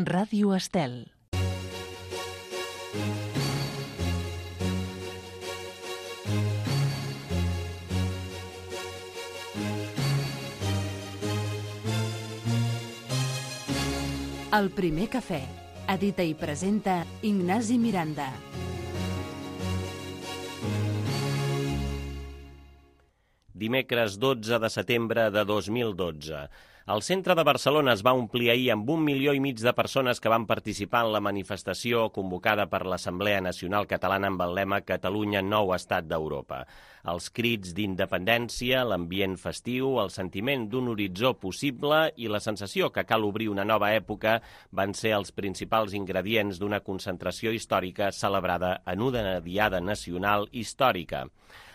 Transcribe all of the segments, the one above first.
Ràdio Estel. El primer cafè. Edita i presenta Ignasi Miranda. Dimecres 12 de setembre de 2012. El centre de Barcelona es va omplir ahir amb 1,5 milió de persones que van participar en la manifestació convocada per l'Assemblea Nacional Catalana amb el lema Catalunya, nou estat d'Europa. Els crits d'independència, l'ambient festiu, el sentiment d'un horitzó possible i la sensació que cal obrir una nova època van ser els principals ingredients d'una concentració històrica celebrada en una diada nacional històrica.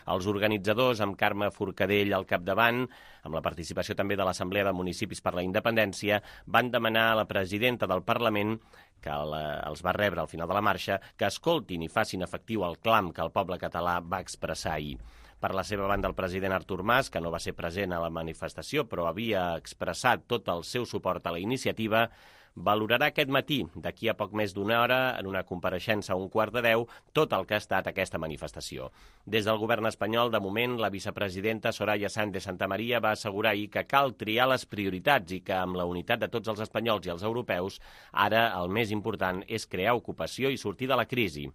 Els organitzadors, amb Carme Forcadell al capdavant, amb la participació també de l'Assemblea de Municipis per la Independència, van demanar a la presidenta del Parlament, que els va rebre al final de la marxa, que escoltin i facin efectiu el clam que el poble català va expressar ahir. Per la seva banda, el president Artur Mas, que no va ser present a la manifestació però havia expressat tot el seu suport a la iniciativa, valorarà aquest matí, d'aquí a poc més d'una hora, en una compareixença a 11:45, tot el que ha estat aquesta manifestació. Des del govern espanyol, de moment, la vicepresidenta Soraya Sáenz de Santamaría va assegurar ahir que cal triar les prioritats i que amb la unitat de tots els espanyols i els europeus, ara el més important és crear ocupació i sortir de la crisi.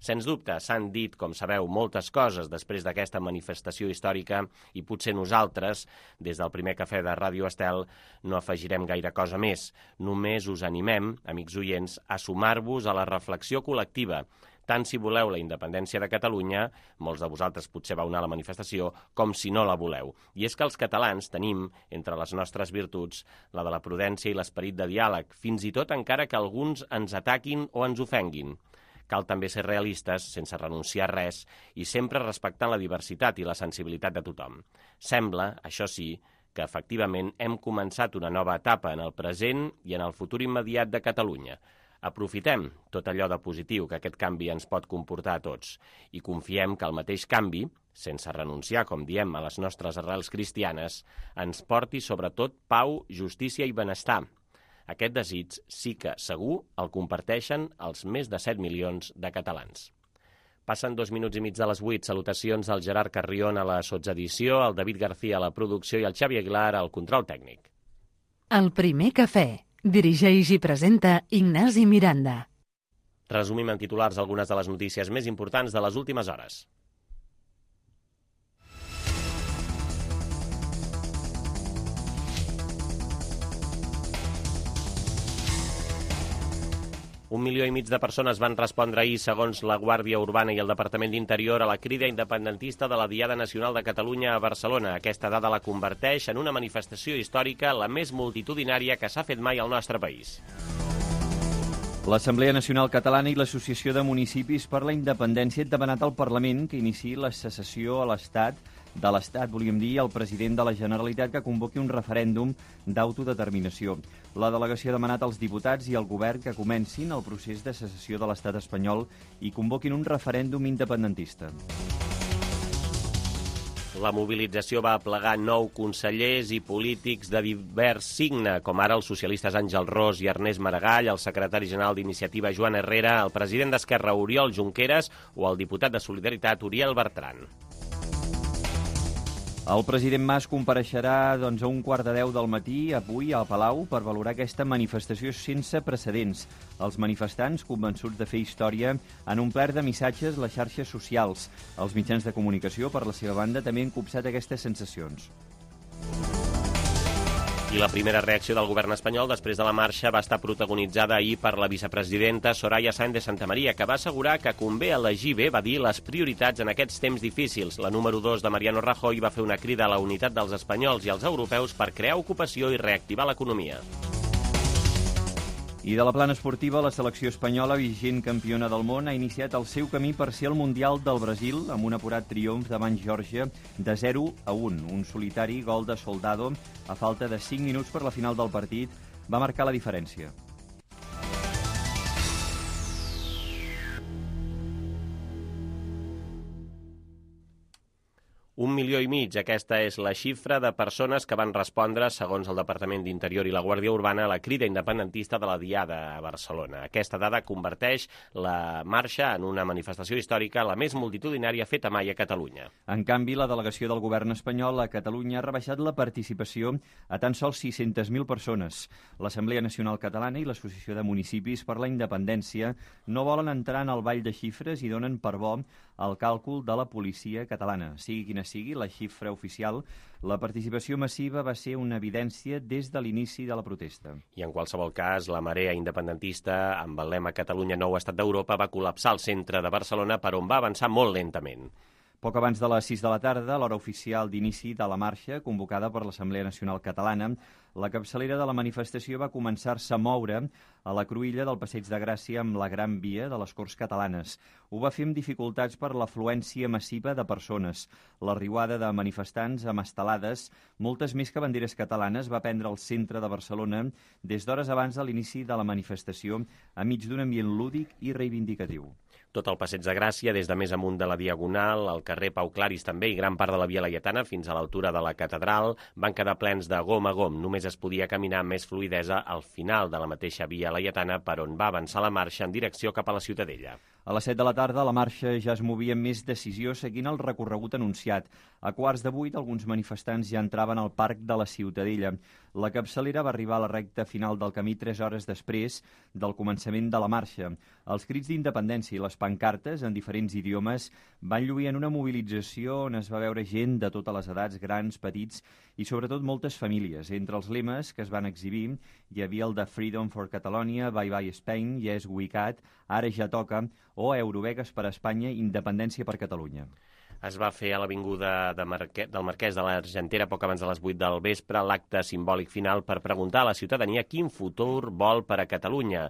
Sens dubte, s'han dit, com sabeu, moltes coses després d'aquesta manifestació històrica i potser nosaltres, des del primer cafè de Ràdio Estel, no afegirem gaire cosa més. Només us animem, amics oients, a sumar-vos a la reflexió col·lectiva, tant si voleu la independència de Catalunya, molts de vosaltres potser vau anar a la manifestació, com si no la voleu. I és que els catalans tenim, entre les nostres virtuts, la de la prudència i l'esperit de diàleg, fins i tot encara que alguns ens ataquin o ens ofenguin. Cal també ser realistes, sense renunciar a res, i sempre respectant la diversitat i la sensibilitat de tothom. Sembla, això sí, que efectivament hem començat una nova etapa en el present i en el futur immediat de Catalunya. Aprofitem tot allò de positiu que aquest canvi ens pot comportar a tots i confiem que el mateix canvi, sense renunciar, com diem, a les nostres arrels cristianes, ens porti sobretot pau, justícia i benestar. Aquest desig sí que, segur, el comparteixen els més de 7 milions de catalans. Passen 2 minuts i mig de les 8. Salutacions al Gerard Carrion a la sotsedició, al David García a la producció i al Xavi Aguilar al control tècnic. El primer cafè. Dirigeix i presenta Ignasi Miranda. Resumim en titulars algunes de les notícies més importants de les últimes hores. Un milió i mig de persones van respondre ahir, segons la Guàrdia Urbana i el Departament d'Interior, a la crida independentista de la Diada Nacional de Catalunya a Barcelona. Aquesta dada la converteix en una manifestació històrica la més multitudinària que s'ha fet mai al nostre país. L'Assemblea Nacional Catalana i l'Associació de Municipis per la Independència han demanat al Parlament que iniciï la secessió de l'Estat, volíem dir, al president de la Generalitat que convoqui un referèndum d'autodeterminació. La delegació ha demanat als diputats i al govern que comencin el procés de secessió de l'Estat espanyol i convoquin un referèndum independentista. La mobilització va aplegar 9 consellers i polítics de divers signe, com ara els socialistes Àngel Ros i Ernest Maragall, el secretari general d'Iniciativa Joan Herrera, el president d'Esquerra Oriol Junqueras o el diputat de Solidaritat Uriel Bertran. El president Mas compareixerà a 11:15 del matí avui al Palau per valorar aquesta manifestació sense precedents. Els manifestants, convençuts de fer història, han omplert de missatges les xarxes socials. Els mitjans de comunicació, per la seva banda, també han copsat aquestes sensacions. I la primera reacció del govern espanyol després de la marxa va estar protagonitzada ahir per la vicepresidenta Soraya Sáenz de Santamaría, que va assegurar que convé elegir bé, va dir, les prioritats en aquests temps difícils. La número 2 de Mariano Rajoy va fer una crida a la unitat dels espanyols i els europeus per crear ocupació i reactivar l'economia. I de la plana esportiva, la selecció espanyola, vigent campiona del món, ha iniciat el seu camí per ser el Mundial del Brasil amb un apurat triomf davant Geòrgia de 0-1. Un solitari gol de Soldado, a falta de 5 minuts per la final del partit, va marcar la diferència. 1,5 milions. Aquesta és la xifra de persones que van respondre, segons el Departament d'Interior i la Guàrdia Urbana, a la crida independentista de la Diada a Barcelona. Aquesta dada converteix la marxa en una manifestació històrica, la més multitudinària feta mai a Catalunya. En canvi, la delegació del govern espanyol a Catalunya ha rebaixat la participació a tan sols 600.000 persones. L'Assemblea Nacional Catalana i l'Associació de Municipis per la Independència no volen entrar en el ball de xifres i donen per bo el càlcul de la policia catalana. Sigui quina sigui la xifra oficial, la participació massiva va ser una evidència des de l'inici de la protesta. I en qualsevol cas, la marea independentista, amb el lema Catalunya nou estat d'Europa, va col·lapsar el centre de Barcelona, per on va avançar molt lentament. Poc abans de les 6 de la tarda, l'hora oficial d'inici de la marxa, convocada per l'Assemblea Nacional Catalana, la capçalera de la manifestació va començar-se a moure a la cruïlla del Passeig de Gràcia amb la Gran Via de les Corts Catalanes. Ho va fer amb dificultats per l'afluència massiva de persones. La riuada de manifestants amb estelades, moltes més que banderes catalanes, va prendre el centre de Barcelona des d'hores abans de l'inici de la manifestació, enmig d'un ambient lúdic i reivindicatiu. Tot el Passeig de Gràcia, des de més amunt de la Diagonal, el carrer Pau Claris també i gran part de la Via Laietana fins a l'altura de la Catedral, van quedar plens de gom a gom. Només es podia caminar amb més fluïdesa al final de la mateixa Via Laietana, per on va avançar la marxa en direcció cap a la Ciutadella. A les 7 de la tarda, la marxa ja es movia amb més decisió seguint el recorregut anunciat. A 7:15, alguns manifestants ja entraven al Parc de la Ciutadella. La capçalera va arribar a la recta final del camí 3 hores després del començament de la marxa. Els crits d'independència i les pancartes, en diferents idiomes, van lluir en una mobilització on es va veure gent de totes les edats, grans, petits i sobretot moltes famílies. Entre els lemes que es van exhibir hi havia el de Freedom for Catalonia, Bye Bye Spain, Yes We Can, Ara ja toca, o Eurovegas per a Espanya, Independència per Catalunya. Es va fer a l'Avinguda del Marquès de l'Argentera poc abans de les 8 del vespre l'acte simbòlic final per preguntar a la ciutadania quin futur vol per a Catalunya.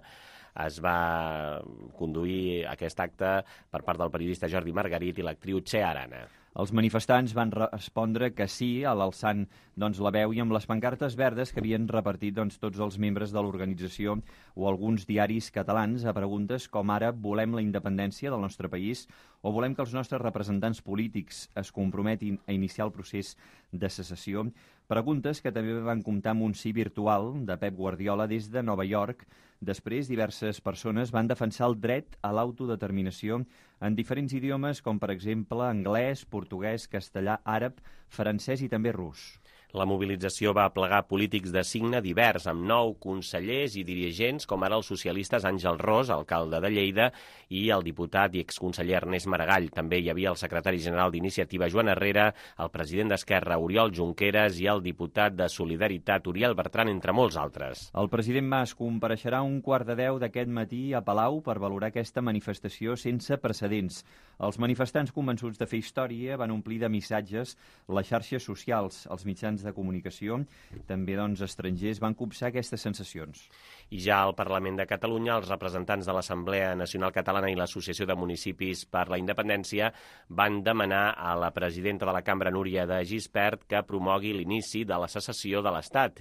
Es va conduir aquest acte per part del periodista Jordi Margarit i l'actriu Txea Arana. Els manifestants van respondre que sí, alçant la veu i amb les pancartes verdes que havien repartit tots els membres de l'organització o alguns diaris catalans a preguntes com ara volem la independència del nostre país o volem que els nostres representants polítics es comprometin a iniciar el procés de secessió. Preguntes que també van comptar amb un sí virtual de Pep Guardiola des de Nova York. Després, diverses persones van defensar el dret a l'autodeterminació en diferents idiomes, com per exemple anglès, portuguès, castellà, àrab, francès i també rus. La mobilització va aplegar polítics de signe divers, amb 9 consellers i dirigents, com ara els socialistes Àngel Ros, alcalde de Lleida, i el diputat i exconseller Ernest Maragall. També hi havia el secretari general d'Iniciativa, Joan Herrera, el president d'Esquerra, Oriol Junqueras, i el diputat de Solidaritat, Uriel Bertran, entre molts altres. El president Mas compareixerà a 9:15 d'aquest matí a Palau per valorar aquesta manifestació sense precedents. Els manifestants convençuts de fer història van omplir de missatges les xarxes socials, els mitjans de comunicació, també estrangers, van copsar aquestes sensacions. I ja al Parlament de Catalunya, els representants de l'Assemblea Nacional Catalana i l'Associació de Municipis per la Independència van demanar a la presidenta de la Cambra, Núria de Gispert, que promogui l'inici de la secessió de l'Estat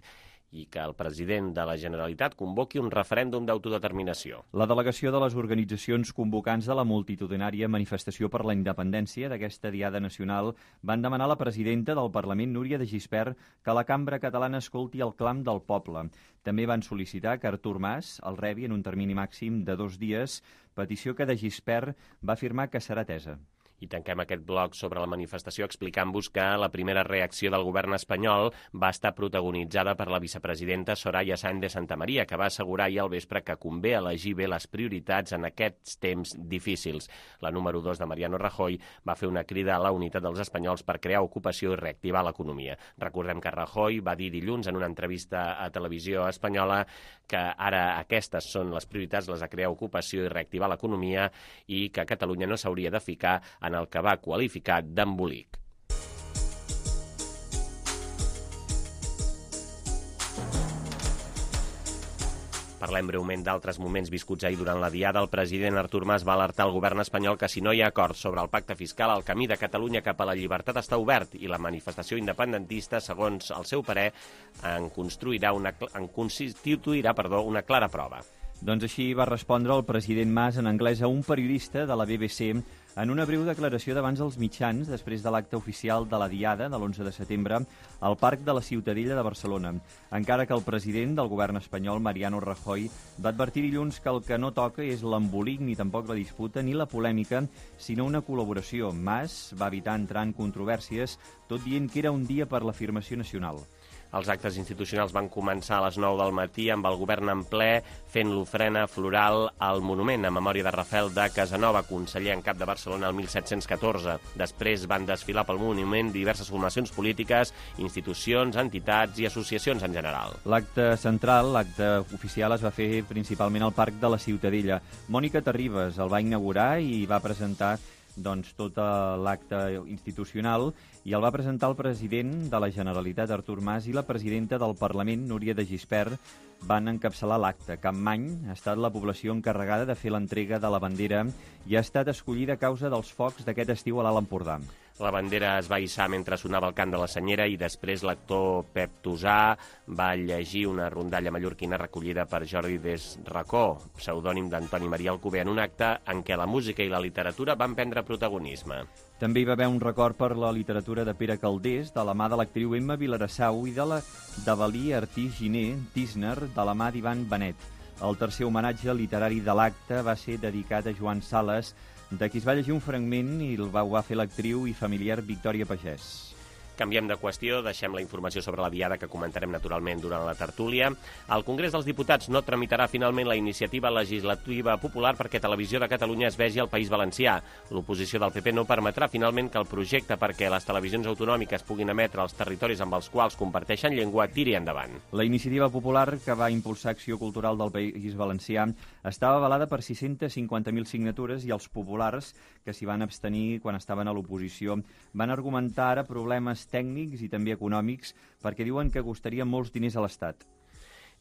i que el president de la Generalitat convoqui un referèndum d'autodeterminació. La delegació de les organitzacions convocants de la multitudinària manifestació per la independència d'aquesta Diada Nacional van demanar a la presidenta del Parlament, Núria de Gispert, que la Cambra Catalana escolti el clam del poble. També van sol·licitar que Artur Mas el rebi en un termini màxim de 2 dies, petició que de Gispert va afirmar que serà atesa. I tanquem aquest bloc sobre la manifestació explicant-vos que la primera reacció del govern espanyol va estar protagonitzada per la vicepresidenta Soraya Sáenz de Santamaría, que va assegurar ahir al vespre que convé elegir bé les prioritats en aquests temps difícils. La número 2 de Mariano Rajoy va fer una crida a la unitat dels espanyols per crear ocupació i reactivar l'economia. Recordem que Rajoy va dir dilluns en una entrevista a Televisió Espanyola que ara aquestes són les prioritats, les de crear ocupació i reactivar l'economia, i que Catalunya no s'hauria de ficar en el que va qualificar d'embolic. Parlem breument d'altres moments viscuts ahir durant la Diada. El president Artur Mas va alertar al govern espanyol que si no hi ha acord sobre el pacte fiscal, el camí de Catalunya cap a la llibertat està obert i la manifestació independentista, segons el seu parer, en constituirà una clara prova. Doncs així va respondre el president Mas en anglès a un periodista de la BBC En una breu declaració davant els mitjans, després de l'acte oficial de la Diada de l'11 de setembre, al Parc de la Ciutadella de Barcelona, encara que el president del govern espanyol, Mariano Rajoy, va advertir dilluns que el que no toca és l'embolic ni tampoc la disputa ni la polèmica, sinó una col·laboració. Mas va evitar entrar en controvèrsies, tot dient que era un dia per l'afirmació nacional. Els actes institucionals van començar a les 9 del matí amb el govern en ple fent l'ofrena floral al monument en memòria de Rafael de Casanova, conseller en cap de Barcelona el 1714. Després van desfilar pel monument diverses formacions polítiques, institucions, entitats i associacions en general. L'acte central, l'acte oficial, es va fer principalment al Parc de la Ciutadella. Mònica Terribas el va inaugurar i va presentar tot l'acte institucional, i el va presentar el president de la Generalitat, Artur Mas, i la presidenta del Parlament, Núria de Gispert, van encapçalar l'acte. Capmany ha estat la població encarregada de fer l'entrega de la bandera i ha estat escollida a causa dels focs d'aquest estiu a l'Alt Empordà. La bandera es va hissar mentre sonava el cant de la senyera i després l'actor Pep Tosà va llegir una rondalla mallorquina recollida per Jordi Desracó, pseudònim d'Antoni Maria Alcover, en un acte en què la música i la literatura van prendre protagonisme. També hi va haver un record per la literatura de Pere Calders, de la mà de l'actriu Emma Vilarassau, i de la d'Avalí Artís Giner, Tisner, de la mà d'Ivan Benet. El tercer homenatge literari de l'acte va ser dedicat a Joan Sales, de qui es va llegir un fragment i el va fer l'actriu i familiar Victòria Pagès. Canviem de qüestió, deixem la informació sobre la Diada que comentarem naturalment durant la tertúlia. El Congrés dels Diputats no tramitarà finalment la iniciativa legislativa popular perquè Televisió de Catalunya es vegi al País Valencià. L'oposició del PP no permetrà finalment que el projecte perquè les televisions autonòmiques puguin emetre als territoris amb els quals comparteixen llengua tiri endavant. La iniciativa popular que va impulsar Acció Cultural del País Valencià estava avalada per 650.000 signatures i els populars, que s'hi van abstenir quan estaven a l'oposició, van argumentar ara problemes tècnics i també econòmics perquè diuen que costaria molts diners a l'Estat.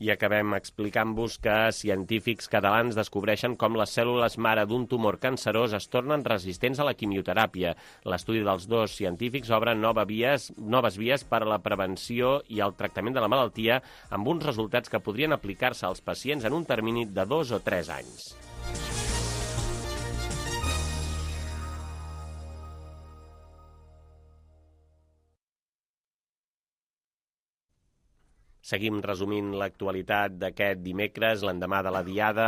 I acabem explicant-vos que científics catalans descobreixen com les cèl·lules mare d'un tumor cancerós es tornen resistents a la quimioteràpia. L'estudi dels dos científics obre noves vies per a la prevenció i el tractament de la malaltia amb uns resultats que podrien aplicar-se als pacients en un termini de 2 o 3 anys. Seguim resumint l'actualitat d'aquest dimecres, l'endemà de la Diada.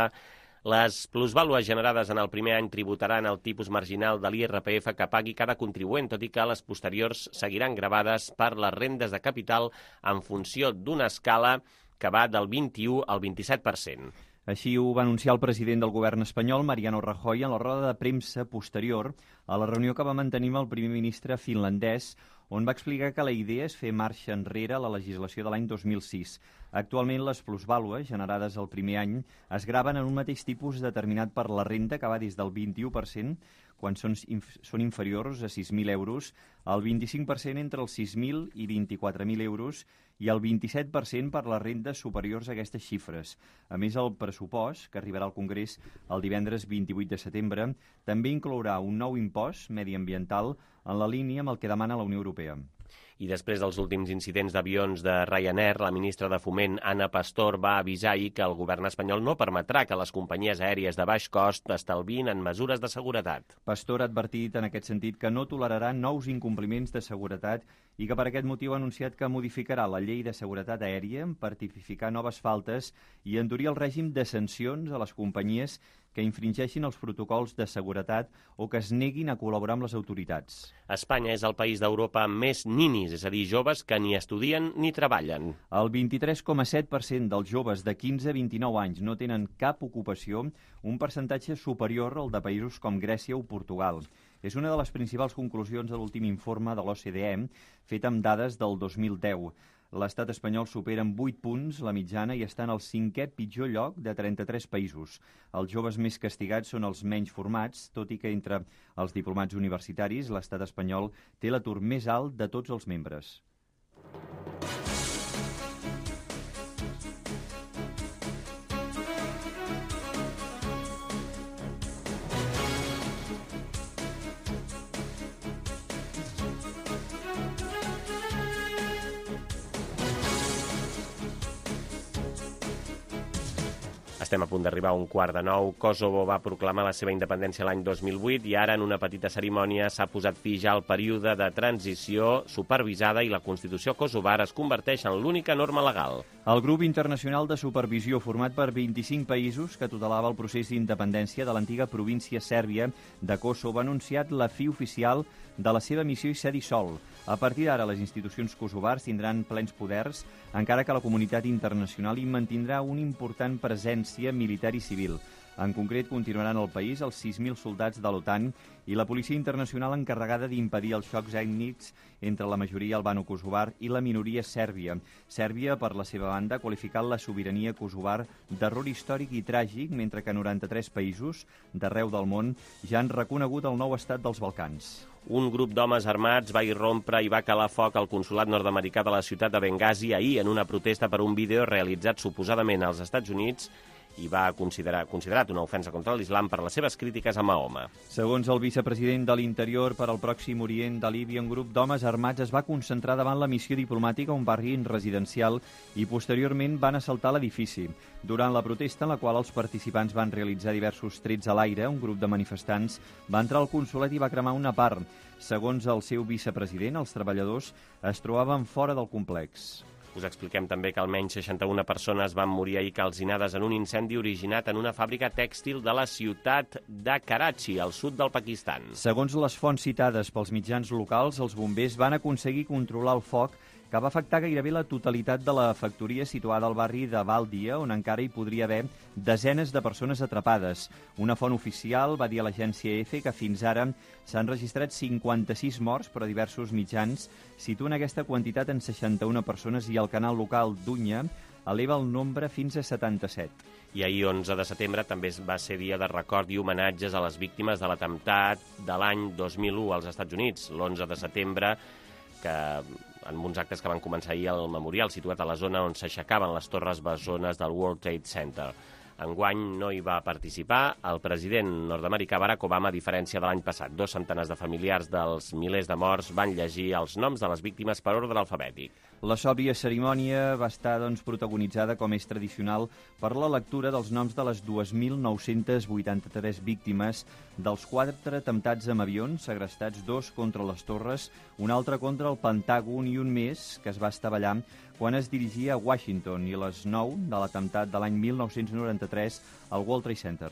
Les plusvàlues generades en el primer any tributaran el tipus marginal de l'IRPF que pagui cada contribuent, tot i que les posteriors seguiran gravades per les rendes de capital en funció d'una escala que va del 21 al 27%. Així ho va anunciar el president del govern espanyol, Mariano Rajoy, en la roda de premsa posterior a la reunió que va mantenir amb el primer ministre finlandès, on va explicar que la idea és fer marxa enrere a la legislació de l'any 2006. Actualment, les plusvàlues generades el primer any es graven en un mateix tipus determinat per la renda, que va des del 21%, quan són inferiors a 6.000 euros, el 25% entre els 6.000 i 24.000 euros i el 27% per les rendes superiors a aquestes xifres. A més, el pressupost, que arribarà al Congrés el divendres 28 de setembre, també inclourà un nou impost mediambiental en la línia amb el que demana la Unió Europea. I després dels últims incidents d'avions de Ryanair, la ministra de Foment, Ana Pastor, va avisar ahir que el govern espanyol no permetrà que les companyies aèries de baix cost estalviïn en mesures de seguretat. Pastor ha advertit en aquest sentit que no tolerarà nous incompliments de seguretat i que per aquest motiu ha anunciat que modificarà la llei de seguretat aèria per tipificar noves faltes i endurir el règim de sancions a les companyies que infringeixin els protocols de seguretat o que es neguin a col·laborar amb les autoritats. Espanya és el país d'Europa amb més ninis, és a dir, joves que ni estudien ni treballen. El 23,7% dels joves de 15 a 29 anys no tenen cap ocupació, un percentatge superior al de països com Grècia o Portugal. És una de les principals conclusions de l'últim informe de l'OCDE, fet amb dades del 2010. L'estat espanyol supera en 8 punts la mitjana i està en el 5è pitjor lloc de 33 països. Els joves més castigats són els menys formats, tot i que entre els diplomats universitaris l'estat espanyol té l'atur més alt de tots els membres. Estem Estem a punt d'arribar a 8:45. Kosovo va proclamar la seva independència l'any 2008 i ara, en una petita cerimònia, s'ha posat fi ja al període de transició supervisada i la Constitució kosovar es converteix en l'única norma legal. El grup internacional de supervisió, format per 25 països que tutelava el procés d'independència de l'antiga província sèrbia de Kosovo, ha anunciat la fi oficial de la seva missió i s'ha dissolt. A partir d'ara, les institucions kosovars tindran plens poders, encara que la comunitat internacional hi mantindrà una important presència militar i civil. En concret, continuaran al país els 6.000 soldats de l'OTAN i la policia internacional encarregada d'impedir els xocs ètnics entre la majoria albano-kosovar i la minoria sèrbia. Sèrbia, per la seva banda, ha qualificat la sobirania kosovar d'error històric i tràgic, mentre que 93 països d'arreu del món ja han reconegut el nou estat dels Balcans. Un grup d'homes armats va irrompre i va calar foc al consolat nord-americà de la ciutat de Benghazi ahir en una protesta per un vídeo realitzat suposadament als Estats Units i va considerat una ofensa contra l'islam per les seves crítiques a Mahoma. Segons el vicepresident de l'Interior per al Pròxim Orient de Líbia, un grup d'homes armats es va concentrar davant la missió diplomàtica a un barri residencial i posteriorment van assaltar l'edifici. Durant la protesta, en la qual els participants van realitzar diversos trets a l'aire, un grup de manifestants va entrar al consolat i va cremar una part. Segons el seu vicepresident, els treballadors es trobaven fora del complex. Us expliquem també que almenys 61 persones van morir ahir calcinades en un incendi originat en una fàbrica tèxtil de la ciutat de Karachi, al sud del Pakistan. Segons les fonts citades pels mitjans locals, els bombers van aconseguir controlar el foc que va afectar gairebé la totalitat de la factoria situada al barri de Baldia, on encara hi podria haver desenes de persones atrapades. Una font oficial va dir a l'agència EFE que fins ara s'han registrat 56 morts, però diversos mitjans situen aquesta quantitat en 61 persones i el canal local d'Unya eleva el nombre fins a 77. I ahir, 11 de setembre, també va ser dia de record i homenatges a les víctimes de l'atemptat de l'any 2001 als Estats Units. L'11 de setembre, que en uns actes que van començar ahir al memorial, situat a la zona on s'aixecaven les torres bessones del World Trade Center. Enguany no hi va participar el president nord-americà Barack Obama, a diferència de l'any passat. 2 centenars de familiars dels milers de morts van llegir els noms de les víctimes per ordre alfabètic. La sòbria cerimònia va estar protagonitzada, com és tradicional, per la lectura dels noms de les 2.983 víctimes dels 4 atemptats amb avions, segrestats 2 contra les torres, un altre contra el Pentàgon i un més que es va estavellar quan es dirigia a Washington, i les 9 de l'atemptat de l'any 1993 al World Trade Center.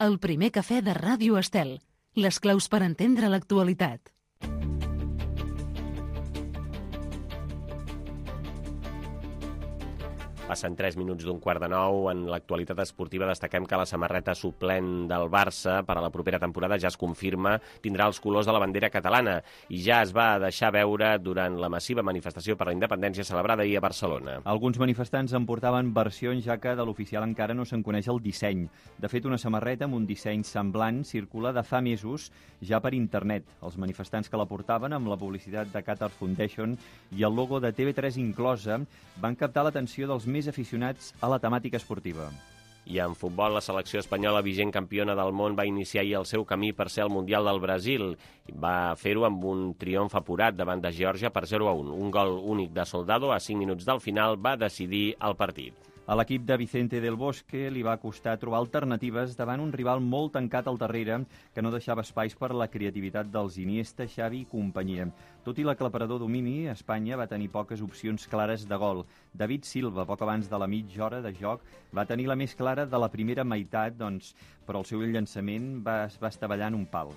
El primer cafè de Ràdio Estel. Les claus per entendre l'actualitat. Passen 3 minuts d'8:45. En l'actualitat esportiva destaquem que la samarreta suplent del Barça per a la propera temporada ja es confirma, tindrà els colors de la bandera catalana i ja es va deixar veure durant la massiva manifestació per la independència celebrada ahir a Barcelona. Alguns manifestants en portaven versions, ja que de l'oficial encara no se'n coneix el disseny. De fet, una samarreta amb un disseny semblant circula de fa mesos ja per internet. Els manifestants que la portaven, amb la publicitat de Qatar Foundation i el logo de TV3 inclosa, van captar l'atenció dels més aficionats a la temàtica esportiva. I en futbol, la selecció espanyola, vigent campiona del món, va iniciar ahir el seu camí per ser el Mundial del Brasil. Va fer-ho amb un triomf apurat davant de Geòrgia per 0-1. Un gol únic de Soldado a 5 minuts del final va decidir el partit. A l'equip de Vicente del Bosque li va costar trobar alternatives davant un rival molt tancat al darrere que no deixava espais per a la creativitat dels Iniesta, Xavi i companyia. Tot i l'aclaparador domini, Espanya va tenir poques opcions clares de gol. David Silva, poc abans de la mitja hora de joc, va tenir la més clara de la primera meitat, però el seu llançament va estavellar en un pal.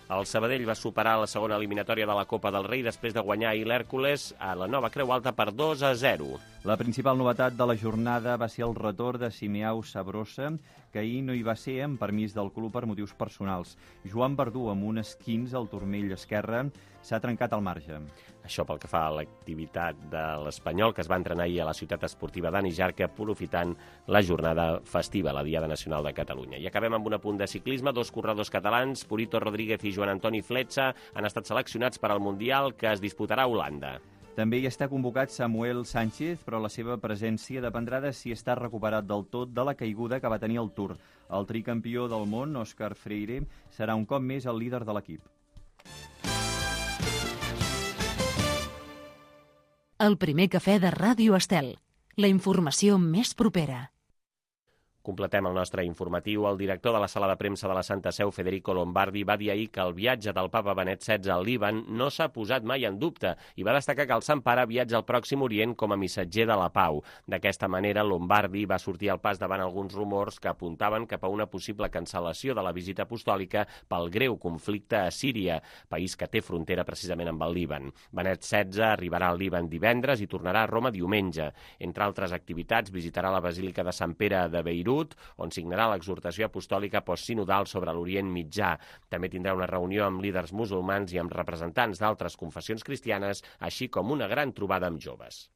El Sabadell va superar la segona eliminatòria de la Copa del Rei després de guanyar ahir l'Hèrcules a la Nova Creu Alta per 2-0. La principal novetat de la jornada va ser el retorn de Simeão Sabrosa, que ahir no hi va ser amb permís del club per motius personals. Joan Verdú, amb un esquins al turmell esquerre, s'ha trencat al marge. Això pel que fa a l'activitat de l'Espanyol, que es va entrenar ahir a la ciutat esportiva d'Ani Jarque, aprofitant la jornada festiva, la Diada Nacional de Catalunya. I acabem amb un apunt de ciclisme. 2 corredors catalans, Purito Rodríguez i Joan Antoni Fletxa, han estat seleccionats per al Mundial que es disputarà a Holanda. També hi està convocat Samuel Sánchez, però la seva presència dependrà de si està recuperat del tot de la caiguda que va tenir al Tour. El tricampió del món, Òscar Freire, serà un cop més el líder de l'equip. El primer cafè de Ràdio Estel. La informació més propera. Completem el nostre informatiu. El director de la sala de premsa de la Santa Seu, Federico Lombardi, va dir ahir que el viatge del papa Benet XVI al Líban no s'ha posat mai en dubte i va destacar que el Sant Pare viatja al Pròxim Orient com a missatger de la pau. D'aquesta manera, Lombardi va sortir al pas davant alguns rumors que apuntaven cap a una possible cancel·lació de la visita apostòlica pel greu conflicte a Síria, país que té frontera precisament amb el Líban. Benet XVI arribarà al Líban divendres i tornarà a Roma diumenge. Entre altres activitats, visitarà la Basílica de Sant Pere de Beirut, on signarà l'exhortació apostòlica postsinodal sobre l'Orient Mitjà. També tindrà una reunió amb líders musulmans i amb representants d'altres confessions cristianes, així com una gran trobada amb joves.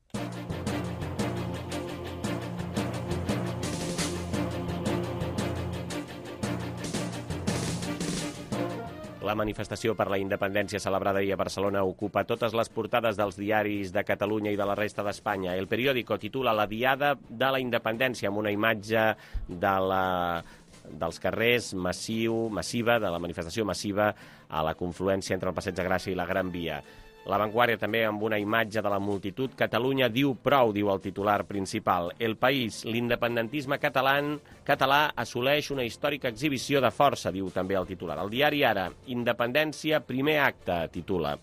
La manifestació per la independència celebrada ahir a Barcelona ocupa totes les portades dels diaris de Catalunya i de la resta d'Espanya. El periòdico titula La Diada de la Independència, amb una imatge dels carrers massiva, de la manifestació massiva a la confluència entre el Passeig de Gràcia i la Gran Via. La Vanguardia també amb una imatge de la multitud. Catalunya diu prou, diu el titular principal. El País, l'independentisme català assoleix una històrica exhibició de força, diu també el titular. El diari Ara, independència, primer acte, titula.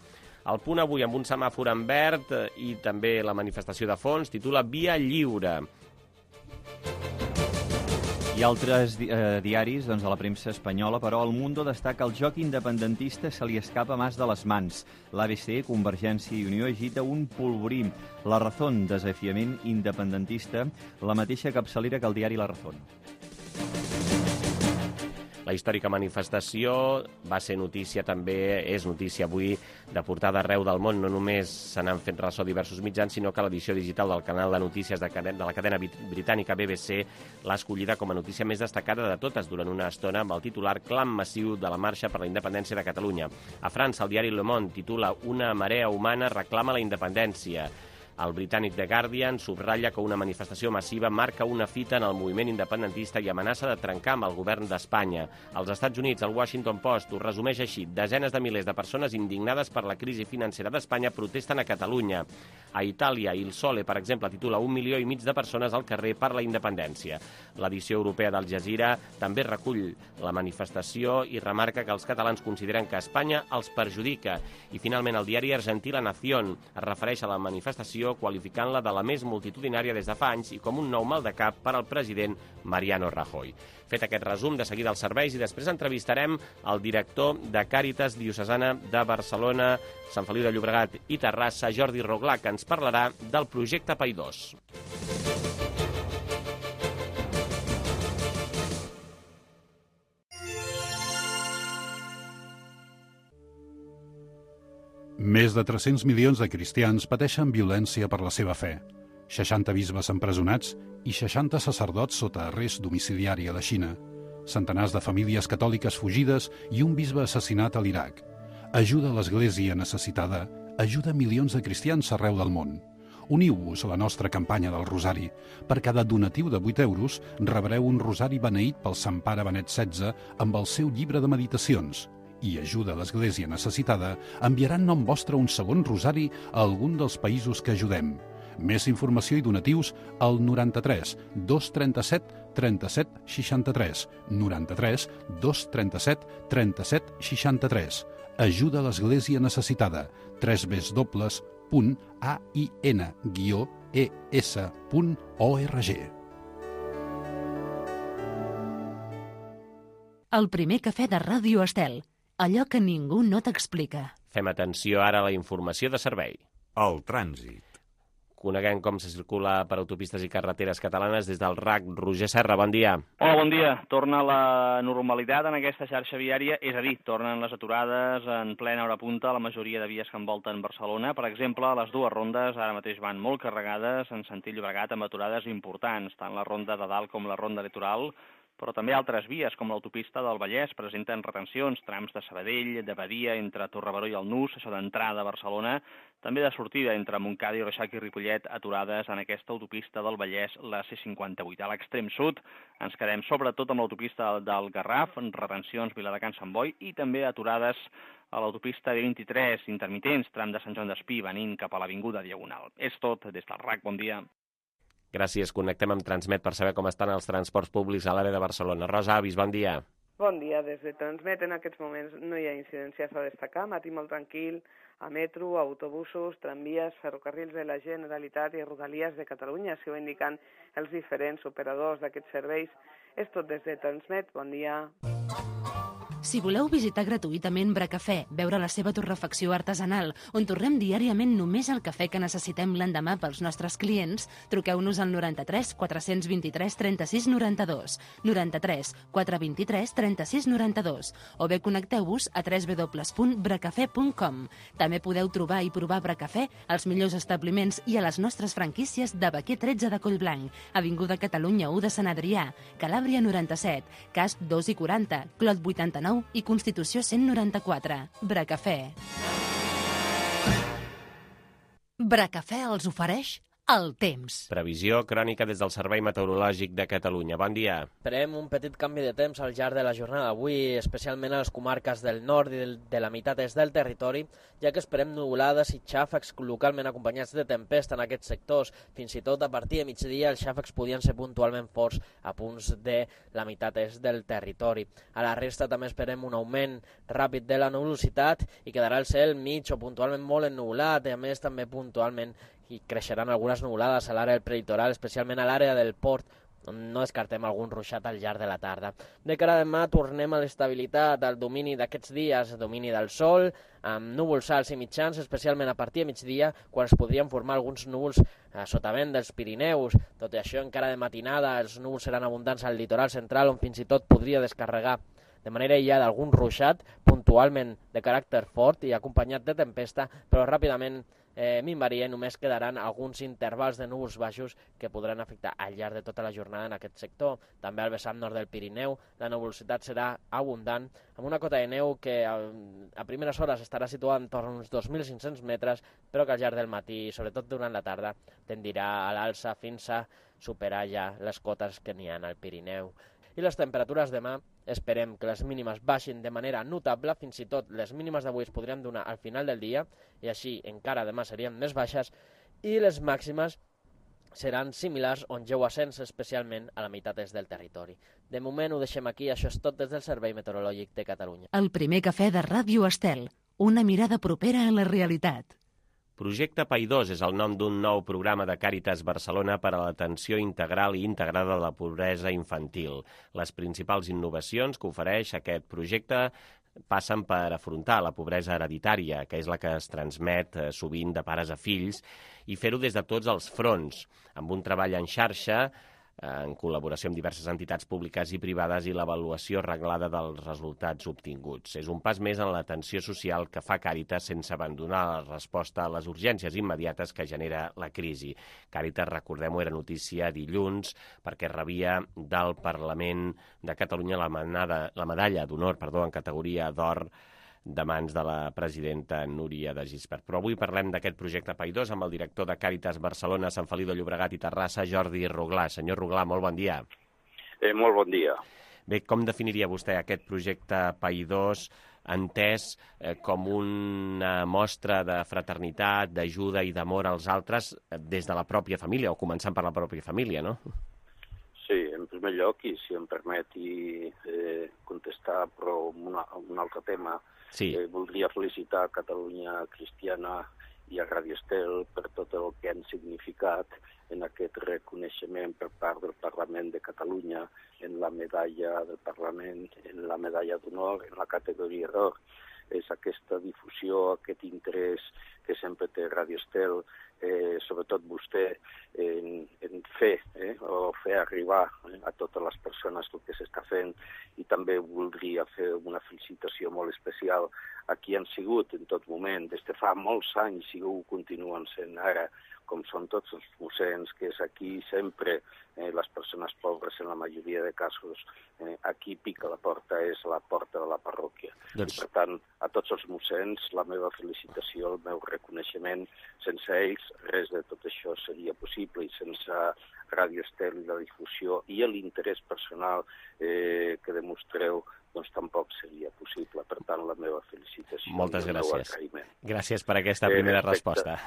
El Punt avui amb un semàfor en verd i també la manifestació de fons titula Via Lliure. I altres diaris de la premsa espanyola, però El Mundo destaca el joc independentista se li escapa mas de les mans. L'ABC, Convergència i Unió, agita un polvorí. La Razón, desafiament independentista, la mateixa capçalera que el diari La Razón. La històrica manifestació va ser notícia també, és notícia avui de portada arreu del món. No només se n'han fet ressò diversos mitjans, sinó que l'edició digital del canal de notícies de la cadena britànica BBC l'ha escollida com a notícia més destacada de totes durant una estona amb el titular Clam massiu de la marxa per la independència de Catalunya. A França, el diari Le Monde titula Una marea humana reclama la independència. El britànic The Guardian subratlla que una manifestació massiva marca una fita en el moviment independentista i amenaça de trencar amb el govern d'Espanya. Als Estats Units, el Washington Post ho resumeix així. Desenes de milers de persones indignades per la crisi financera d'Espanya protesten a Catalunya. A Itàlia, Il Sole, per exemple, titula 1,5 milió de persones al carrer per la independència. L'edició europea d'Al Jazeera també recull la manifestació i remarca que els catalans consideren que Espanya els perjudica. I finalment, el diari argentí La Nación es refereix a la manifestació qualificant-la de la més multitudinària des de fa anys i com un nou mal de cap per al president Mariano Rajoy. Fet aquest resum, de seguida els serveis i després entrevistarem el director de Càritas Diocesana de Barcelona, Sant Feliu de Llobregat i Terrassa, Jordi Roglà, que ens parlarà del projecte Paidós. Més de 300 milions de cristians pateixen violència per la seva fe. 60 bisbes empresonats i 60 sacerdots sota arrest domiciliari a la Xina. Centenars de famílies catòliques fugides i un bisbe assassinat a l'Iraq. Ajuda a l'Església necessitada, ajuda milions de cristians arreu del món. Uniu-vos a la nostra campanya del Rosari. Per cada donatiu de 8 euros rebreu un rosari beneït pel Sant Pare Benet XVI amb el seu llibre de meditacions. I ajuda a l'Església necessitada enviarà en nom vostre un segon rosari a algun dels països que ajudem. Més informació i donatius al 93 237 37 63. 93 237 37 63. Ajuda a l'Església necessitada. www.ain-es.org. El primer cafè de Ràdio Estel. Allò que ningú no t'explica. Fem atenció ara a la informació de servei. El trànsit. Coneguem com se circula per autopistes i carreteres catalanes des del RAC. Roger Serra, bon dia. Hola, bon dia. Torna la normalitat en aquesta xarxa viària, és a dir, tornen les aturades en plena hora punta a la majoria de vies que envolten Barcelona. Per exemple, les dues rondes ara mateix van molt carregades en sentit Llobregat amb aturades importants, tant la ronda de dalt com la ronda litoral. però també altres vies, com l'autopista del Vallès, presenten retencions, trams de Sabadell, de Badia, entre Torrebaró i el Nus, això d'entrada a Barcelona, també de sortida entre Montcada i Reixac i Ripollet, aturades en aquesta autopista del Vallès, la C58. A l'extrem sud ens quedem sobretot amb l'autopista del Garraf, retencions Viladecans Sant Boi i també aturades a l'autopista D23, intermitents, tram de Sant Joan d'Espí, venint cap a l'Avinguda Diagonal. És tot des del RAC, bon dia. Gràcies. Connectem amb Transmet per saber com estan els transports públics a l'àrea de Barcelona. Rosa Avis, bon dia. Bon dia. Des de Transmet en aquests moments no hi ha incidències a destacar. Matí molt tranquil a metro, autobusos, tramvies, ferrocarrils de la Generalitat i Rodalies de Catalunya. S'hi ho indiquen els diferents operadors d'aquests serveis. És tot des de Transmet. Bon dia. Si voleu visitar gratuïtament Bracafè, veure la seva torrefacció artesanal, on torrem diàriament només el cafè que necessitem l'endemà pels nostres clients, truqueu-nos al 93 423 36 92, 93 423 36 92, o bé connecteu-vos a www.bracafè.com. També podeu trobar i provar Bracafè als millors establiments i a les nostres franquícies de Baquer 13 de Collblanc, Avinguda Catalunya 1 de Sant Adrià, Calàbria 97, Casp 2 i 40, Clot 89 i Constitució 194. Bracafè. Bracafè els ofereix el temps. Previsió crònica des del Servei Meteorològic de Catalunya. Bon dia. Esperem un petit canvi de temps al llarg de la jornada d'avui, especialment a les comarques del nord i de la meitat est del territori, ja que esperem nuvolades i xàfecs localment acompanyats de tempesta en aquests sectors. Fins i tot a partir de migdia els xàfecs podien ser puntualment forts a punts de la meitat est del territori. A la resta també esperem un augment ràpid de la nuvolositat i quedarà el cel mig o puntualment molt ennuvolat i a més també puntualment i creixeran algunes nuvolades a l'àrea del prelitoral, especialment a l'àrea del port, on no descartem algun ruixat al llarg de la tarda. De cara a demà tornem a l'estabilitat, al domini d'aquests dies, domini del sol, amb núvols alts i mitjans, especialment a partir de migdia, quan es podrien formar alguns núvols a sotavent dels Pirineus. Tot i això, encara de matinada, els núvols seran abundants al litoral central, on fins i tot podria descarregar de manera aïllada algun ruixat, puntualment de caràcter fort i acompanyat de tempesta, però ràpidament minvaria i només quedaran alguns intervals de núvols baixos que podran afectar al llarg de tota la jornada en aquest sector. També al vessant nord del Pirineu la nuvolositat serà abundant, amb una cota de neu que a primeres hores estarà situada entorn a uns 2.500 metres, però que al llarg del matí, sobretot durant la tarda, tendirà a l'alça fins a superar ja les cotes que n'hi ha al Pirineu. I les temperatures demà esperem que les mínimes baixin de manera notable, fins i tot les mínimes d'avui es podrien donar al final del dia, i així encara demà serien més baixes, i les màximes seran similars on lleu ascens, especialment a la meitat est del territori. De moment ho deixem aquí, això és tot des del Servei Meteorològic de Catalunya. El primer cafè de Ràdio Estel, una mirada propera a la realitat. Projecte Paidós és el nom d'un nou programa de Càritas Barcelona per a l'atenció integral i integrada de la pobresa infantil. Les principals innovacions que ofereix aquest projecte passen per afrontar la pobresa hereditària, que és la que es transmet sovint de pares a fills, i fer-ho des de tots els fronts, amb un treball en xarxa, en col·laboració amb diverses entitats públiques i privades i l'avaluació reglada dels resultats obtinguts. És un pas més en l'atenció social que fa Càritas sense abandonar la resposta a les urgències immediates que genera la crisi. Càritas, recordem-ho, era notícia dilluns perquè rebia del Parlament de Catalunya la medalla d'honor en categoria d'or de mans de la presidenta Núria de Gispert. Però avui parlem d'aquest projecte Paidós amb el director de Càritas Barcelona, Sant Feliu de Llobregat i Terrassa, Jordi Ruglà. Senyor Ruglà, molt bon dia. Molt bon dia. Bé, com definiria vostè aquest projecte Paidós entès com una mostra de fraternitat, d'ajuda i d'amor als altres des de la pròpia família, o començant per la pròpia família, no? Sí, en primer lloc, i si em permeti contestar però un altre tema, sí. Voldria felicitar Catalunya Cristiana i a Radio Estel per tot el que han significat en aquest reconeixement per part del Parlament de Catalunya en la medalla del Parlament, en la medalla d'honor, en la categoria d'or. És aquesta difusió, aquest interès que sempre té Radio Estel, sobretot vostè, en fer o fer arribar a totes les persones el que s'està fent, i també voldria fer una felicitació molt especial a qui han sigut en tot moment, des de fa molts anys i ho continuen sent ara, com són tots els mossens, que és aquí sempre les persones pobres, en la majoria de casos, aquí pica la porta, és la porta de la parròquia. I per tant, a tots els mossens, la meva felicitació, el meu reconeixement. Sense ells, res de tot això seria possible, i sense Radio Estel i la difusió i l'interès personal que demostreu, doncs tampoc seria possible. Per tant, la meva felicitació. Moltes gràcies. I el meu agraïment. Gràcies per aquesta primera resposta.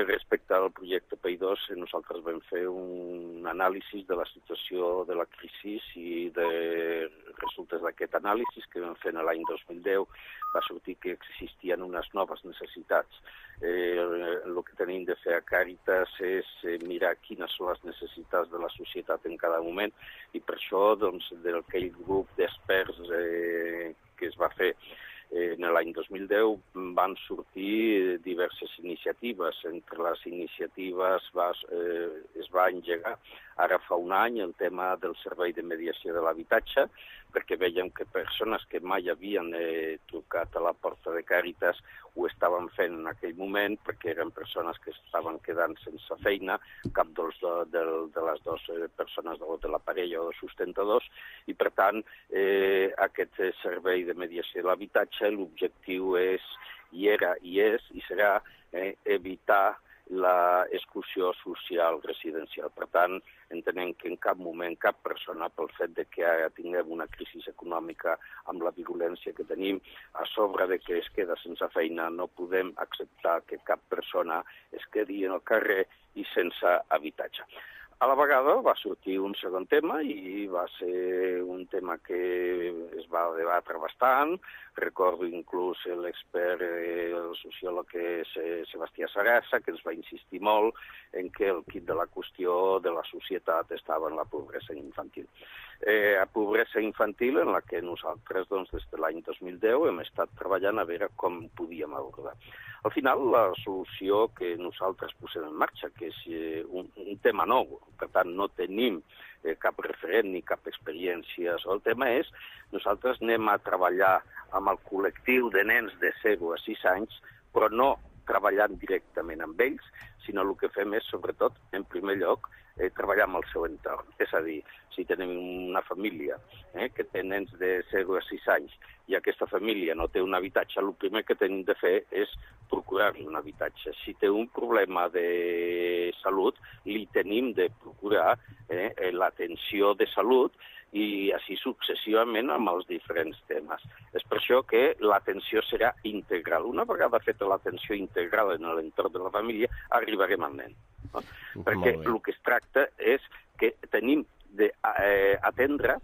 Respecte al projecte PAI2, nosaltres vam fer un anàlisi de la situació de la crisi, i de resultes d'aquest anàlisi que vam fer l'any 2010 va sortir que existien unes noves necessitats. El que tenim de fer a Càritas és mirar quines són les necessitats de la societat en cada moment, i per això, doncs, d'aquell grup d'experts que es va fer en l'any 2010 van sortir diverses iniciatives. Entre les iniciatives es va engegar ara fa un any el tema del servei de mediació de l'habitatge, perquè veiem que persones que mai havien trucat a la porta de Càritas ho estaven fent en aquell moment, perquè eren persones que estaven quedant sense feina, cap de les dues persones de la parella o sustentadors, i per tant aquest servei de mediació de l'habitatge, l'objectiu és, i era, i és, i serà evitar l'exclusió social residencial. Per tant, entenem que en cap moment cap persona, pel fet de que ara tinguem una crisi econòmica amb la virulència que tenim, a sobre de que es queda sense feina, no podem acceptar que cap persona es quedi en el carrer i sense habitatge. A la vegada va sortir un segon tema, i va ser un tema que es va debatre bastant. Recordo inclús l'expert, el sociòleg que és Sebastià Sarassa, que ens va insistir molt en que el quid de la qüestió de la societat estava en la pobresa infantil. A pobresa infantil en la que nosaltres, doncs, des de l'any 2010 hem estat treballant a veure com podíem abordar. Al final, la solució que nosaltres posem en marxa, que és un tema nou, per tant no tenim cap referent ni cap experiència sobre el tema, és nosaltres anem a treballar amb el col·lectiu de nens de 0 a 6 anys, però no treballant directament amb ells, sinó el que fem és, sobretot, en primer lloc, treballar amb el seu entorn. És a dir, si tenim una família que té nens de 0 a 6 anys i aquesta família no té un habitatge, el primer que tenim de fer és procurar-li un habitatge. Si té un problema de salut, li tenim de procurar l'atenció de salut, i així successivament amb els diferents temes. És per això que l'atenció serà integral. Una vegada feta l'atenció integral en l'entorn de la família, arribarem al nen. No? Perquè el que es tracta és que tenim d'atendre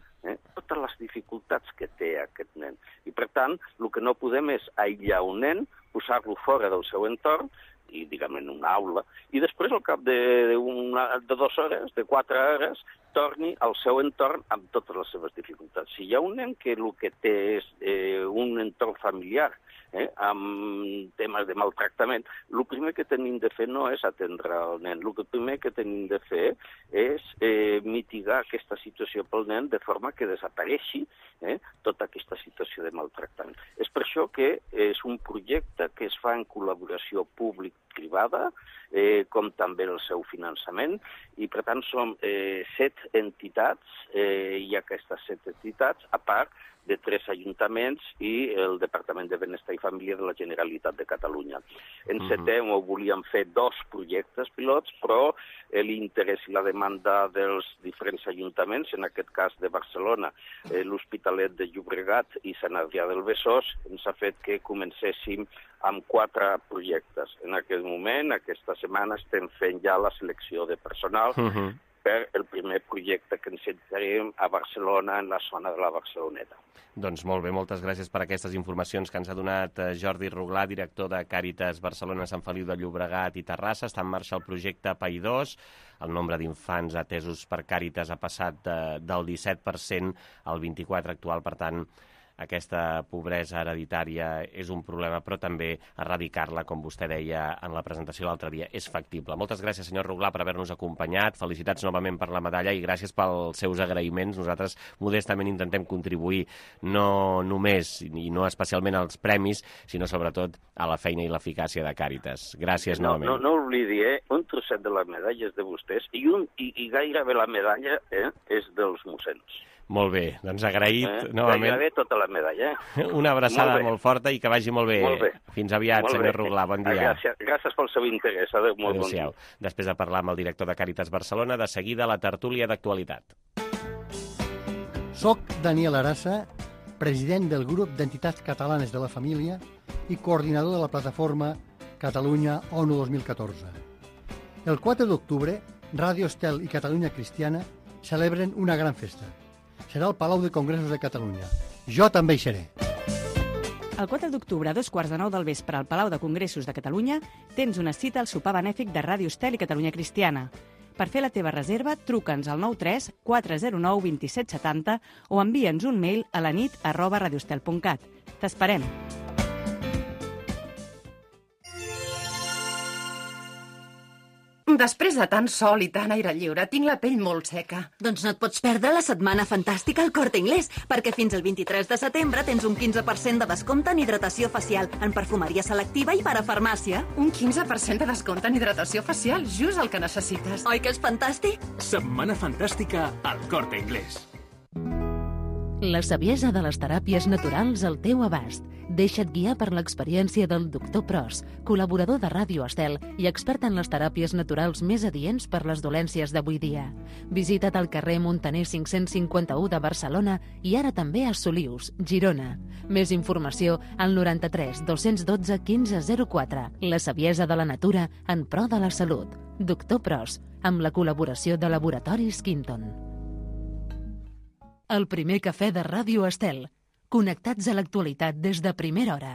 totes les dificultats que té aquest nen. I per tant, el que no podem és aïllar un nen, posar-lo fora del seu entorn, i diguem en una aula, i després al cap de 2 hores, de 4 hores, torni al seu entorn amb totes les seves dificultats. Si hi ha un nen que el que té és un entorn familiar, amb temes de maltractament, el primer que tenim de fer no és atendre el nen, el primer que tenim de fer és mitigar aquesta situació pel nen de forma que desapareixi tota aquesta situació de maltractament. És per això que és un projecte que es fa en col·laboració públic-privada, com també el seu finançament, i per tant som 7 entitats, i aquestes 7 entitats, a part de 3 ajuntaments i el Departament de Benestar i Família de la Generalitat de Catalunya. En setembre volíem fer 2 projectes pilots, però l'interès i la demanda dels diferents ajuntaments, en aquest cas de Barcelona, l'Hospitalet de Llobregat i Sant Adrià del Besòs, ens ha fet que comencéssim amb 4 projectes. En aquest moment, aquesta setmana, estem fent ja la selecció de personal per el primer projecte que ens encetarem a Barcelona, en la zona de la Barceloneta. Doncs molt bé, moltes gràcies per aquestes informacions que ens ha donat Jordi Ruglà, director de Càritas Barcelona, Sant Feliu de Llobregat i Terrassa. Està en marxa el projecte PAI2. El nombre d'infants atesos per Càritas ha passat del 17% al 24% actual, per tant, aquesta pobresa hereditària és un problema, però també erradicar-la, com vostè deia en la presentació l'altre dia, és factible. Moltes gràcies, senyor Ruglà, per haver-nos acompanyat. Felicitats novament per la medalla i gràcies pels seus agraïments. Nosaltres modestament intentem contribuir no només i no especialment als premis, sinó sobretot a la feina i l'eficàcia de Càritas. Gràcies novament. No oblidi, un trosset de la medalla és de vostès i gairebé la medalla és dels mossens. Molt bé, doncs agraït novament. Gairebé tota la medalla. Una abraçada molt forta i que vagi molt bé. Molt bé. Fins aviat, senyor Ruglà, bon dia. Gràcies pel seu interès. Molt bon dia. Després de parlar amb el director de Càritas Barcelona, de seguida la tertúlia d'actualitat. Soc Daniel Arassa, president del grup d'entitats catalanes de la família i coordinador de la plataforma Catalunya ONU 2014. El 4 d'octubre, Ràdio Estel i Catalunya Cristiana celebren una gran festa. Serà al Palau de Congressos de Catalunya. Jo també hi seré. El 4 d'octubre, a 2:15 del vespre, al Palau de Congressos de Catalunya, tens una cita al sopar benèfic de Ràdio Estel i Catalunya Cristiana. Per fer la teva reserva, truca'ns al 93 409 2770 o envia'ns un mail a lanit@radioestel.cat. T'esperem! Després de tant sol i tant aire lliure, tinc la pell molt seca. Doncs no et pots perdre la setmana fantàstica al Corte Inglés, perquè fins al 23 de setembre tens un 15% de descompte en hidratació facial, en perfumeria selectiva i parafarmàcia. Un 15% de descompte en hidratació facial, just el que necessites. Oi que és fantàstic? Setmana fantàstica al Corte Inglés. La saviesa de les teràpies naturals al teu abast. Deixa't guiar per l'experiència del Dr. Pros, col·laborador de Ràdio Estel i expert en les teràpies naturals més adients per les dolències d'avui dia. Visita't al carrer Montaner 551 de Barcelona i ara també a Solius, Girona. Més informació al 93 212 1504. La saviesa de la natura en pro de la salut. Dr. Pros, amb la col·laboració de Laboratoris Quinton. El primer cafè de Ràdio Estel. Connectats a l'actualitat des de primera hora.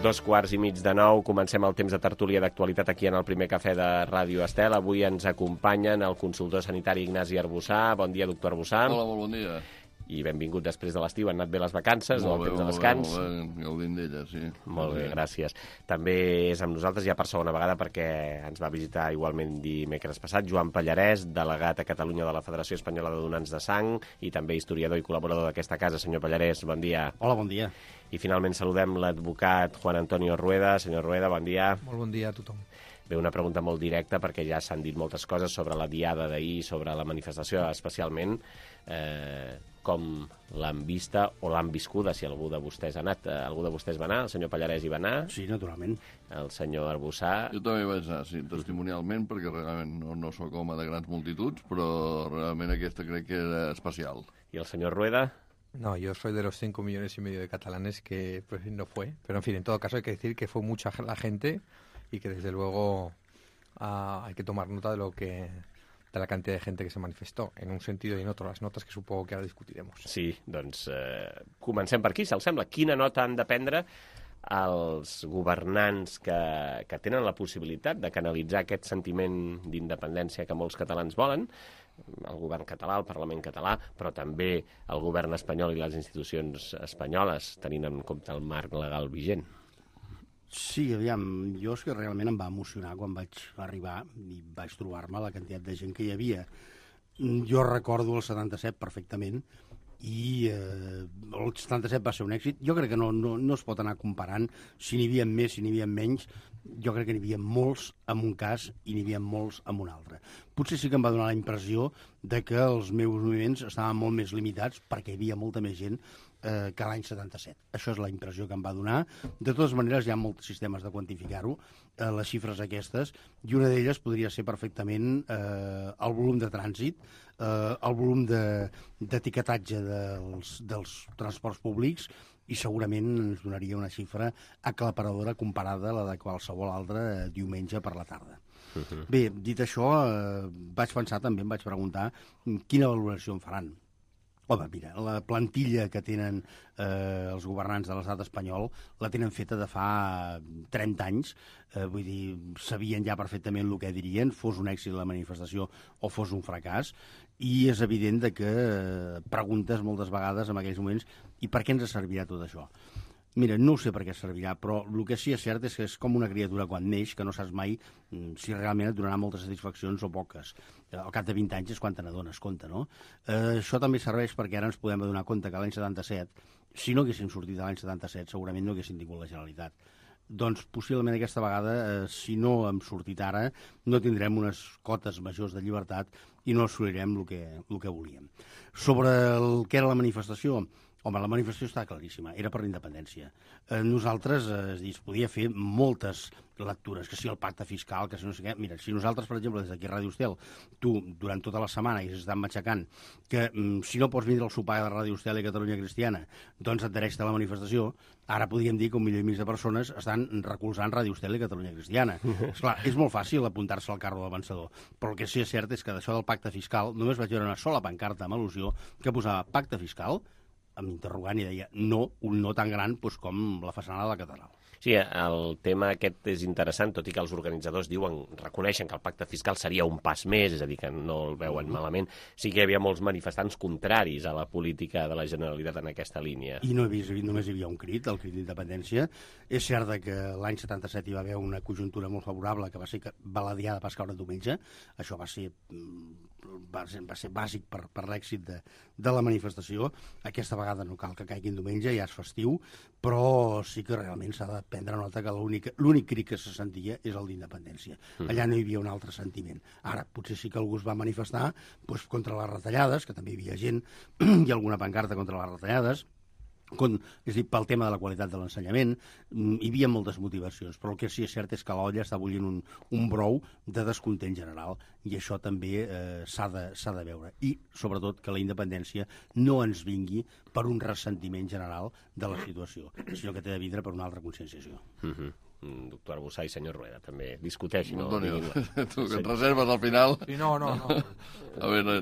Dos quarts i mig de 9, comencem el temps de tertúlia d'actualitat aquí en el primer cafè de Ràdio Estel. Avui ens acompanyen el consultor sanitari Ignasi Arbussà. Bon dia, doctor Arbussà. Hola, molt bon dia. I benvingut després de l'estiu. Han anat bé les vacances, el temps de descans? Molt bé, gaudint d'ella, sí. Molt bé, gràcies. També és amb nosaltres ja per segona vegada perquè ens va visitar igualment dimecres passat Joan Pallarès, delegat a Catalunya de la Federació Espanyola de Donants de Sang i també historiador i col·laborador d'aquesta casa. Senyor Pallarès, bon dia. Hola, bon dia. I finalment saludem l'advocat Juan Antonio Rueda. Senyor Rueda, bon dia. Molt bon dia a tothom. Bé, una pregunta molt directa perquè ja s'han dit moltes coses sobre la diada d'ahir, sobre la manifestació especialment. Com l'han vista o l'han viscuda, si algú de vostès ha anat. Algú de vostès va anar? El senyor Pallarès hi va anar? Sí, naturalment. El senyor Arbussà? Jo també vaig anar, sí, testimonialment, perquè realment no soc home de grans multituds, però realment aquesta crec que era especial. I el senyor Rueda? No, yo soy de los 5,5 millones de catalanes que pues, no fue. Pero, en fin, en todo caso hay que decir que fue mucha la gente y que, desde luego, hay que tomar nota de la cantidad de gente que se manifestó, en un sentido y en otro, las notas que supongo que ara discutiremos. Sí, doncs comencem per aquí, si els sembla. Quina nota han de prendre els governants que tenen la possibilitat de canalitzar aquest sentiment d'independència que molts catalans volen, el govern català, el Parlament català, però també el govern espanyol i les institucions espanyoles, tenint en compte el marc legal vigent? Sí, aviam, jo és que realment em va emocionar quan vaig arribar i vaig trobar-me la quantitat de gent que hi havia. Jo recordo el 77 perfectament i el 77 va ser un èxit. Jo crec que no es pot anar comparant si n'hi havia més, si n'hi havia menys. Jo crec que n'hi havia molts en un cas i n'hi havia molts en un altre. Potser sí que em va donar la impressió de que els meus moviments estaven molt més limitats perquè hi havia molta més gent que l'any 77. Això és la impressió que em va donar. De totes maneres, hi ha molts sistemes de quantificar-ho, les xifres aquestes, i una d'elles podria ser perfectament el volum de trànsit, el volum d'etiquetatge dels transports públics, i segurament ens donaria una xifra aclaparadora comparada a la de qualsevol altre diumenge per la tarda. Bé, dit això, vaig pensar també, em vaig preguntar quina valoració en faran. Home, mira, la plantilla que tenen els governants de l'estat espanyol la tenen feta de fa 30 anys, vull dir, sabien ja perfectament el que dirien, fos un èxit la manifestació o fos un fracàs, i és evident que preguntes moltes vegades en aquells moments i per què ens servirà tot això? Mira, no sé per què servirà, però el que sí és cert és que és com una criatura quan neix, que no saps mai si realment et donarà moltes satisfaccions o poques. Al cap de 20 anys és quan te n'adones compte, no? Això també serveix perquè ara ens podem adonar compte que l'any 77, si no haguéssim sortit de l'any 77, segurament no haguéssim tingut la Generalitat. Doncs possiblement aquesta vegada, si no hem sortit ara, no tindrem unes cotes majors de llibertat i no assolirem el que volíem. Sobre el que era la manifestació, home, la manifestació està claríssima, era per la independència. Nosaltres, es podia fer moltes lectures, que si el pacte fiscal, que si no sé què. Mira, si nosaltres, per exemple, des d'aquí a Ràdio Estel, tu, durant tota la setmana, i s'estan matxacant que si no pots vindre al sopar de Ràdio Estel i Catalunya Cristiana, doncs adhereix-te a la manifestació, ara podríem dir que 1,5 milió de persones estan recolzant Ràdio Estel i Catalunya Cristiana. Esclar, és molt fàcil apuntar-se al carro del vencedor, però el que sí és cert és que d'això del pacte fiscal només vaig veure una sola pancarta amb al·lusió que posava pacte fiscal, amb interrogant, i deia no, un no tan gran com la façana de la catedral. Sí, el tema aquest és interessant, tot i que els organitzadors reconeixen que el pacte fiscal seria un pas més, és a dir, que no el veuen malament. Sí que hi havia molts manifestants contraris a la política de la Generalitat en aquesta línia. I només hi havia un crit, el crit d'independència. És cert que l'any 77 hi va haver una conjuntura molt favorable que va ser que Baladià va caure diumenge. Això va ser bàsic per l'èxit de la manifestació. Aquesta vegada no cal que caigui diumenge, ja és festiu, però sí que realment s'ha de prendre nota que l'únic crit que se sentia és el d'independència. Allà no hi havia un altre sentiment. Ara, potser sí que algú es va manifestar contra les retallades, que també hi havia gent, i alguna pancarta contra les retallades, és a dir, pel tema de la qualitat de l'ensenyament. Hi havia moltes motivacions, però el que sí és cert és que l'olla està bullint un brou de descontent general, i això també s'ha de veure. I, sobretot, que la independència no ens vingui per un ressentiment general de la situació, sinó que té de vindre per una altra conscienciació. Doctor Arbussà i senyor Rueda, també discuteixin. Antonio, tu que et reserves al final. Sí, no. A veure,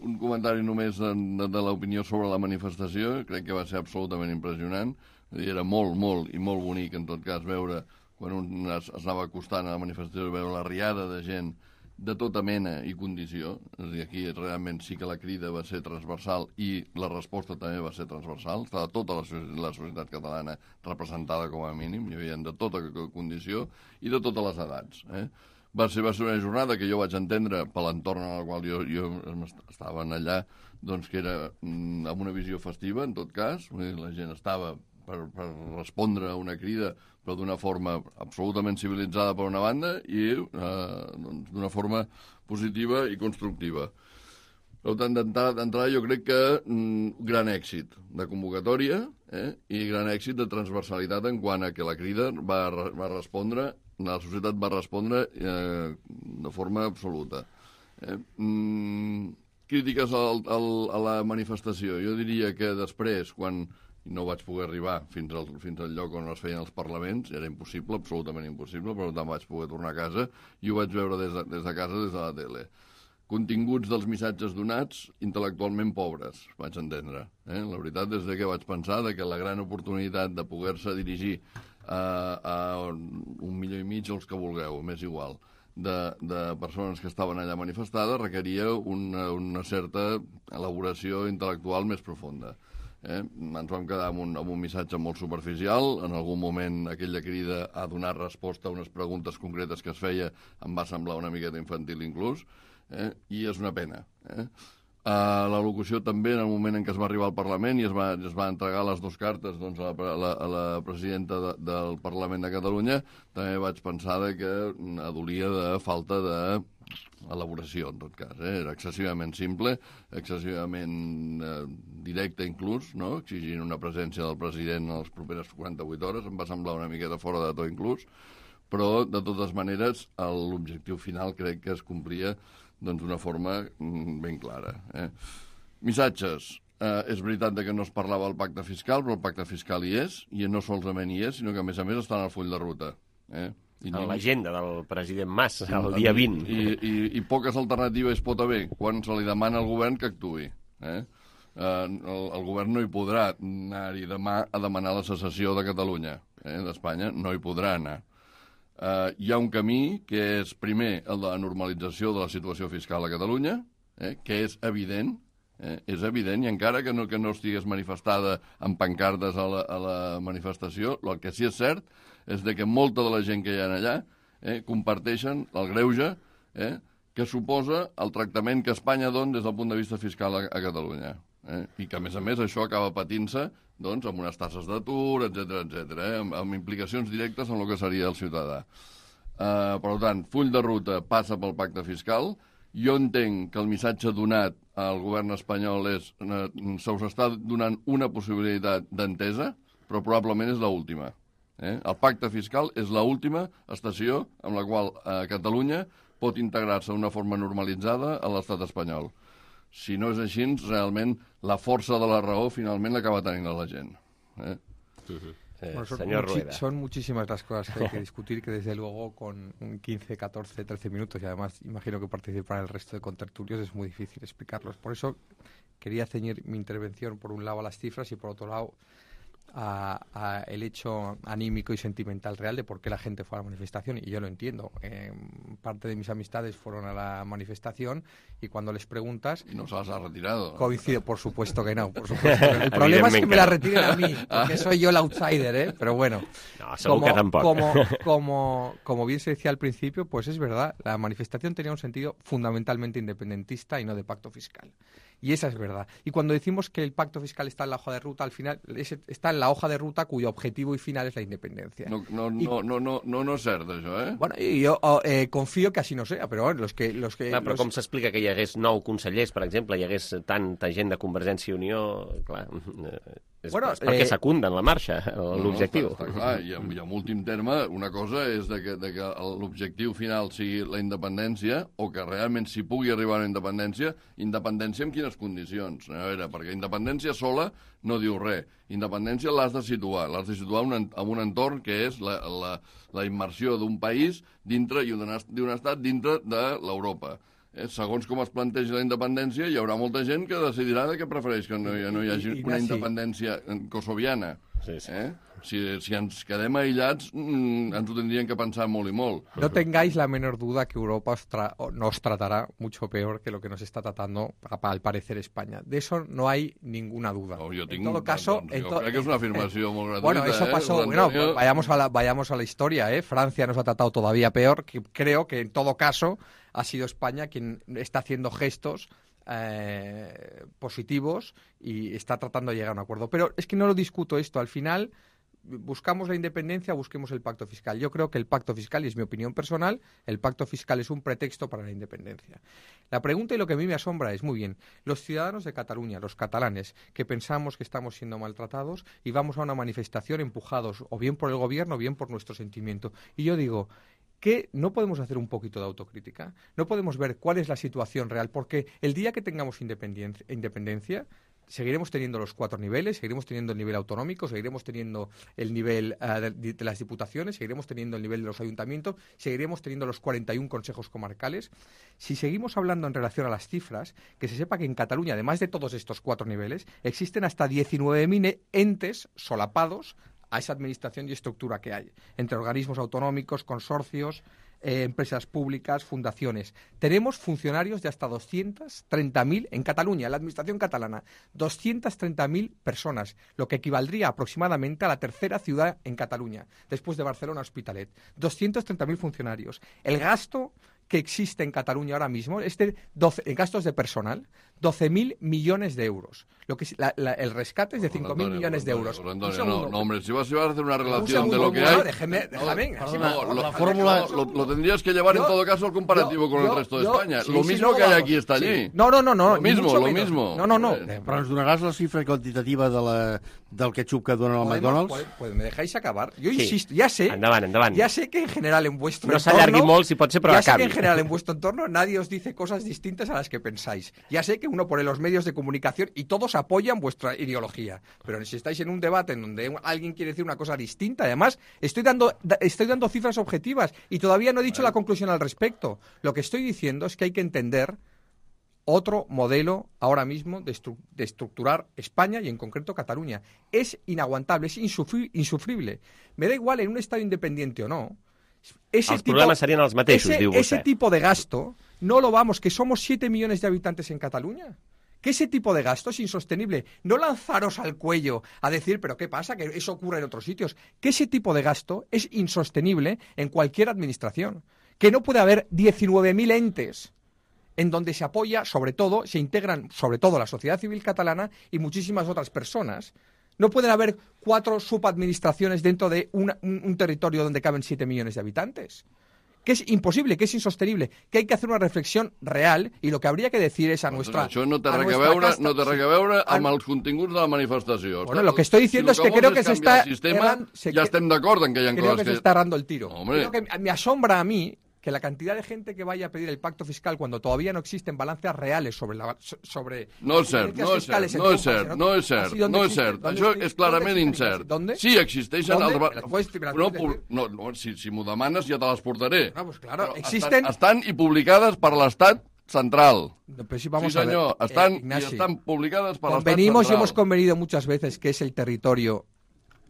un comentari només de l'opinió sobre la manifestació. Crec que va ser absolutament impressionant. Era molt bonic, en tot cas, veure quan un es anava acostant a la manifestació, veure la riada de gent de tota mena i condició. És a dir, aquí realment sí que la crida va ser transversal i la resposta també va ser transversal. Estava tota la societat catalana representada com a mínim, hi havia de tota condició i de totes les edats. Va ser una jornada que jo vaig entendre per l'entorn en el qual jo estava allà, doncs que era amb una visió festiva, en tot cas. La gent estava per respondre a una crida, però d'una forma absolutament civilitzada per una banda i d'una forma positiva i constructiva. Per tant, d'entrada jo crec que gran èxit de convocatòria i gran èxit de transversalitat en quant a que la crida va respondre, la societat va respondre de forma absoluta. Crítiques a la manifestació. Jo diria que després, quan no vaig poder arribar fins al lloc on es feien els parlaments, era impossible, absolutament impossible, però tant vaig poder tornar a casa i ho vaig veure des de casa, des de la tele. Continguts dels missatges donats, intel·lectualment pobres, vaig entendre. La veritat és que vaig pensar que la gran oportunitat de poder-se dirigir a 1,5 milió o els que vulgueu, m'és igual, de persones que estaven allà manifestades requeria una certa elaboració intel·lectual més profunda. Ens vam quedar amb un missatge molt superficial. En algun moment aquella crida a donar resposta a unes preguntes concretes que es feia em va semblar una miqueta infantil inclús, i és una pena. La locució també, en el moment en què es va arribar al Parlament i es va entregar les 2 cartes doncs, a la presidenta del Parlament de Catalunya, també vaig pensar que adolia de falta d'elaboració, en tot cas. Era excessivament simple, excessivament directe inclús, no? Exigint una presència del president en les properes 48 hores. Em va semblar una miqueta fora de to inclús, però, de totes maneres, l'objectiu final crec que es complia d'una forma ben clara. Missatges. És veritat que no es parlava del pacte fiscal, però el pacte fiscal hi és, i no solament hi és, sinó que, a més està en el full de ruta. En l'agenda del president Mas, el dia 20. I poques alternatives pot haver quan se li demana al govern que actuï. El govern no hi podrà anar-hi demà a demanar la secessió de Catalunya, d'Espanya, no hi podrà anar. Hi ha un camí que és, primer, el de la normalització de la situació fiscal a Catalunya, que és evident, i encara que no estigués manifestada amb pancartes a la manifestació, el que sí és cert és que molta de la gent que hi ha allà comparteixen el greuge que suposa el tractament que Espanya dona des del punt de vista fiscal a Catalunya. I que, a més, això acaba patint-se amb unes tasses d'atur, etc., amb implicacions directes en el que seria el ciutadà. Per tant, full de ruta passa pel pacte fiscal. Jo entenc que el missatge donat al govern espanyol és se us està donant una possibilitat d'entesa, però probablement és l'última. El pacte fiscal és l'última estació amb la qual Catalunya pot integrar-se d'una forma normalitzada a l'estat espanyol. Si no és així, realment la força de la raó finalment l'acaba tenint la gent. Señor Rueda. Son muchísimas las cosas que hay que discutir, que desde luego con 15, 14, 13 minutos, y además imagino que participar el resto de contertulios es muy difícil explicarlos. Por eso quería ceñir mi intervención por un lado a las cifras y por otro lado a el hecho anímico y sentimental real de por qué la gente fue a la manifestación, y yo lo entiendo. Parte de mis amistades fueron a la manifestación y cuando les preguntas... Y no se las ha retirado. Coincido, por supuesto que no. Por supuesto que no. El problema es que me la retiren a mí, porque soy yo el outsider, pero bueno. No, segur que tampoc. Como bien se decía al principio, pues es verdad, la manifestación tenía un sentido fundamentalmente independentista y no de pacto fiscal. Y esa es verdad. Y cuando decimos que el pacto fiscal está en la hoja de ruta, al final está en la hoja de ruta cuyo objetivo y final es la independencia. No és cert, això, Bueno, i jo confio que així no sea, però bueno, Però com s'explica que hi hagués 9 consellers, per exemple, hi hagués tanta gent de Convergència i Unió, clar, és perquè secunden la marxa, l'objectiu. Està clar, i en últim terme, una cosa és que l'objectiu final sigui la independència, o que realment s'hi pugui arribar a la independència en quines condicions? A veure, perquè independència sola no diu res. Independència l'has de situar en un entorn que és la immersió d'un país dintre i d'un estat dintre de l'Europa. Segons com es plantegi la independència, hi haurà molta gent que decidirà que prefereix que no hi hagi una independència kosoviana. Si ens quedem aïllats, ens ho tendrían que pensar molt i molt. No tengáis la menor duda que Europa nos tratará mucho peor que lo que nos está tratando, al parecer, España. De eso no hay ninguna duda. En todo caso... Creo que es una afirmación muy gratuita. Bueno, eso pasó... Bueno, vayamos a la historia, Francia nos ha tratado todavía peor. Creo que, en todo caso, ha sido España quien está haciendo gestos positivos y está tratando de llegar a un acuerdo. Pero es que no lo discuto esto. Al final... buscamos la independencia, busquemos el pacto fiscal. Yo creo que el pacto fiscal, y es mi opinión personal, el pacto fiscal es un pretexto para la independencia. La pregunta y lo que a mí me asombra es, muy bien, los ciudadanos de Cataluña, los catalanes, que pensamos que estamos siendo maltratados y vamos a una manifestación empujados o bien por el gobierno o bien por nuestro sentimiento. Y yo digo... que no podemos hacer un poquito de autocrítica, no podemos ver cuál es la situación real, porque el día que tengamos independencia seguiremos teniendo los 4 niveles, seguiremos teniendo el nivel autonómico, seguiremos teniendo el nivel de las diputaciones, seguiremos teniendo el nivel de los ayuntamientos, seguiremos teniendo los 41 consejos comarcales. Si seguimos hablando en relación a las cifras, que se sepa que en Cataluña, además de todos estos 4 niveles, existen hasta 19.000 entes solapados a esa administración y estructura que hay, entre organismos autonómicos, consorcios, empresas públicas, fundaciones. Tenemos funcionarios de hasta 230.000 en Cataluña, en la administración catalana, 230.000 personas, lo que equivaldría aproximadamente a la tercera ciudad en Cataluña, después de Barcelona, Hospitalet. 230.000 funcionarios. El gasto que existe en Cataluña ahora mismo es de gastos de personal, 12.000 millones de euros. El rescate es de 5.000 millones de euros. Antonio, no, hombre, si vas a hacer una relación de lo que hay... Déjame. La fórmula lo tendrías que llevar en todo caso al comparativo con el resto de España. Lo mismo que hay aquí está allí. No. Lo mismo. No. Però ens donaràs la xifra quantitativa del ketchup que dona el McDonald's? Pues me dejáis acabar. Yo insisto, ya sé... Endavant. Ya sé que en general en vuestro entorno... No s'allargui molt, si pot ser, però ya acabi. sé que en general en vuestro entorno nadie os dice cosas distintas a las que pensáis. Ya sé que uno pone los medios de comunicación y todos apoyan vuestra ideología. Pero si estáis en un debate en donde alguien quiere decir una cosa distinta, además, estoy dando cifras objetivas y todavía no he dicho la conclusión al respecto. Lo que estoy diciendo es que hay que entender otro modelo ahora mismo de estructurar España y en concreto Cataluña. Es inaguantable, es insufrible. Me da igual en un Estado independiente o no. Els problemes serien els mateixos, diu vostè. Ese tipo de gasto no lo vamos, que somos 7 millones de habitantes en Cataluña. Que ese tipo de gasto es insostenible. No lanzaros al cuello a decir, pero ¿qué pasa? Que eso ocurre en otros sitios. Que ese tipo de gasto es insostenible en cualquier administración. Que no puede haber 19.000 entes en donde se apoya, sobre todo, se integran, sobre todo, la sociedad civil catalana y muchísimas otras personas. No pueden haber 4 subadministraciones dentro de un territorio donde caben 7 millones de habitantes. Que és impossible, que és insostenible, que hay que hacer una reflexión real i lo que habría que decir es a nuestra... Això no té res a veure amb els continguts de la manifestació. Bueno, lo que estoy diciendo es que creo que se está... Ya estem d'acord en que hi ha coses que... Creo que se está errando el tiro. Hombre. Creo que me asombra a mí que la cantidad de gente que vaya a pedir el pacto fiscal cuando todavía no existen balances reales sobre No és cert. Això és clarament incert. Sí, existeixen... No, si m'ho demanes ja te les portaré. Pues claro, existen... Estan i publicades per l'Estat central. Sí, señor, están publicadas para el Estado central. Y hemos convenido muchas veces que es el territorio...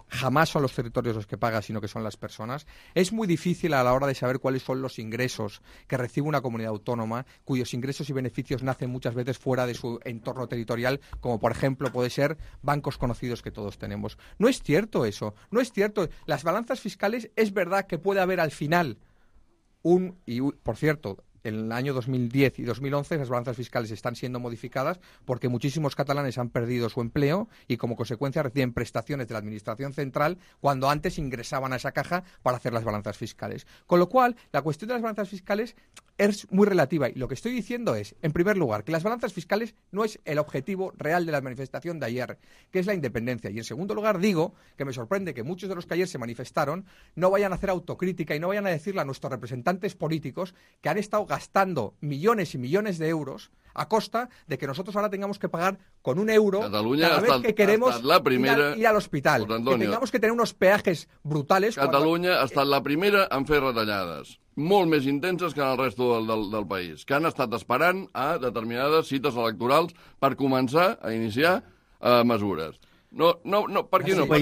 Jamás son los territorios los que pagan, sino que son las personas. Es muy difícil a la hora de saber cuáles son los ingresos que recibe una comunidad autónoma, cuyos ingresos y beneficios nacen muchas veces fuera de su entorno territorial, como por ejemplo puede ser bancos conocidos que todos tenemos. No es cierto eso, no es cierto. Las balanzas fiscales es verdad que puede haber al final por cierto, en el año 2010 y 2011 las balanzas fiscales están siendo modificadas porque muchísimos catalanes han perdido su empleo y como consecuencia reciben prestaciones de la Administración Central cuando antes ingresaban a esa caja para hacer las balanzas fiscales. Con lo cual, la cuestión de las balanzas fiscales es muy relativa y lo que estoy diciendo es, en primer lugar, que las balanzas fiscales no es el objetivo real de la manifestación de ayer, que es la independencia. Y en segundo lugar digo que me sorprende que muchos de los que ayer se manifestaron no vayan a hacer autocrítica y no vayan a decirle a nuestros representantes políticos que han estado gastando millones y millones de euros a costa de que nosotros ahora tengamos que pagar con €1 cada vez que queremos ir al hospital. Que tengamos que tener unos peajes brutales. Catalunya ha estat la primera en fer retallades, molt més intenses que en el resto del país, que han estat esperant a determinades cites electorals per començar a iniciar mesures. No, per aquí no va.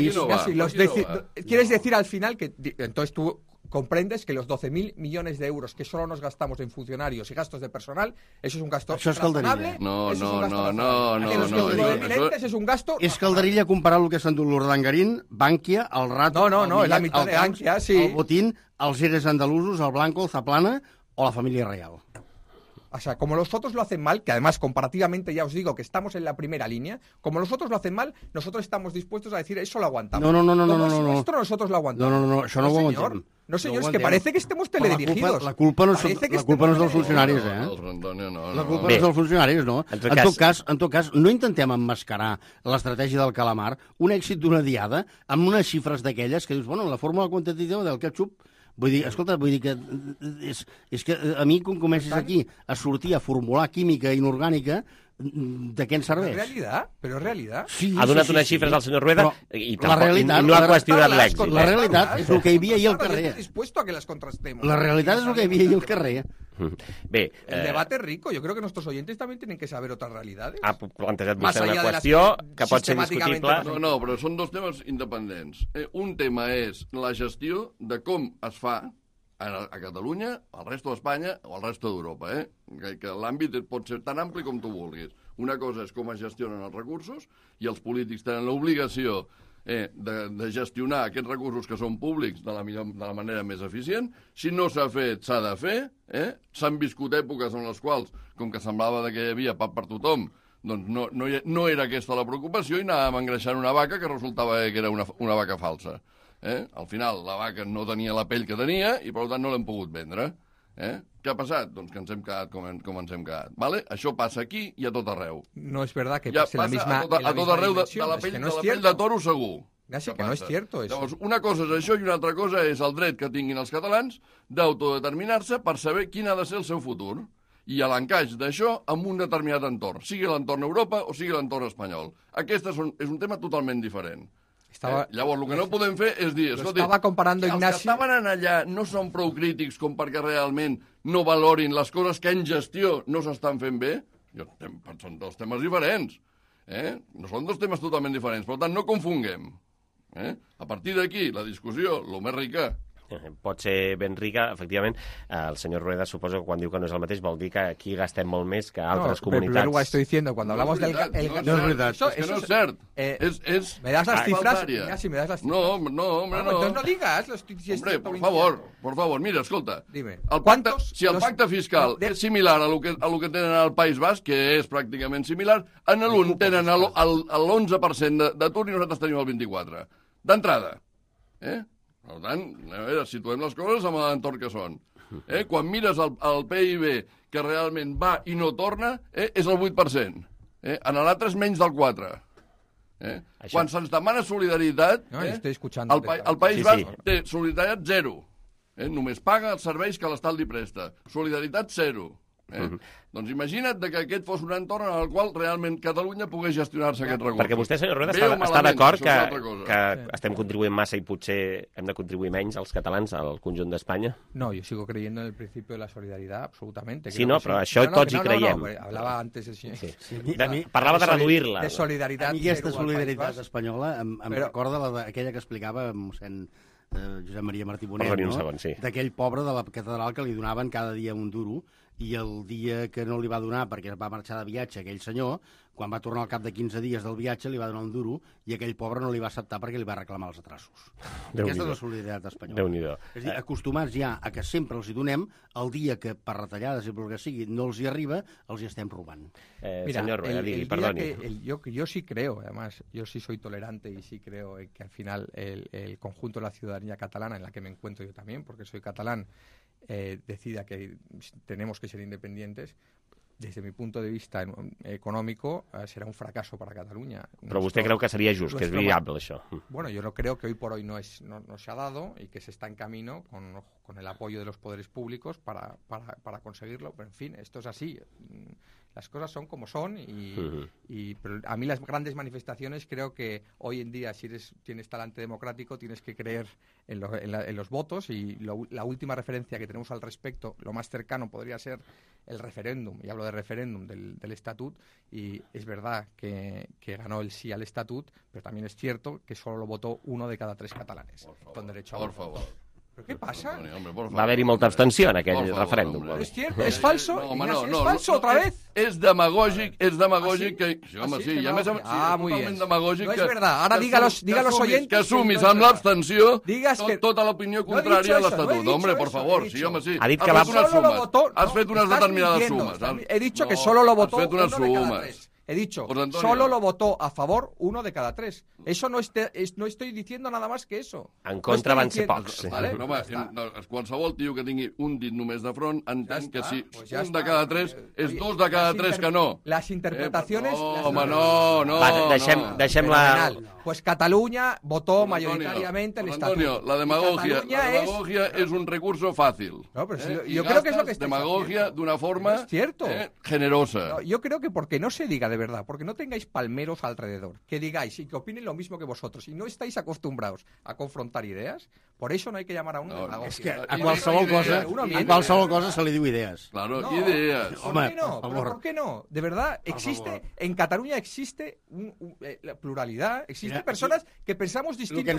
¿Quieres decir al final que entonces tú comprendes que los 12.000 millones de euros que solo nos gastamos en funcionarios y gastos de personal, eso es un gasto razonable? No. Que los 12.000 entes es un gasto... És calderilla comparar el que s'ha endut l'Urdangarín, Bankia, el Rato... No, és la meitat de Bankia, sí. El Botín, els Eres andalusos, el Blanco, el Zaplana o la familia real. O sea, como los otros lo hacen mal, que además comparativamente ya os digo que estamos en la primera línea, como los otros lo hacen mal, nosotros estamos dispuestos a decir eso lo aguantamos. No. Esto nosotros lo aguantamos. No, això no ho aguantem. No, señor, es que parece que estemos teledirigidos. La culpa no és dels funcionaris, La culpa no és dels funcionaris, no? En tot cas, no intentem emmascarar l'estratègia del calamar, un èxit d'una diada, amb unes xifres d'aquelles que dius, bueno, la fórmula quantitativa del ketchup. Vull dir que és que a mi quan comences aquí a sortir a formular química inorgànica, de què ens serveix? Però és realitat. Ha donat unes xifres al senyor Rueda i no ha qüestionat l'èxit. La realitat és el que hi havia ahir al carrer. La realitat és el que hi havia ahir al carrer. Bé, el debate es rico. Yo creo que nuestros oyentes también tienen que saber otras realidades. Ha plantejat vostè una qüestió que pot ser discutible. No, però són dos temes independents. Un tema és la gestió de com es fa a Catalunya, al resto d'Espanya o al resto d'Europa, que l'àmbit pot ser tan ampli com tu vulguis. Una cosa és com es gestionen els recursos i els polítics tenen l'obligació de gestionar aquests recursos que són públics de la manera més eficient. Si no s'ha fet, s'ha de fer. S'han viscut èpoques en les quals, com que semblava que hi havia pa per tothom, doncs no era aquesta la preocupació i anàvem engreixant una vaca que resultava que era una vaca falsa. Al final, la vaca no tenia la pell que tenia i, per tant, no l'hem pogut vendre. Què ha passat? Doncs que ens hem quedat com ens hem quedat. ¿Vale? Això passa aquí i a tot arreu. No es verdad que pase la misma a tot arreu de la pell de toro segur. Casi que no es cierto eso. Llavors, una cosa és això i una altra cosa és el dret que tinguin els catalans d'autodeterminar-se per saber quin ha de ser el seu futur i a l'encaix d'això amb un determinat entorn, sigui l'entorn Europa o sigui l'entorn espanyol. Aquest és un tema totalment diferent. Llavors, el que no podem fer és dir... Escolti, estava comparando Ignacio... Els que estaven allà no són prou crítics com perquè realment no valorin les coses que en gestió no s'estan fent bé. Són dos temes diferents. No són dos temes totalment diferents. Per tant, no confonguem. A partir d'aquí, la discussió, el més rica... Pot ser ben rica, efectivament. El senyor Rueda suposo que quan diu que no és el mateix vol dir que aquí gastem molt més que altres comunitats. Pero estoy diciendo, cuando hablamos del... No és veritat, és que no és cert. ¿Me das las cifras? Si me das las cifras. No, hombre, no. Entonces no digas. Hombre, por favor, mira, escolta. Dime. Si el pacte fiscal és similar a lo que tenen al País Basc, que és pràcticament similar, en l'un tenen l'11% d'atur i nosaltres tenim el 24%. D'entrada. Per tant, a veure, situem les coses amb l'entorn que són. Quan mires el PIB que realment va i no torna, és el 8%. En l'altre és menys del 4%. Quan se'ns demana solidaritat, el País Basc té solidaritat 0. Només paga els serveis que l'Estat li presta. Solidaritat 0. Doncs imagina't que aquest fos un entorn en el qual realment Catalunya pogués gestionar-se aquest recurs. Perquè vostè, senyor Rueda, està d'acord que estem contribuint massa i potser hem de contribuir menys els catalans al conjunt d'Espanya? No, yo sigo creyendo en el principio de la solidaridad, absolutamente. Sí, no, però això tots hi creiem. Hablava antes el senyor... Parlava de reduir-la. De solidaritat. A mi aquesta solidaritat espanyola em recorda aquella que explicava mossèn Josep Maria Martí Bonet, d'aquell pobre de la catedral que li donaven cada dia un duro i el dia que no li va donar perquè va marxar de viatge aquell senyor, quan va tornar al cap de 15 dies del viatge li va donar un duro i aquell pobre no li va acceptar perquè li va reclamar els atrassos. Aquesta és la solidaritat espanyola. És a dir, acostumats ja a que sempre els hi donem, el dia que per retallades i pel que sigui no els hi arriba, els hi estem robant. Mira, señor Rueda, perdoni. Yo sí creo, además, yo sí soy tolerante y sí creo que al final el conjunto de la ciudadanía catalana, en la que me encuentro yo también, porque soy catalán, decida que tenemos que ser independientes, desde mi punto de vista económico, será un fracaso para Cataluña. Però vostè creu que seria just, que és viable, això? Bueno, yo creo que hoy por hoy no se ha dado y que se está en camino con el apoyo de los poderes públicos para conseguirlo. Pero, en fin, esto es así. Las cosas son como son pero a mí las grandes manifestaciones creo que hoy en día si tienes talante democrático tienes que creer en los votos y la última referencia que tenemos al respecto, lo más cercano podría ser el referéndum, y hablo de referéndum del estatut, y es verdad que ganó el sí al estatut, pero también es cierto que solo lo votó 1 de cada 3 catalanes con derecho a voto. Por favor. ¿Pero qué pasa? Va haver-hi molta abstenció en aquell referèndum. ¿Es cierto? ¿Es falso? ¿Es falso otra vez? És demagògic que... Home, sí, i a més muy bien. Demagògic no es verdad. Ahora diga los oyentes... Que assumis amb l'abstenció tota l'opinió contrària a l'Estatut. Hombre, por favor, sí, home, sí. Ha dit que va... Has fet unes determinades sumes. He dicho que solo lo votó uno de cada 3. He dicho, solo lo votó a favor 1 de cada 3. Eso no estoy diciendo nada más que eso. En contra van ser pocs. Qualsevol tio que tingui un dit només de front entén que si un de cada 3 és 2 de cada 3 que no. Las interpretaciones... Home, no. Deixem-la... Pues Cataluña votó mayoritariamente el estatuto. Antonio, la demagogia es un recurso fácil. No, pero yo creo que es lo que estáis demagogia de una forma generosa. No, yo creo que porque no se diga de verdad, porque no tengáis palmeros alrededor, que digáis y que opinen lo mismo que vosotros, y no estáis acostumbrados a confrontar ideas, por eso no hay que llamar a un demagogia. Es que a qualsevol cosa se li diu idees. Claro, ideas. ¿Por qué no? De verdad, en Cataluña existe la pluralidad, existe de persones que pensamos distintos. El que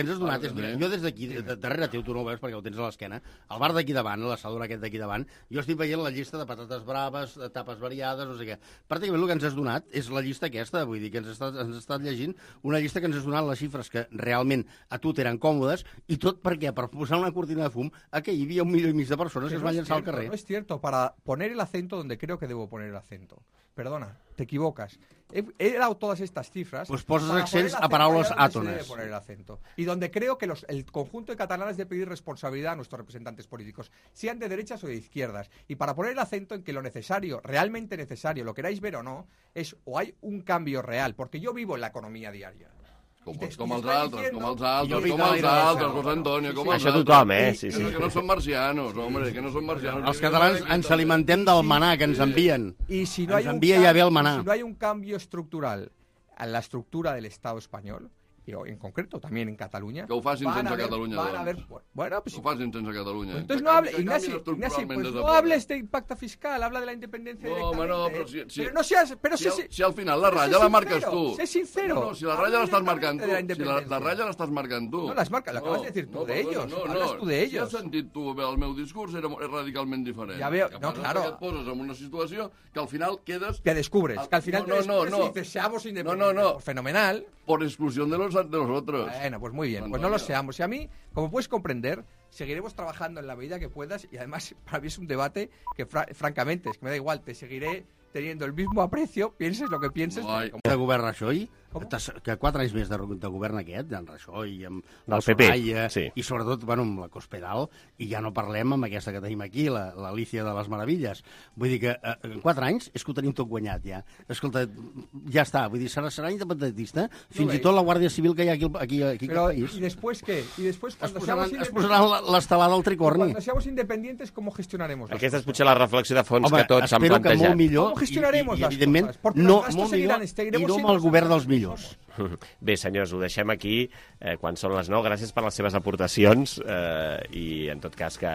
ens has donat és... Mira, jo des d'aquí, darrere teu, tu no ho veus perquè ho tens a l'esquena, al bar d'aquí davant, l'assador aquest d'aquí davant, jo estic veient la llista de patates braves, de tapes variades, no sé què. Pràcticament el que ens has donat és la llista aquesta, vull dir que ens has estat llegint una llista que ens has donat les xifres que realment a tu t'eren còmodes, i tot perquè per posar una cortina de fum que hi havia 1,5 milió de persones que es van llançar al carrer. No es cierto, para poner el acento donde creo que debo poner el acento. Perdona, te equivocas. He dado todas estas cifras... Pues poses accents a paraules àtones. Poner el acento. Y donde creo que el conjunto de catalanes debe pedir responsabilidad a nuestros representantes políticos, sean de derechas o de izquierdas. Y para poner el acento en que lo necesario, realmente necesario, lo queráis ver o no, es o hay un cambio real, porque yo vivo en la economía diaria. Com els altres, José Antonio, com els altres. Això tothom, sí. Que no són marcianos, home, que no són marcianos. Els catalans ens alimentem del manà que ens envien. Ens envia ja ve el manà. Si no hay un cambio estructural en la estructura del Estado español, y en concreto también en Cataluña... Que ho facin sense Catalunya, Bueno, pues... Que ho facin sense Catalunya. Entonces no hables, Ignasi, pues no hables de impacto fiscal, habla de la independencia directamente. No, pero si al final la ratlla la marques tu. Sé sincero. No, si la ratlla l'estàs marcant tu. Si la ratlla l'estàs marcant tu. No, l'acabas de decir tú de ellos. Hablas tú de ellos. Si has sentit tu el meu discurs, era radicalment diferent. Ja veo, no, claro. Que et poses en una situació que al final quedes... Que descubres, que al final te descubres y dices, seamos independientes. Fenomenal. Por exclusión de los otros. Bueno, pues muy bien, pues no lo seamos. Y a mí, como puedes comprender, seguiremos trabajando en la medida que puedas, y además para mí es un debate que francamente, es que me da igual, te seguiré teniendo el mismo aprecio, pienses lo que pienses. De govern Rajoy, que 4 anys més de govern aquest, en Rajoy, amb el PP, sí. I sobretot, amb la Cospedal, i ja no parlem amb aquesta que tenim aquí, l'Alícia de les Meravilles. Vull dir que en 4 anys és que ho tenim tot guanyat, ja. Escolta, ja està, vull dir, serà independentista, fins i tot la Guàrdia Civil que hi ha aquí al país. ¿Y después qué? ¿Y después cuando es posaran l'estelada al tricorni? Cuando seamos independientes, ¿cómo gestionaremos las Aquesta és potser la reflexió de fons que tots han plantejat. plantejat. Que molt millor, ¿Cómo gestionaremos las cosas? Porque no, los gastos seguirán, i no amb el govern dels millors. Bé, senyors, ho deixem aquí quan són les 9. Gràcies per les seves aportacions i, en tot cas, que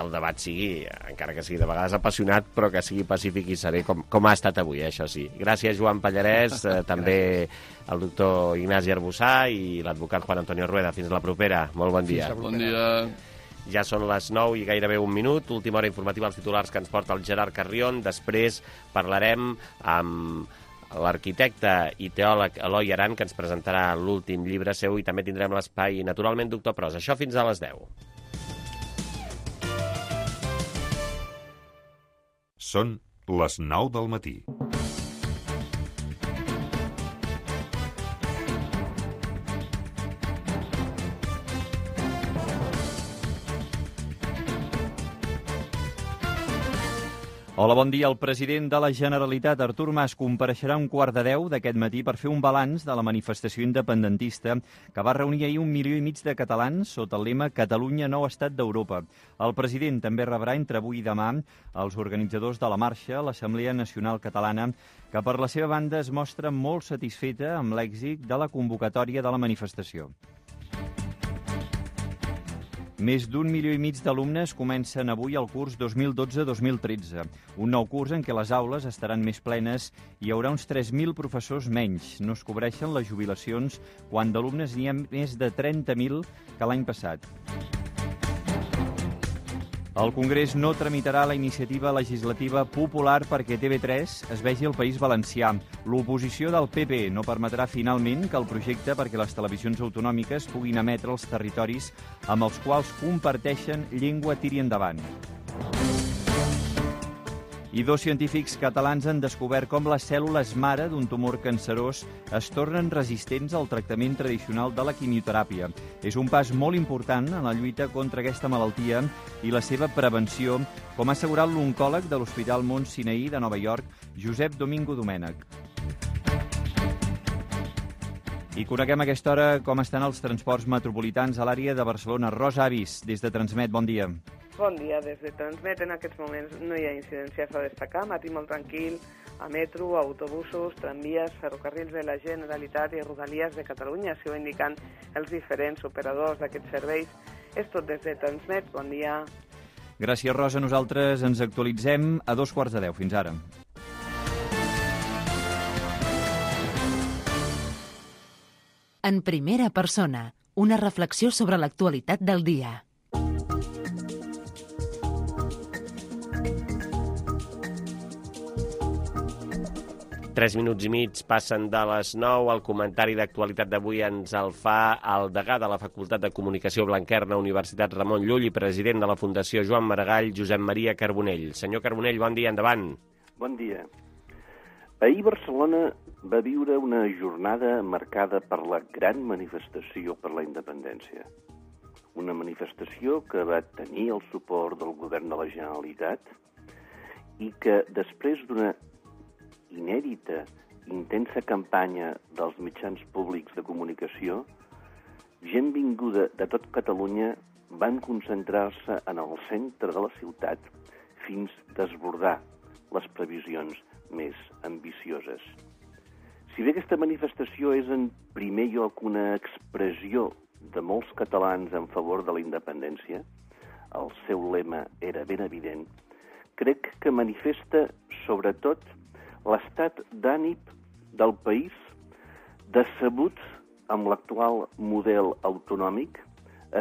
el debat sigui, encara que sigui de vegades apassionat, però que sigui pacífic i serè, com ha estat avui, això sí. Gràcies, Joan Pallarès, també el doctor Ignasi Arbussà i l'advocat Juan Antonio Rueda. Fins la propera. Molt bon dia. Bon dia. Ja són les 9 i gairebé un minut. Última hora informativa, els titulars que ens porta el Gerard Carrion. Després parlarem amb l'arquitecte i teòleg Eloi Aran, que ens presentarà l'últim llibre seu, i també tindrem l'espai, naturalment, Doctor Pros. Això fins a les 10. Són les 9 del matí. Hola, bon dia. El president de la Generalitat, Artur Mas, compareixerà a 9:15 d'aquest matí per fer un balanç de la manifestació independentista que va reunir ahir 1,5 milió de catalans sota el lema Catalunya, nou estat d'Europa. El president també rebrà entre avui i demà els organitzadors de la marxa, l'Assemblea Nacional Catalana, que per la seva banda es mostra molt satisfeta amb l'èxit de la convocatòria de la manifestació. Més d'1,5 milió d'alumnes comencen avui el curs 2012-2013, un nou curs en què les aules estaran més plenes i hi haurà uns 3.000 professors menys. No es cobreixen les jubilacions quan d'alumnes n'hi ha més de 30.000 que l'any passat. El Congrés no tramitarà la iniciativa legislativa popular perquè TV3 es vegi al País Valencià. L'oposició del PP no permetrà finalment que el projecte perquè les televisions autonòmiques puguin emetre els territoris amb els quals comparteixen llengua tiri endavant. I 2 científics catalans han descobert com les cèl·lules mare d'un tumor cancerós es tornen resistents al tractament tradicional de la quimioteràpia. És un pas molt important en la lluita contra aquesta malaltia i la seva prevenció, com ha assegurat l'oncòleg de l'Hospital Mount Sinai de Nova York, Josep Domingo Domènech. I coneguem a aquesta hora com estan els transports metropolitans a l'àrea de Barcelona. Rosa Avis, des de Transmet, bon dia. Bon dia, des de Transmet en aquests moments no hi ha incidències a destacar, matí molt tranquil, a metro, autobusos, tramvies, ferrocarrils de la Generalitat i rodalies de Catalunya, si ho indiquen els diferents operadors d'aquests serveis. És tot des de Transmet, bon dia. Gràcies, Rosa. Nosaltres ens actualitzem a 9:15. Fins ara. En primera persona, una reflexió sobre l'actualitat del dia. Tres minuts i mig passen de les 9. El comentari d'actualitat d'avui ens el fa el degà de la Facultat de Comunicació Blanquerna, Universitat Ramon Llull, i president de la Fundació Joan Maragall, Josep Maria Carbonell. Senyor Carbonell, bon dia, endavant. Bon dia. Ahir Barcelona va viure una jornada marcada per la gran manifestació per la independència. Una manifestació que va tenir el suport del govern de la Generalitat i que, després d'una inèdita, intensa campanya dels mitjans públics de comunicació, gent vinguda de tot Catalunya van concentrar-se en el centre de la ciutat fins a desbordar les previsions més ambicioses. Si bé aquesta manifestació és en primer lloc una expressió de molts catalans en favor de la independència, el seu lema era ben evident, crec que manifesta sobretot l'estat d'ànim del país decebut amb l'actual model autonòmic,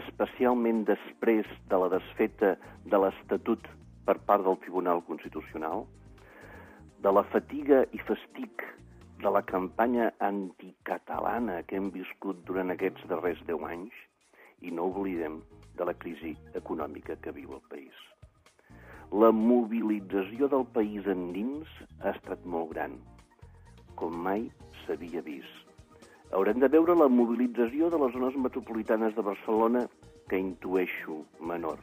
especialment després de la desfeta de l'Estatut per part del Tribunal Constitucional, de la fatiga i fastig de la campanya anticatalana que hem viscut durant aquests darrers 10 anys i no oblidem de la crisi econòmica que viu el país. La mobilització del país endins ha estat molt gran, com mai s'havia vist. Haurem de veure la mobilització de les zones metropolitanes de Barcelona, que intueixo menor.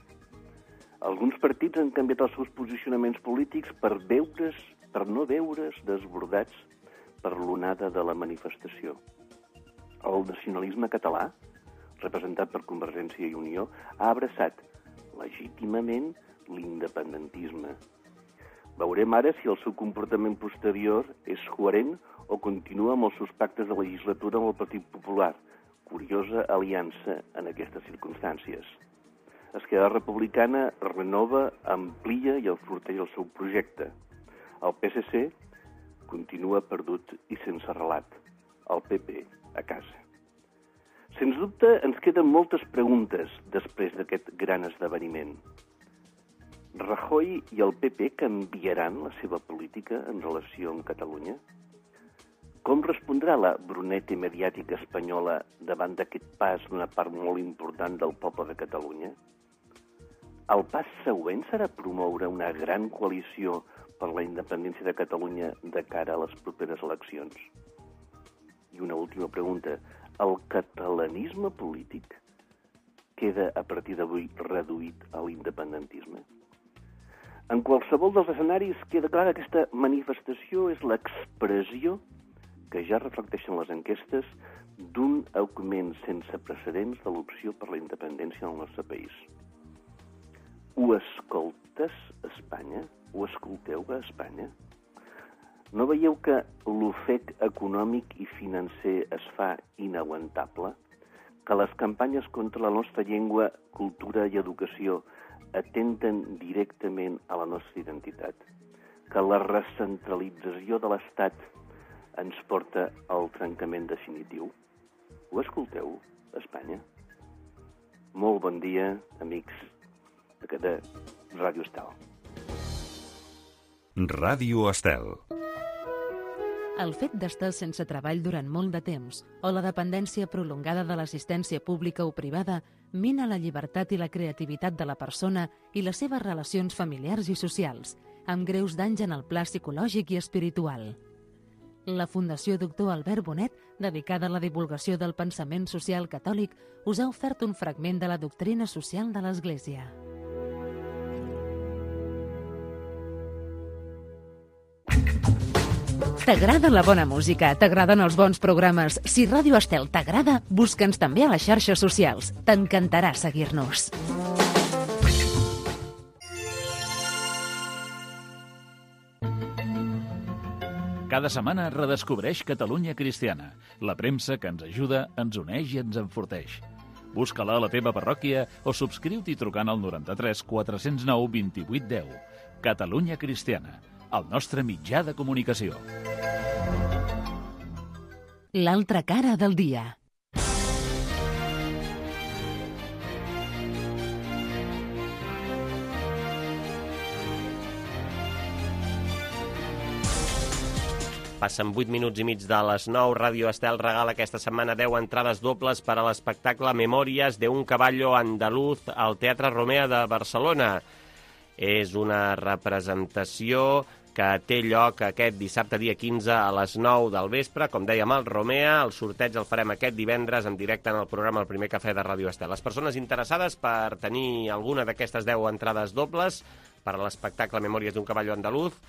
Alguns partits han canviat els seus posicionaments polítics per no veure's desbordats per l'onada de la manifestació. El nacionalisme català, representat per Convergència i Unió, ha abraçat legítimament l'independentisme. Veurem ara si el seu comportament posterior és coherent o continua amb els seus pactes de legislatura amb el Partit Popular. Curiosa aliança en aquestes circumstàncies. Esquerra Republicana renova, amplia i enforteix el seu projecte. El PSC continua perdut i sense relat. El PP a casa. Sens dubte, ens queden moltes preguntes després d'aquest gran esdeveniment. Rajoy i el PP canviaran la seva política en relació amb Catalunya? Com respondrà la brunete mediàtica espanyola davant d'aquest pas d'una part molt important del poble de Catalunya? El pas següent serà promoure una gran coalició per la independència de Catalunya de cara a les properes eleccions? I una última pregunta. El catalanisme polític queda a partir d'avui reduït a l'independentisme? En qualsevol dels escenaris queda clar que aquesta manifestació és l'expressió que ja reflecteixen les enquestes d'un augment sense precedents de l'opció per la independència en el nostre país. Ho escoltes, Espanya? Ho escolteu, a Espanya? No veieu que l'ofec econòmic i financer es fa inaguantable? Que les campanyes contra la nostra llengua, cultura i educació atenten directament a la nostra identitat? Que la recentralització de l'Estat ens porta al trencament definitiu? Ho escolteu, Espanya? Molt bon dia, amics de Ràdio Estel. Ràdio Estel. El fet d'estar sense treball durant molt de temps o la dependència prolongada de l'assistència pública o privada mina la llibertat i la creativitat de la persona i les seves relacions familiars i socials, amb greus danys en el pla psicològic i espiritual. La Fundació Doctor Albert Bonet, dedicada a la divulgació del pensament social catòlic, us ha ofert un fragment de la doctrina social de l'Església. T'agrada la bona música? T'agraden els bons programes? Si Ràdio Estel t'agrada, busca'ns també a les xarxes socials. T'encantarà seguir-nos. Cada setmana redescobreix Catalunya Cristiana, la premsa que ens ajuda, ens uneix i ens enforteix. Busca-la a la teva parròquia o subscriu-t'hi trucant al 93 409 28 10. Catalunya Cristiana, el nostre mitjà de comunicació. L'altra cara del dia. Passen 8 minuts i mig de les 9. Ràdio Estel regala aquesta setmana 10 entrades dobles per a l'espectacle Memòries de un caballo andaluz al Teatre Romea de Barcelona. És una representació que té lloc aquest dissabte, dia 15, a les 9 del vespre. Com dèiem, al Romea. El sorteig el farem aquest divendres en directe en el programa El Primer Cafè de Ràdio Estel. Les persones interessades per tenir alguna d'aquestes 10 entrades dobles per a l'espectacle Memòries d'un caballo andaluz,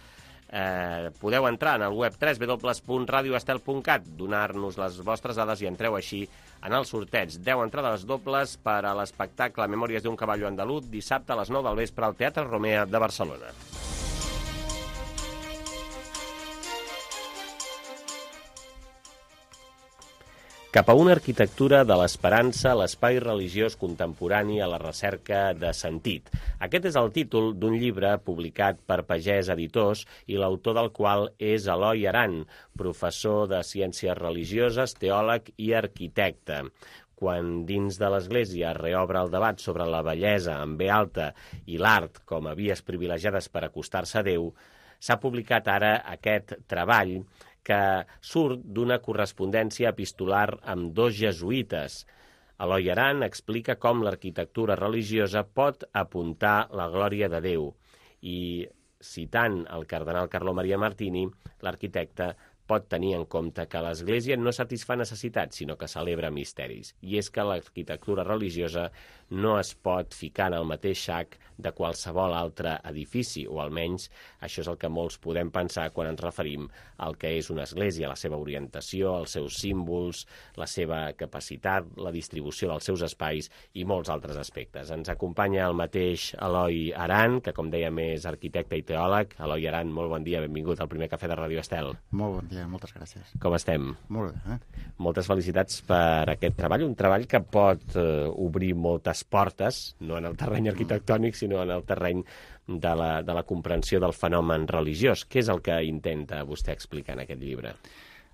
podeu entrar en el web www.radioestel.cat, donar-nos les vostres dades i entreu així en el sorteig. 10 entrades dobles per a l'espectacle Memòries d'un caballo andaluz, dissabte a les 9 del vespre al Teatre Romea de Barcelona. Cap a una arquitectura de l'esperança, l'espai religiós contemporani a la recerca de sentit. Aquest és el títol d'un llibre publicat per Pagès Editors i l'autor del qual és Eloi Aran, professor de Ciències Religioses, teòleg i arquitecte. Quan dins de l'Església es reobre el debat sobre la bellesa amb B alta i l'art com a vies privilegiades per acostar-se a Déu, s'ha publicat ara aquest treball que surt d'una correspondència epistolar amb 2 jesuïtes. Eloi Aran explica com l'arquitectura religiosa pot apuntar la glòria de Déu i, citant el cardenal Carlo Maria Martini, l'arquitecte pot tenir en compte que l'Església no satisfà necessitats, sinó que celebra misteris. I és que l'arquitectura religiosa no es pot ficar en el mateix sac de qualsevol altre edifici, o almenys això és el que molts podem pensar quan ens referim al que és una església, la seva orientació, els seus símbols, la seva capacitat, la distribució dels seus espais i molts altres aspectes. Ens acompanya el mateix Eloi Aran, que com dèiem és arquitecte i teòleg. Eloi Aran, molt bon dia, benvingut al Primer Cafè de Ràdio Estel. Molt bon dia, moltes gràcies. Com estem? Molt bé. Moltes felicitats per aquest treball, un treball que pot obrir moltes portes, no en el terreny arquitectònic, sinó en el terreny de la comprensió del fenomen religiós. Què és el que intenta vostè explicar en aquest llibre?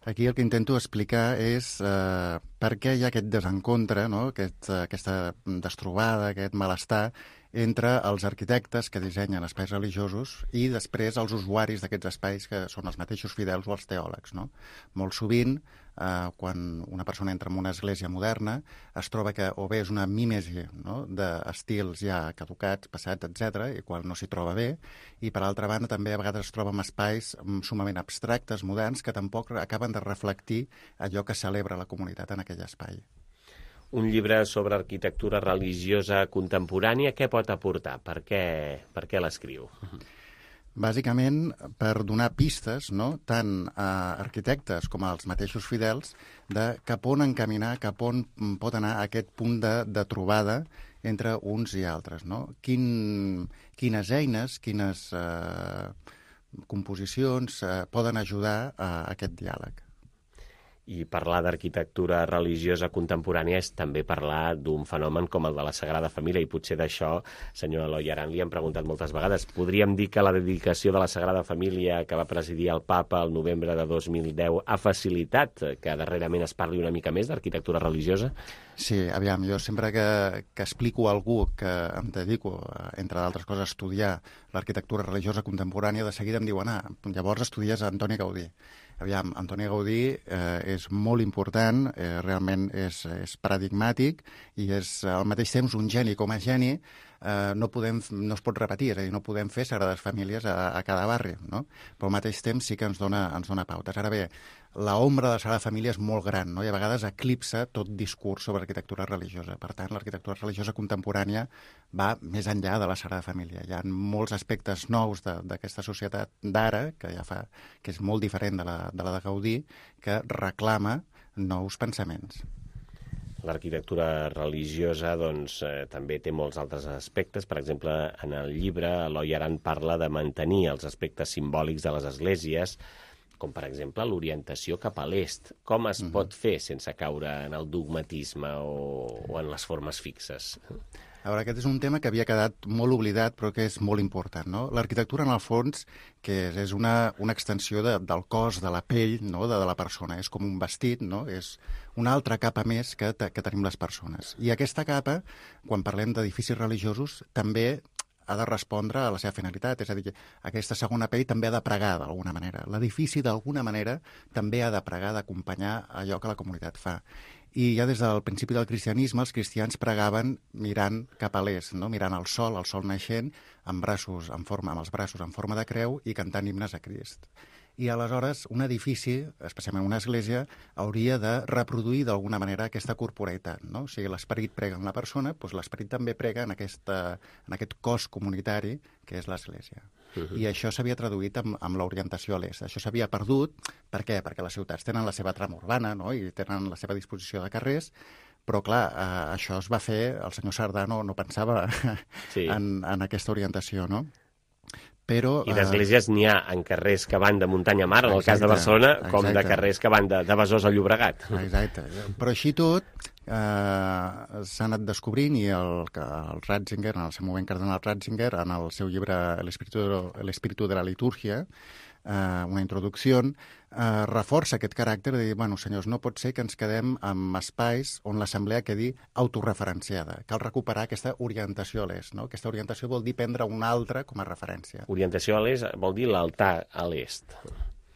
Aquí el que intento explicar és per què hi ha aquest desencontre, no? Aquesta destrobada, aquest malestar entre els arquitectes que dissenyen espais religiosos i després els usuaris d'aquests espais que són els mateixos fidels o els teòlegs. No? Molt sovint, quan una persona entra en una església moderna, es troba que o bé és una mímesi, no? d'estils ja caducats, passats, etc., i quan no s'hi troba bé, i per altra banda també a vegades es troba en espais sumament abstractes, moderns, que tampoc acaben de reflectir allò que celebra la comunitat en aquell espai. Un llibre sobre arquitectura religiosa contemporània, què pot aportar? Per què l'escriu? Bàsicament, per donar pistes, no? tant a arquitectes com als mateixos fidels, de cap on encaminar, cap on pot anar aquest punt de trobada entre uns i altres. No? Quines eines, quines composicions poden ajudar a aquest diàleg. I parlar d'arquitectura religiosa contemporània és també parlar d'un fenomen com el de la Sagrada Família, i potser d'això, senyor Eloi Aran, li hem preguntat moltes vegades. Podríem dir que la dedicació de la Sagrada Família que va presidir el Papa el novembre de 2010 ha facilitat que darrerament es parli una mica més d'arquitectura religiosa? Sí, aviam, jo sempre que explico a algú que em dedico, entre d'altres coses, a estudiar l'arquitectura religiosa contemporània, de seguida em diuen, llavors estudies Antoni Gaudí. Aviam, Antoni Gaudí és molt important, realment és paradigmàtic i és al mateix temps un geni. Com a geni no es pot repetir, és a dir, no podem fer Sagrades Famílies a cada barri, no? Però al mateix temps sí que ens dona pautes. Ara bé, l'ombra de la Sagrada Família és molt gran, no? I a vegades eclipsa tot discurs sobre arquitectura religiosa. Per tant, l'arquitectura religiosa contemporània va més enllà de la Sagrada Família. Hi ha molts aspectes nous d'aquesta societat d'ara, que és molt diferent de la de Gaudí, que reclama nous pensaments. L'arquitectura religiosa també té molts altres aspectes. Per exemple, en el llibre, Eloi Aran parla de mantenir els aspectes simbòlics de les esglésies, com per exemple l'orientació cap a l'est. Com es pot fer sense caure en el dogmatisme o en les formes fixes? A veure, aquest és un tema que havia quedat molt oblidat, però que és molt important, no? L'arquitectura, en el fons, que és una extensió del cos, de la pell, no? de la persona. És com un vestit, no? És una altra capa més que tenim les persones. I aquesta capa, quan parlem d'edificis religiosos, també ha de respondre a la seva finalitat, és a dir, aquesta segona pell també ha de pregar d'alguna manera. L'edifici d'alguna manera també ha de pregar, d'acompanyar allò que la comunitat fa. I ja des del principi del cristianisme els cristians pregaven mirant cap a l'est, no? Mirant el sol naixent, amb els braços en forma de creu i cantant himnes a Crist. I aleshores un edifici, especialment una església, hauria de reproduir d'alguna manera aquesta corporeïtat, no? O sigui, l'esperit prega en la persona, doncs l'esperit també prega en aquest cos comunitari que és l'església. I això s'havia traduït amb l'orientació a l'est. Això s'havia perdut. Per què? Perquè les ciutats tenen la seva trama urbana, no? I tenen la seva disposició de carrers, però clar, això es va fer, el senyor Cerdà no pensava en aquesta orientació, no? Però, I d'esglésies n'hi ha en carrers que van de muntanya a mar, en el cas de Barcelona, com de carrers que van de Besòs a Llobregat. Exacte. Però així tot, s'ha anat descobrint i el Ratzinger, en el seu moment cardenal Ratzinger, en el seu llibre El espíritu de la litúrgia, una introducció, reforça aquest caràcter de dir, bueno, senyors, no pot ser que ens quedem amb espais on l'assemblea quedi autorreferenciada. Cal recuperar aquesta orientació a l'est, no? Aquesta orientació vol dir prendre una altra com a referència. Orientació a l'est vol dir l'altar a l'est.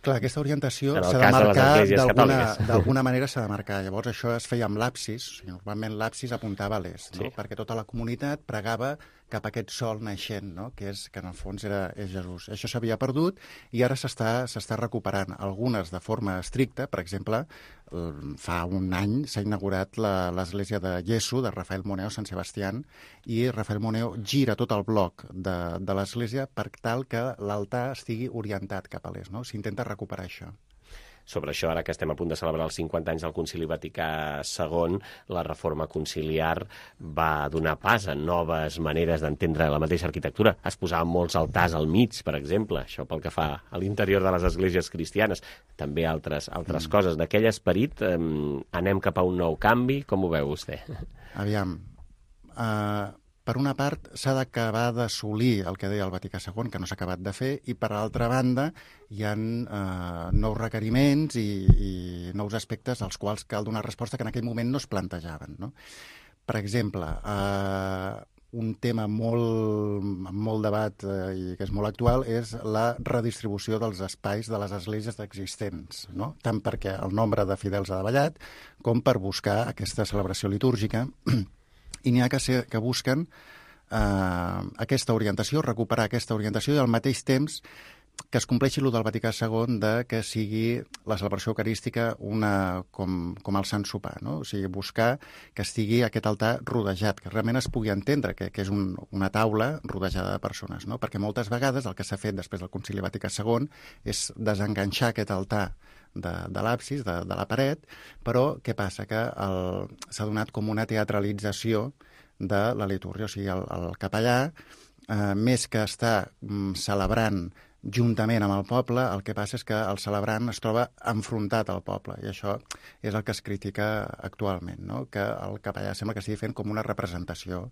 Clar, aquesta orientació s'ha de marcar, d'alguna manera s'ha de marcar. Llavors això es feia amb l'absis, normalment l'absis apuntava a l'est, no? Perquè tota la comunitat pregava cap a aquest sol naixent, no? que en el fons és Jesús. Això s'havia perdut i ara s'està recuperant. Algunes de forma estricta, per exemple, fa un any s'ha inaugurat l'església de Iesu, de Rafael Moneo Sant Sebastián, i Rafael Moneo gira tot el bloc de l'església per tal que l'altar estigui orientat cap a l'est, no? S'intenta recuperar això. Sobre això, ara que estem a punt de celebrar els 50 anys del Concili Vaticà II, la reforma conciliar va donar pas a noves maneres d'entendre la mateixa arquitectura. Es posaven molts altars al mig, per exemple, això pel que fa a l'interior de les esglésies cristianes. També altres coses. D'aquell esperit anem cap a un nou canvi. Com ho veu vostè? Aviam, per una part, s'ha d'acabar d'assolir el que deia el Vaticà II, que no s'ha acabat de fer, i per l'altra banda hi ha nous requeriments i nous aspectes als quals cal donar resposta que en aquell moment no es plantejaven, no? Per exemple, un tema molt debat i que és molt actual és la redistribució dels espais de les esglésies existents, no? Tant perquè el nombre de fidels ha davallat com per buscar aquesta celebració litúrgica. I n'hi ha que busquen aquesta orientació, recuperar aquesta orientació i al mateix temps que es compleixi el del Vaticà II de que sigui la celebració eucarística com el Sant Sopar, no? O sigui, buscar que estigui aquest altar rodejat, que realment es pugui entendre que és una taula rodejada de persones, no? Perquè moltes vegades el que s'ha fet després del Concili Vaticà II és desenganxar aquest altar de l'absis, de la paret, però què passa? Que s'ha donat com una teatralització de la litúrgia, o sigui, el capellà, més que està celebrant juntament amb el poble, el que passa és que el celebrant es troba enfrontat al poble, i això és el que es critica actualment, no? Que el capellà sembla que estigui fent com una representació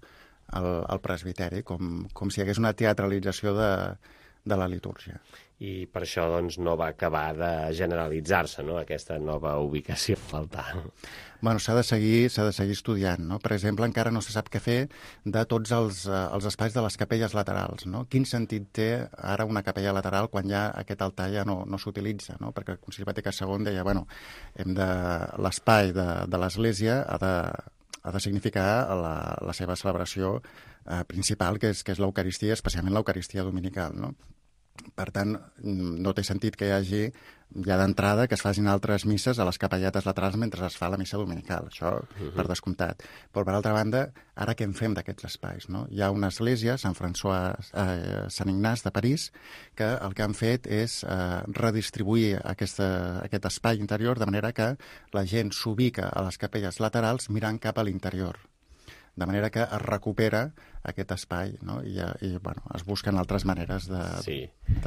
al presbiteri, com si hi hagués una teatralització de la litúrgia. I per això doncs, no va acabar de generalitzar-se, no?, aquesta nova ubicació del altar. Bueno, s'ha de seguir estudiant, no? Per exemple, encara no se sap què fer de tots els espais de les capelles laterals, no? Quin sentit té ara una capella lateral quan ja aquest altar ja no s'utilitza, no? Perquè el Concili Vaticà II deia, bueno, l'espai de l'Església ha de significar la seva celebració principal, que és l'Eucaristia, especialment l'Eucaristia dominical, no? Per tant, no té sentit que hi hagi ja d'entrada que es facin altres misses a les capelletes laterals mentre es fa la missa dominical, això per descomptat. Però, per altra banda, ara què en fem d'aquests espais, no? Hi ha una església, Sant Ignasi de París, que el que han fet és redistribuir aquest espai interior de manera que la gent s'ubica a les capelles laterals mirant cap a l'interior, de manera que es recupera aquest espai, no? I bueno, es busquen altres maneres de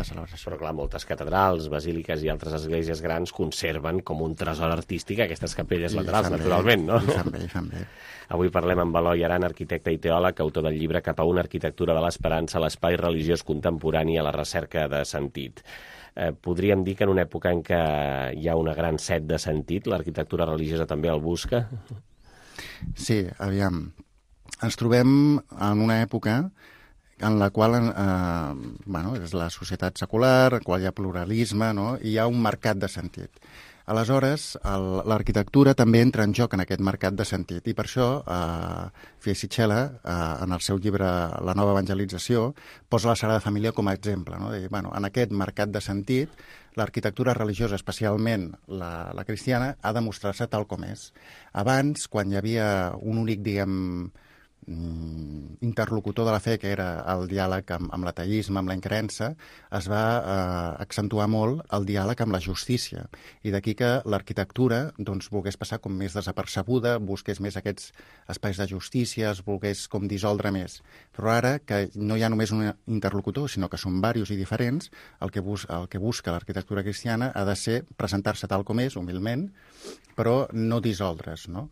celebració. Però clar, moltes catedrals, basíliques i altres esglésies grans conserven com un tresor artístic aquestes capelles laterals, naturalment, no? I fan bé. Avui parlem amb Eloi Aran, arquitecte i teòleg, autor del llibre Cap a una arquitectura de l'esperança, l'espai religiós contemporani a la recerca de sentit. Podríem dir que en una època en què hi ha una gran set de sentit, l'arquitectura religiosa també el busca? Sí, aviam. Ens trobem en una època en la qual és la societat secular, en la qual hi ha pluralisme, no? I hi ha un mercat de sentit. Aleshores, l'arquitectura també entra en joc en aquest mercat de sentit, i per això Fiesicella, en el seu llibre La nova evangelització, posa la Sagrada Família com a exemple, no? De dir, en aquest mercat de sentit, l'arquitectura religiosa, especialment la cristiana, ha de mostrar-se tal com és. Abans, quan hi havia un únic, interlocutor de la fe, que era el diàleg amb l'ateisme, amb la increença, es va accentuar molt el diàleg amb la justícia. I d'aquí que l'arquitectura volgués passar com més desapercebuda, busqués més aquests espais de justícia, es volgués com dissoldre més. Però ara, que no hi ha només un interlocutor, sinó que són diversos i diferents, el que busca l'arquitectura cristiana ha de ser presentar-se tal com és, humilment, però no dissoldre's, no?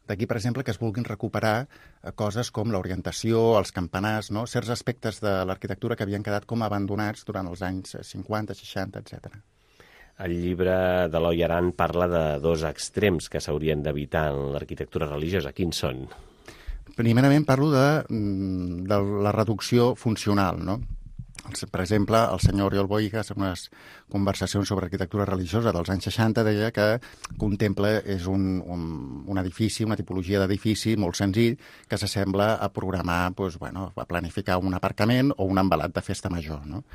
D'aquí, per exemple, que es vulguin recuperar coses com l'orientació, els campanars, no? Certs aspectes de l'arquitectura que havien quedat com abandonats durant els anys 50, 60, etc. El llibre d'Eloi Aran parla de dos extrems que s'haurien d'evitar en l'arquitectura religiosa. Quins són? Primerament parlo de la reducció funcional, no? Per exemple, el senyor Oriol Bohigas, en unes conversacions sobre arquitectura religiosa dels anys 60, deia que contempla és un edifici, una tipologia d'edifici molt senzill que s'assembla a programar, a planificar un aparcament o un envelat de festa major, no?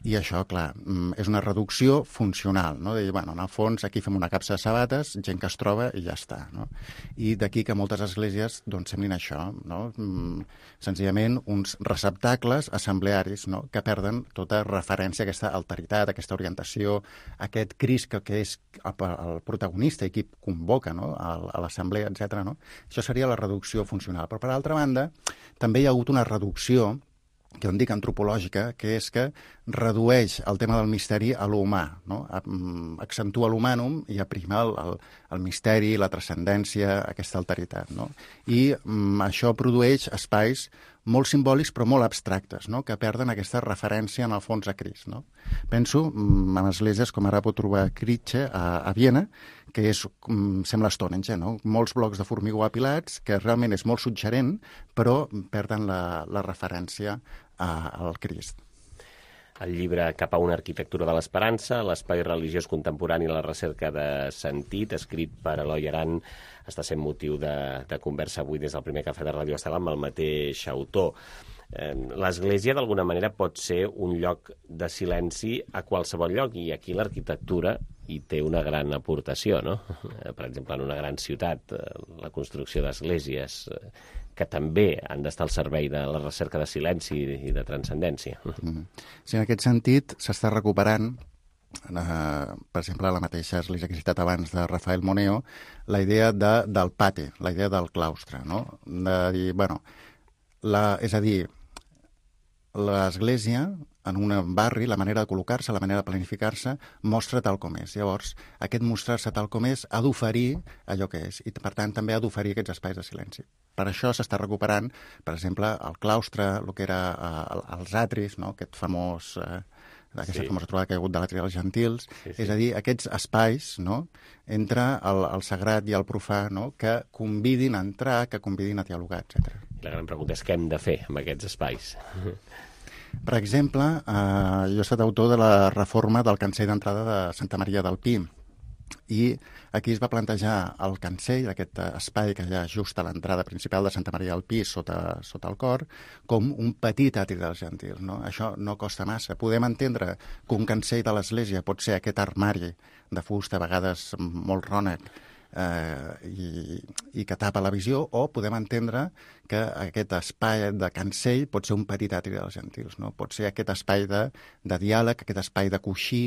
I això, clar, és una reducció funcional, no? De dir, en el fons, aquí fem una capsa de sabates, gent que es troba i ja està, no? I d'aquí que moltes esglésies, semblin això, no? Senzillament uns receptacles assemblearis, no? Que perden tota referència a aquesta alteritat, a aquesta orientació, a aquest Crist que és el protagonista i qui convoca, no? A l'assemblea, etc. No? Això seria la reducció funcional. Però, per altra banda, també hi ha hagut una reducció que en dic antropològica, que és que redueix el tema del misteri a l'humà, no? Accentua l'humànum i aprima el misteri, la transcendència, aquesta alteritat, no? I això produeix espais molt simbòlics però molt abstractes, no? Que perden aquesta referència en el fons a Crist, no? Penso en esglésies com ara pot trobar Kritsche a Viena, que sembla Stonehenge, no? Molts blocs de formigó apilats, que realment és molt suggerent, però perden la referència al Crist. El llibre Cap a una arquitectura de l'esperança, l'espai religiós contemporani i la recerca de sentit, escrit per Eloi Aran, està sent motiu de conversa avui des del primer cafè de Ràdio Estel amb el mateix autor. L'Església, d'alguna manera, pot ser un lloc de silenci a qualsevol lloc, i aquí l'arquitectura hi té una gran aportació, no? Per exemple, en una gran ciutat, la construcció d'esglésies que també han d'estar al servei de la recerca de silenci i de transcendència. Sí, en aquest sentit s'està recuperant, per exemple, la mateixa església que he citat abans de Rafael Moneo, la idea del pati, la idea del claustre, no? De dir, és a dir, l'església, en un barri, la manera de col·locar-se, la manera de planificar-se, mostra tal com és. Llavors, aquest mostrar-se tal com és ha d'oferir allò que és, i per tant també ha d'oferir aquests espais de silenci. Per això s'està recuperant, per exemple, el claustre, el que era els atris, no? Aquest famós... aquesta famosa trobada que hi ha hagut de l'atri dels gentils, és a dir, aquests espais, no? Entre el sagrat i el profà, no? Que convidin a entrar, que convidin a dialogar, etc. La gran pregunta és què hem de fer amb aquests espais. Per exemple, jo he estat autor de la reforma del cancell d'entrada de Santa Maria del Pi, i aquí es va plantejar el cancell, aquest espai que hi ha just a l'entrada principal de Santa Maria del Pi, sota el cor, com un petit atri dels gentils, no? Això no costa massa. Podem entendre que un cancell de l'església pot ser aquest armari de fusta, a vegades molt rònec, i que tapa la visió, o podem entendre que aquest espai de cancell pot ser un petit atri dels gentils, no? Pot ser aquest espai de diàleg, aquest espai de coixí,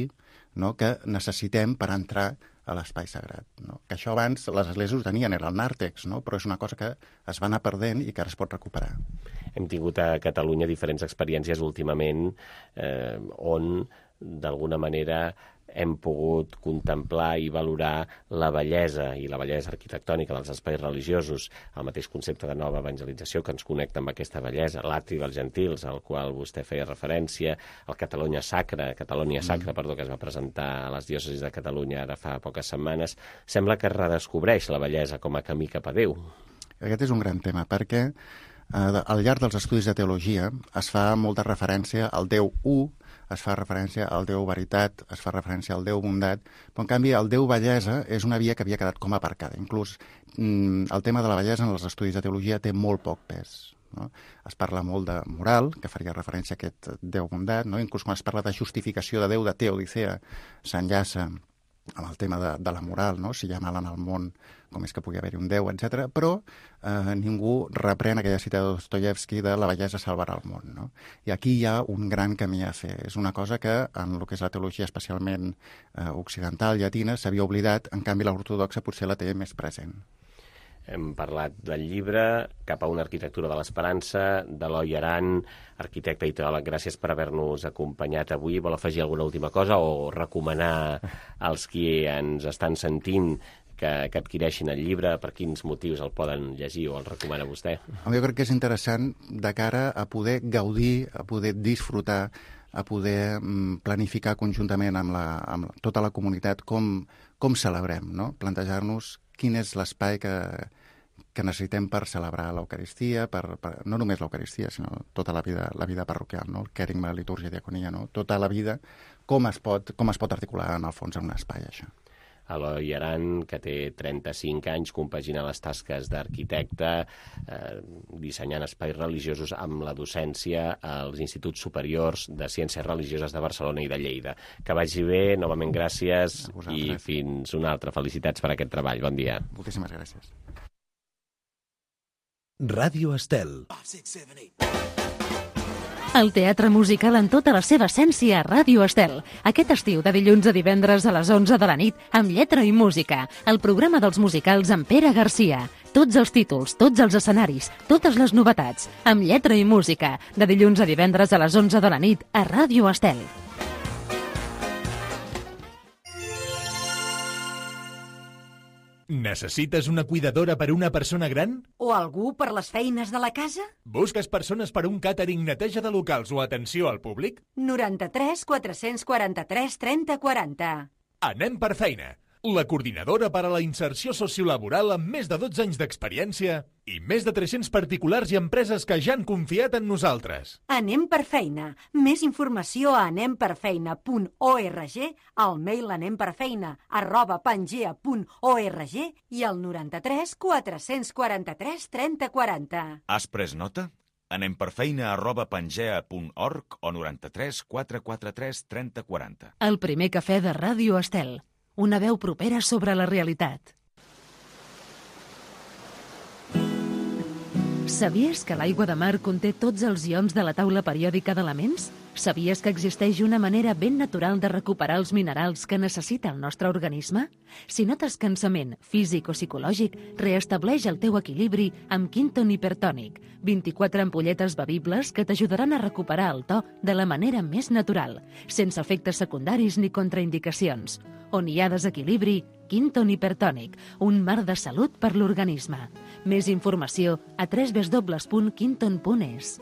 no? Que necessitem per entrar a l'espai sagrat, no? Que això abans les esglésies ho tenien, era el nàrtex, no? Però és una cosa que es va anar perdent i que ara es pot recuperar. Hem tingut a Catalunya diferents experiències últimament on, d'alguna manera, hem pogut contemplar i valorar la bellesa i la bellesa arquitectònica dels espais religiosos, el mateix concepte de nova evangelització que ens connecta amb aquesta bellesa, l'atri dels gentils, al qual vostè feia referència, el Catalonia Sacra, que es va presentar a les diòcesis de Catalunya ara fa poques setmanes, sembla que redescobreix la bellesa com a camí cap a Déu. Aquest és un gran tema, perquè Al llarg dels estudis de teologia es fa molta referència al Déu U, es fa referència al Déu Veritat, es fa referència al Déu Bondat, però en canvi el Déu Bellesa és una via que havia quedat com aparcada. Inclús el tema de la bellesa en els estudis de teologia té molt poc pes. No? Es parla molt de moral, que faria referència a aquest Déu Bondat, no? Inclús quan es parla de justificació de Déu de Teodicea s'enllaça amb el tema de la moral, no? Si hi ha mal en el món, com és que pugui haver-hi un Déu, etc. Però ningú reprèn aquella cita de Dostoyevsky de la bellesa salvarà el món. No? I aquí hi ha un gran camí a fer. És una cosa que en el que és la teologia especialment occidental, llatina, s'havia oblidat, en canvi l'ortodoxa potser la té més present. Hem parlat del llibre Cap a una arquitectura de l'esperança, d'Eloi Aran, arquitecte i teòleg. Gràcies per haver-nos acompanyat avui. Vol afegir alguna última cosa o recomanar als qui ens estan sentint que adquireixin el llibre? Per quins motius el poden llegir o el recomana vostè? Jo crec que és interessant de cara a poder gaudir, a poder disfrutar, a poder planificar conjuntament amb tota la comunitat com celebrem, no? Plantejar-nos quin és l'espai que necessitem per celebrar l'Eucaristia, no només l'Eucaristia, sinó tota la vida parroquial, no? El querigma, la litúrgia, diaconia, no? Tota la vida, com es pot articular en el fons en un espai, això. Eloi Aran, que té 35 anys, compagina les tasques d'arquitecte, dissenyant espais religiosos amb la docència als Instituts Superiors de Ciències Religioses de Barcelona i de Lleida. Que vagi bé, novament gràcies i fins una altra. Felicitats per aquest treball. Bon dia. Moltíssimes gràcies. Ràdio Estel. El teatre musical en tota la seva essència a Ràdio Estel. Aquest estiu, de dilluns a divendres a les 11 de la nit, amb lletra i música. El programa dels musicals amb Pere Garcia. Tots els títols, tots els escenaris, totes les novetats. Amb lletra i música. De dilluns a divendres a les 11 de la nit a Ràdio Estel. Necessites una cuidadora per una persona gran? O algú per les feines de la casa? Busques persones per un càtering, neteja de locals o atenció al públic? 93 443 30 40. Anem per feina. La coordinadora per a la inserció sociolaboral amb més de 12 anys d'experiència i més de 300 particulars i empreses que ja han confiat en nosaltres. Anem per feina. Més informació a anemperfeina.org, al mail anemperfeina@pangea.org i al 93 443 30 40. Has pres nota? anemperfeina@pangea.org o 93 443 30 40. El primer cafè de Ràdio Estel. Una veu propera sobre la realitat. Sabies que l'aigua de mar conté tots els ions de la taula periòdica d'elements? Sabies que existeix una manera ben natural de recuperar els minerals que necessita el nostre organisme? Si notes cansament físic o psicològic, reestableix el teu equilibri amb Quinton Hipertònic, 24 ampolletes bevibles que t'ajudaran a recuperar el to de la manera més natural, sense efectes secundaris ni contraindicacions. On hi ha desequilibri, Quinton Hipertònic, un mar de salut per l'organisme. Més informació a www.quinton.es.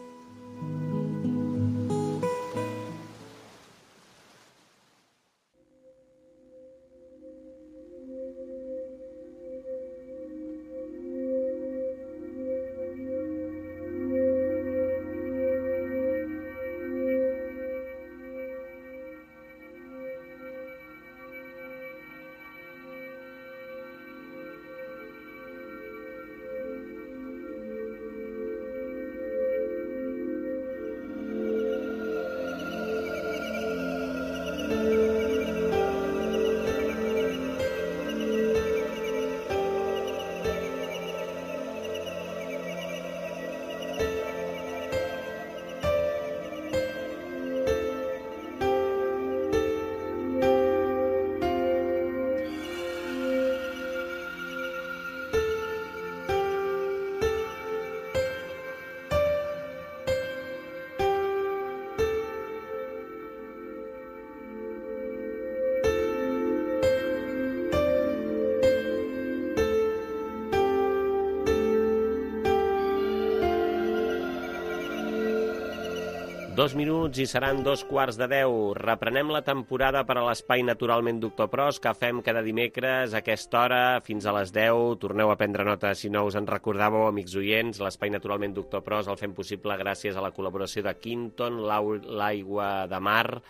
2 minuts i seran 2:15. Reprenem la temporada per a l'Espai Naturalment Doctor Pros, que fem cada dimecres a aquesta hora fins a les 10. Torneu a prendre nota si no us en recordàveu, amics oients. L'Espai Naturalment Doctor Pros el fem possible gràcies a la col·laboració de Quinton, l'aigua de mar,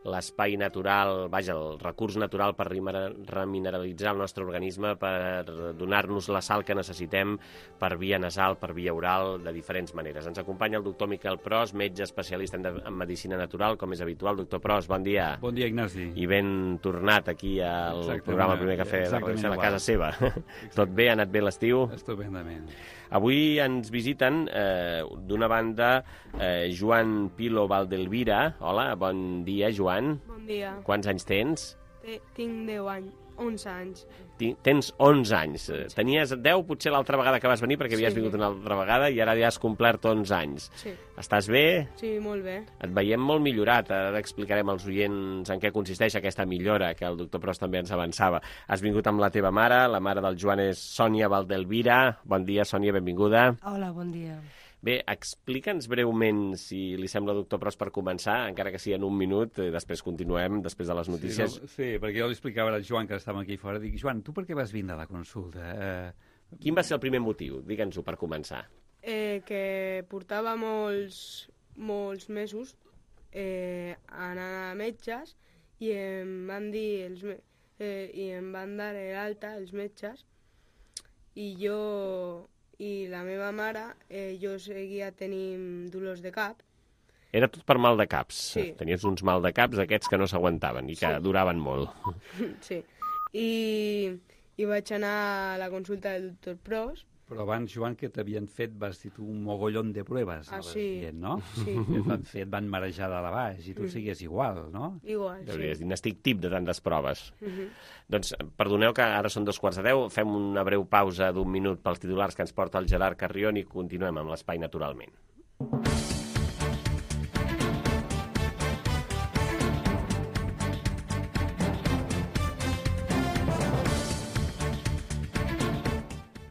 l'espai natural, vaja, el recurs natural per remineralitzar el nostre organisme, per donar-nos la sal que necessitem per via nasal, per via oral, de diferents maneres. Ens acompanya el doctor Miquel Pros, metge especialista en medicina natural, com és habitual. Doctor Pros, bon dia. Bon dia, Ignasi. I ben tornat aquí al programa Primer Cafè de Relació, a casa seva. Tot bé? Ha anat bé l'estiu? Estupendament. Avui ens visiten, d'una banda, Joan Pilo Valdelvira. Hola, bon dia, Joan. Bon dia. Quants anys tens? Tinc 10 anys, 11 anys. Tens 11 anys. Tenies 10 potser l'altra vegada que vas venir, perquè havies vingut una altra vegada, i ara ja has complert 11 anys. Sí. Estàs bé? Sí, molt bé. Et veiem molt millorat. Ara explicarem als oients en què consisteix aquesta millora, que el doctor Pros també ens avançava. Has vingut amb la teva mare, la mare del Joan és Sònia Valdelvira. Bon dia, Sònia, benvinguda. Hola, bon dia. Bé, explica'ns breument, si li sembla, doctor Pros, per començar, encara que sigui en un minut, després continuem, després de les notícies. Sí, perquè jo li explicava al Joan, que estàvem aquí fora, dic, Joan, tu per què vas vindre a la consulta? Quin va ser el primer motiu? Digue'ns-ho per començar. Que portava molts mesos anant a metges i em van dir i em van dar l'alta els metges i la meva mare, jo seguia tenint dolors de cap. Era tot per mal de caps. Sí. Tenies uns mal de caps d'aquests que no s'aguantaven i que duraven molt. Sí. I vaig anar a la consulta del doctor Pros. Però abans, Joan, que t'havien fet, vas dir tu, un mogollón de proves. Sí. Dient, no? Sí. Et van marejar de la baix i tu sigues igual, no? Igual, sí. N'estic tip de tantes proves. Doncs perdoneu que ara són 2:15. Fem una breu pausa d'1 minut pels titulars que ens porta el Gerard Carrion i continuem amb l'Espai Naturalment.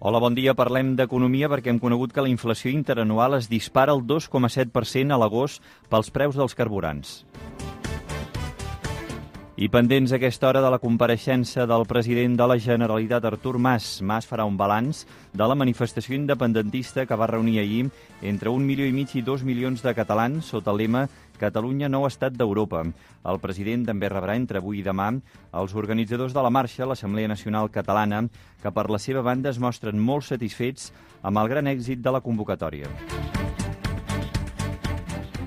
Hola, bon dia. Parlem d'economia perquè hem conegut que la inflació interanual es dispara al 2,7% a l'agost pels preus dels carburants. I pendents a aquesta hora de la compareixença del president de la Generalitat, Artur Mas. Mas farà un balanç de la manifestació independentista que va reunir ahir entre 1,5 milions i 2 milions de catalans sota el lema Catalunya, nou estat d'Europa. El president també rebrà entre avui i demà els organitzadors de la marxa, l'Assemblea Nacional Catalana, que per la seva banda es mostren molt satisfets amb el gran èxit de la convocatòria.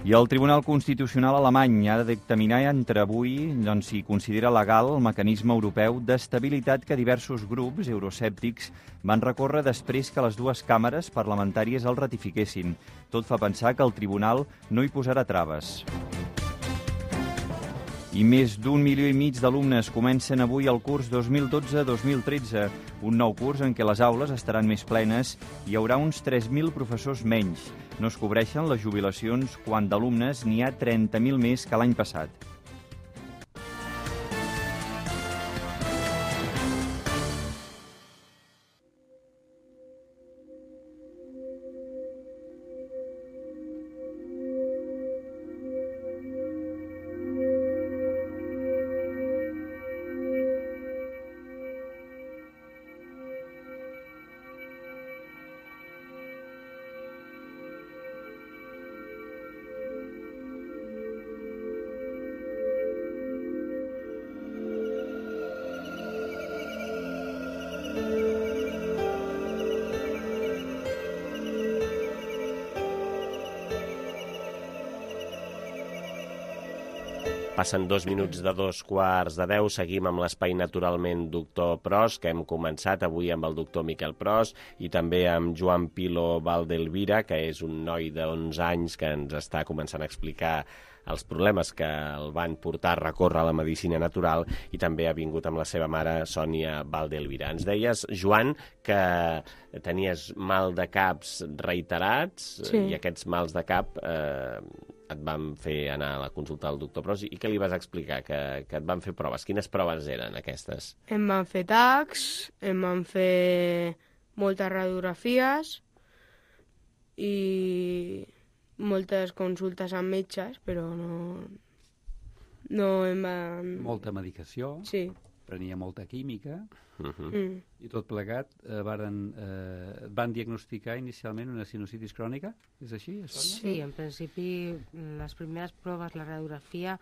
I el Tribunal Constitucional alemany ha de dictaminar entre avui si considera legal el mecanisme europeu d'estabilitat que diversos grups euroscèptics van recórrer després que les dues càmeres parlamentàries el ratifiquessin. Tot fa pensar que el tribunal no hi posarà traves. I més d'1,5 milió d'alumnes comencen avui el curs 2012-2013, un nou curs en què les aules estaran més plenes i hi haurà uns 3.000 professors menys. No es cobreixen les jubilacions quan d'alumnes n'hi ha 30.000 més que l'any passat. Passen 2 minuts de 2:15. Seguim amb l'Espai Naturalment Doctor Pros, que hem començat avui amb el doctor Miquel Pros i també amb Joan Pilo Valdelvira, que és un noi de 11 anys que ens està començant a explicar els problemes que el van portar a recórrer a la medicina natural, i també ha vingut amb la seva mare, Sònia Valdelvira. Ens deies, Joan, que tenies mal de caps reiterats, Sí. i aquests mals de cap et van fer anar a la consulta del doctor Pros, i què li vas explicar? Que et van fer proves. Quines proves eren aquestes? Em van fer tacs, em van fer moltes radiografies i moltes consultes amb metges, però no em van... Molta medicació. Sí. Prenia molta química. I tot plegat van diagnosticar inicialment una sinusitis crònica? És així? Sí, en principi les primeres proves, la radiografia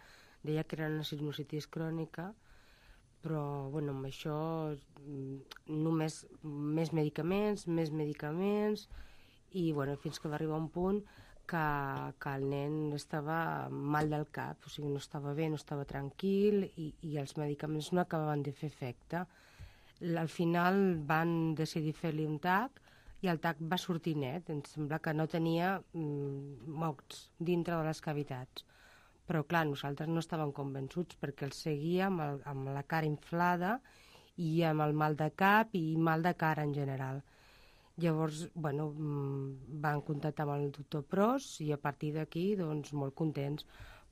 deia que era una sinusitis crònica, però bueno, amb això només més medicaments i bueno, fins que va arribar un punt que el nen estava mal del cap, o sigui, no estava bé, no estava tranquil i els medicaments no acabaven de fer efecte. Al final van decidir fer-li un TAC i el TAC va sortir net. Em sembla que no tenia mocs dintre de les cavitats. Però, clar, nosaltres no estàvem convençuts perquè el seguíem amb la cara inflada i amb el mal de cap i mal de cara en general. Llavors, bueno, van contactar amb el doctor Pros i a partir d'aquí, doncs, molt contents,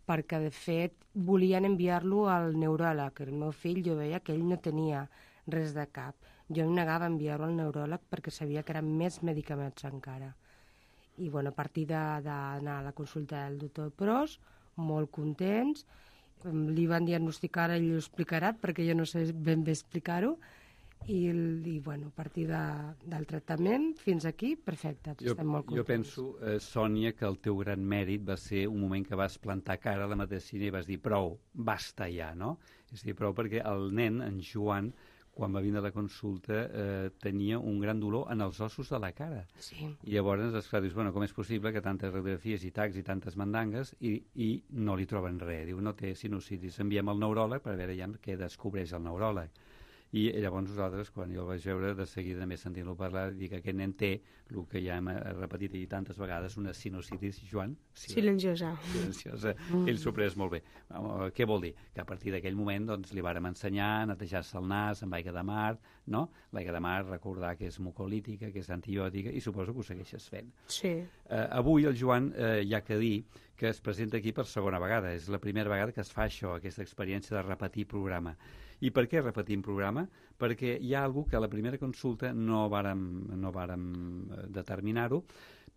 perquè, de fet, volien enviar-lo al neuròleg. El meu fill, jo veia que ell no tenia res de cap. Jo em negava a enviar-lo al neuròleg perquè sabia que eren més medicaments encara. I, bueno, a partir d'anar a la consulta del doctor Pros, molt contents, li van diagnosticar, ell ho explicarà, perquè jo no sé ben bé explicar-ho, i bueno, a partir del tractament fins aquí, perfecte, estem molt contents. Jo penso, Sònia, que el teu gran mèrit va ser un moment que vas plantar cara a la medicina i vas dir prou, basta ja, no? És a dir, prou perquè el nen, en Joan, quan va vindre a la consulta, tenia un gran dolor en els ossos de la cara. Sí. I llavors, esclar, dius, bueno, com és possible que tantes radiografies i tacs i tantes mandangues i no li troben res? Diu, no té sinusitis, enviem al neuròleg per veure ja què descobreix el neuròleg. I llavors nosaltres, quan jo el vaig veure, de seguida més sentint-lo parlar, dic que aquest nen té el que ja hem repetit i tantes vegades, una sinusitis, Joan? Silenciosa. Silenciosa. Ell s'ho pres molt bé. Què vol dir? Que a partir d'aquell moment doncs, li vàrem ensenyar a netejar-se el nas amb aigua de mar, no? L'aigua de mar, recordar que és mucolítica, que és antibiòtica, i suposo que ho segueixes fent. Sí. Avui el Joan, hi ha que dir que es presenta aquí per segona vegada. És la primera vegada que es fa això, aquesta experiència de repetir programa. I per què repetim programa? Perquè hi ha algú que a la primera consulta no vàrem determinar-ho,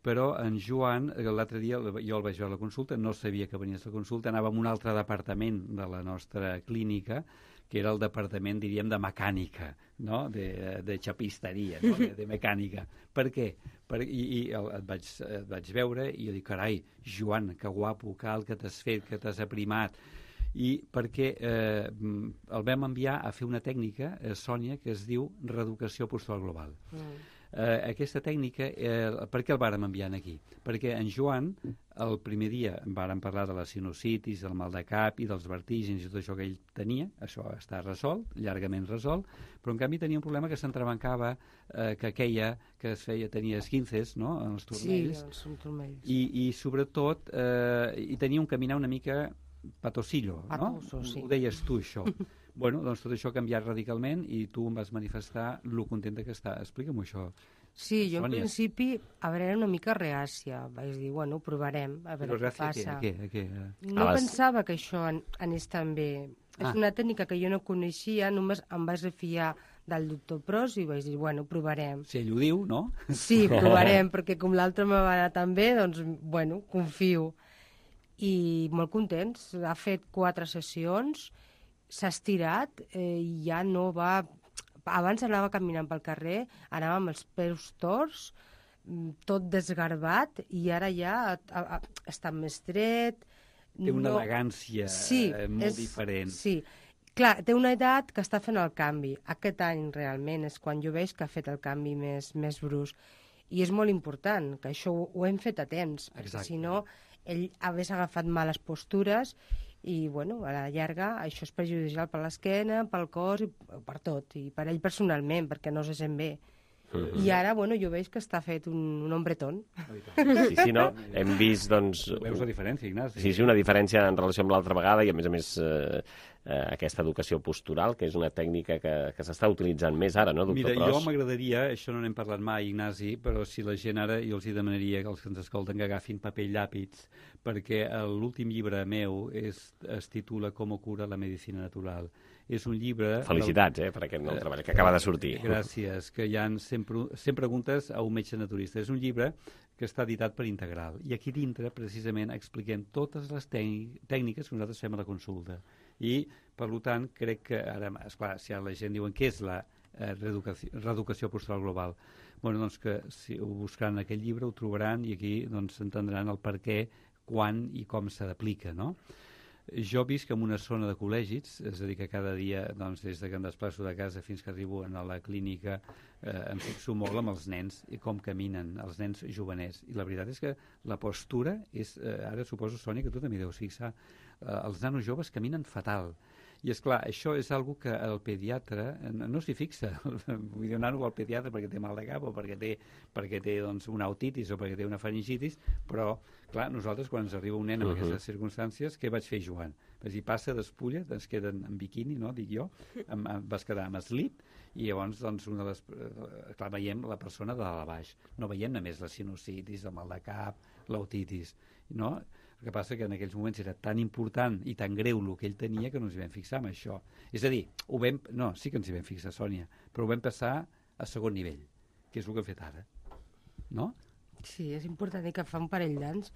però en Joan, l'altre dia jo el vaig veure a la consulta, no sabia que venies a la consulta, anava a un altre departament de la nostra clínica, que era el departament, diríem, de mecànica, no? de xapisteria, no? de mecànica. Per què? Et vaig veure i jo dic, carai, Joan, que guapo, que alt que t'has fet, que t'has aprimat. I perquè el vam enviar a fer una tècnica, Sònia, que es diu reeducació postural global. Aquesta tècnica, per què el vàrem enviar aquí? Perquè en Joan, el primer dia vàrem parlar de la sinusitis, del mal de cap i dels vertígens i tot això que ell tenia, això està resolt, llargament resolt, però en canvi tenia un problema que s'entrebancava, que queia, que tenia esquinces, no?, en els turmells. Sí, els turmells. I sobretot, i tenia un caminar una mica patosillo, no? Patoso, sí. Ho deies tu, això. Bueno, doncs tot això ha canviat radicalment i tu em vas manifestar lo contenta que està. Explica'm això. Sí, jo Sònia. en principi, a veure, era una mica reàcia. Vaig dir, bueno, provarem, a veure què passa. A què? No pensava que això anés tan bé. És una tècnica que jo no coneixia, només em vaig refiar del doctor Pros i vaig dir, bueno, provarem. Si ell ho diu, no? Sí, provarem, perquè com l'altre me va anar tan bé, doncs, bueno, confio. I molt contents. Ha fet 4 sessions, s'ha estirat i ja no va... Abans anava caminant pel carrer, anava amb els peus torts, tot desgarbat, i ara ja està més dret. Té una elegància molt diferent. Sí, clar, té una edat que està fent el canvi. Aquest any realment és quan jo veig que ha fet el canvi més brusc. I és molt important, que això ho hem fet a temps, perquè si no ell hagués agafat males postures i, bueno, a la llarga això és perjudicial per l'esquena, pel cos i per tot, i per ell personalment, perquè no se sent bé. I ara, bueno, jo veig que està fet un hombretón. Sí, no? Hem vist, doncs... Veus la diferència, Ignasi? Sí, una diferència en relació amb l'altra vegada i, a més, aquesta educació postural, que és una tècnica que s'està utilitzant més ara, no, doctor Mira, Pros? jo m'agradaria, això no n'hem parlat mai, Ignasi, però si la gent ara, jo els hi demanaria que els que ens escolten que agafin paper i llàpis, perquè l'últim llibre meu es titula Com cura la medicina natural. És un llibre... Felicitats, per aquest nou treball que acaba de sortir. Gràcies, que hi ha 100 preguntes a un metge naturista. És un llibre que està editat per Integral. I aquí dintre, precisament, expliquem totes les tècniques que nosaltres fem a la consulta. I, per tant, crec que ara, esclar, si la gent diuen què és la reeducació postural global, bueno, doncs que si ho buscaran en aquest llibre ho trobaran i aquí doncs entendran el per què, quan i com se d'aplica, no? Jo visc en una zona de col·legis, és a dir, que cada dia, doncs, des que em desplaço de casa fins que arribo a la clínica, em fixo molt amb els nens i com caminen, els nens jovenets. I la veritat és que la postura és, ara suposo, Sònia, que tu també deus fixar, els nanos joves caminen fatal. I, esclar, això és algo que el pediatre no s'hi fixa. Vull dir, un nano va al pediatre perquè té mal de cap o perquè té doncs, una otitis o perquè té una faringitis, però, clar, nosaltres, quan ens arriba un nen en aquestes circumstàncies, què vaig fer, Joan? Vas dir, passa, despulla, es queden en biquini, no?, dic jo, vas quedar amb slip, i llavors, doncs, clar, veiem la persona de dalt a baix. No veiem només la sinusitis, el mal de cap, l'otitis, no? El que passa que en aquells moments era tan important i tan greu el que ell tenia que no ens hi vam fixar amb això. És a dir, sí que ens hi vam fixar, Sònia, però ho vam passar a segon nivell, que és el que hem fet ara. No? Sí, és important que fa un parell d'anys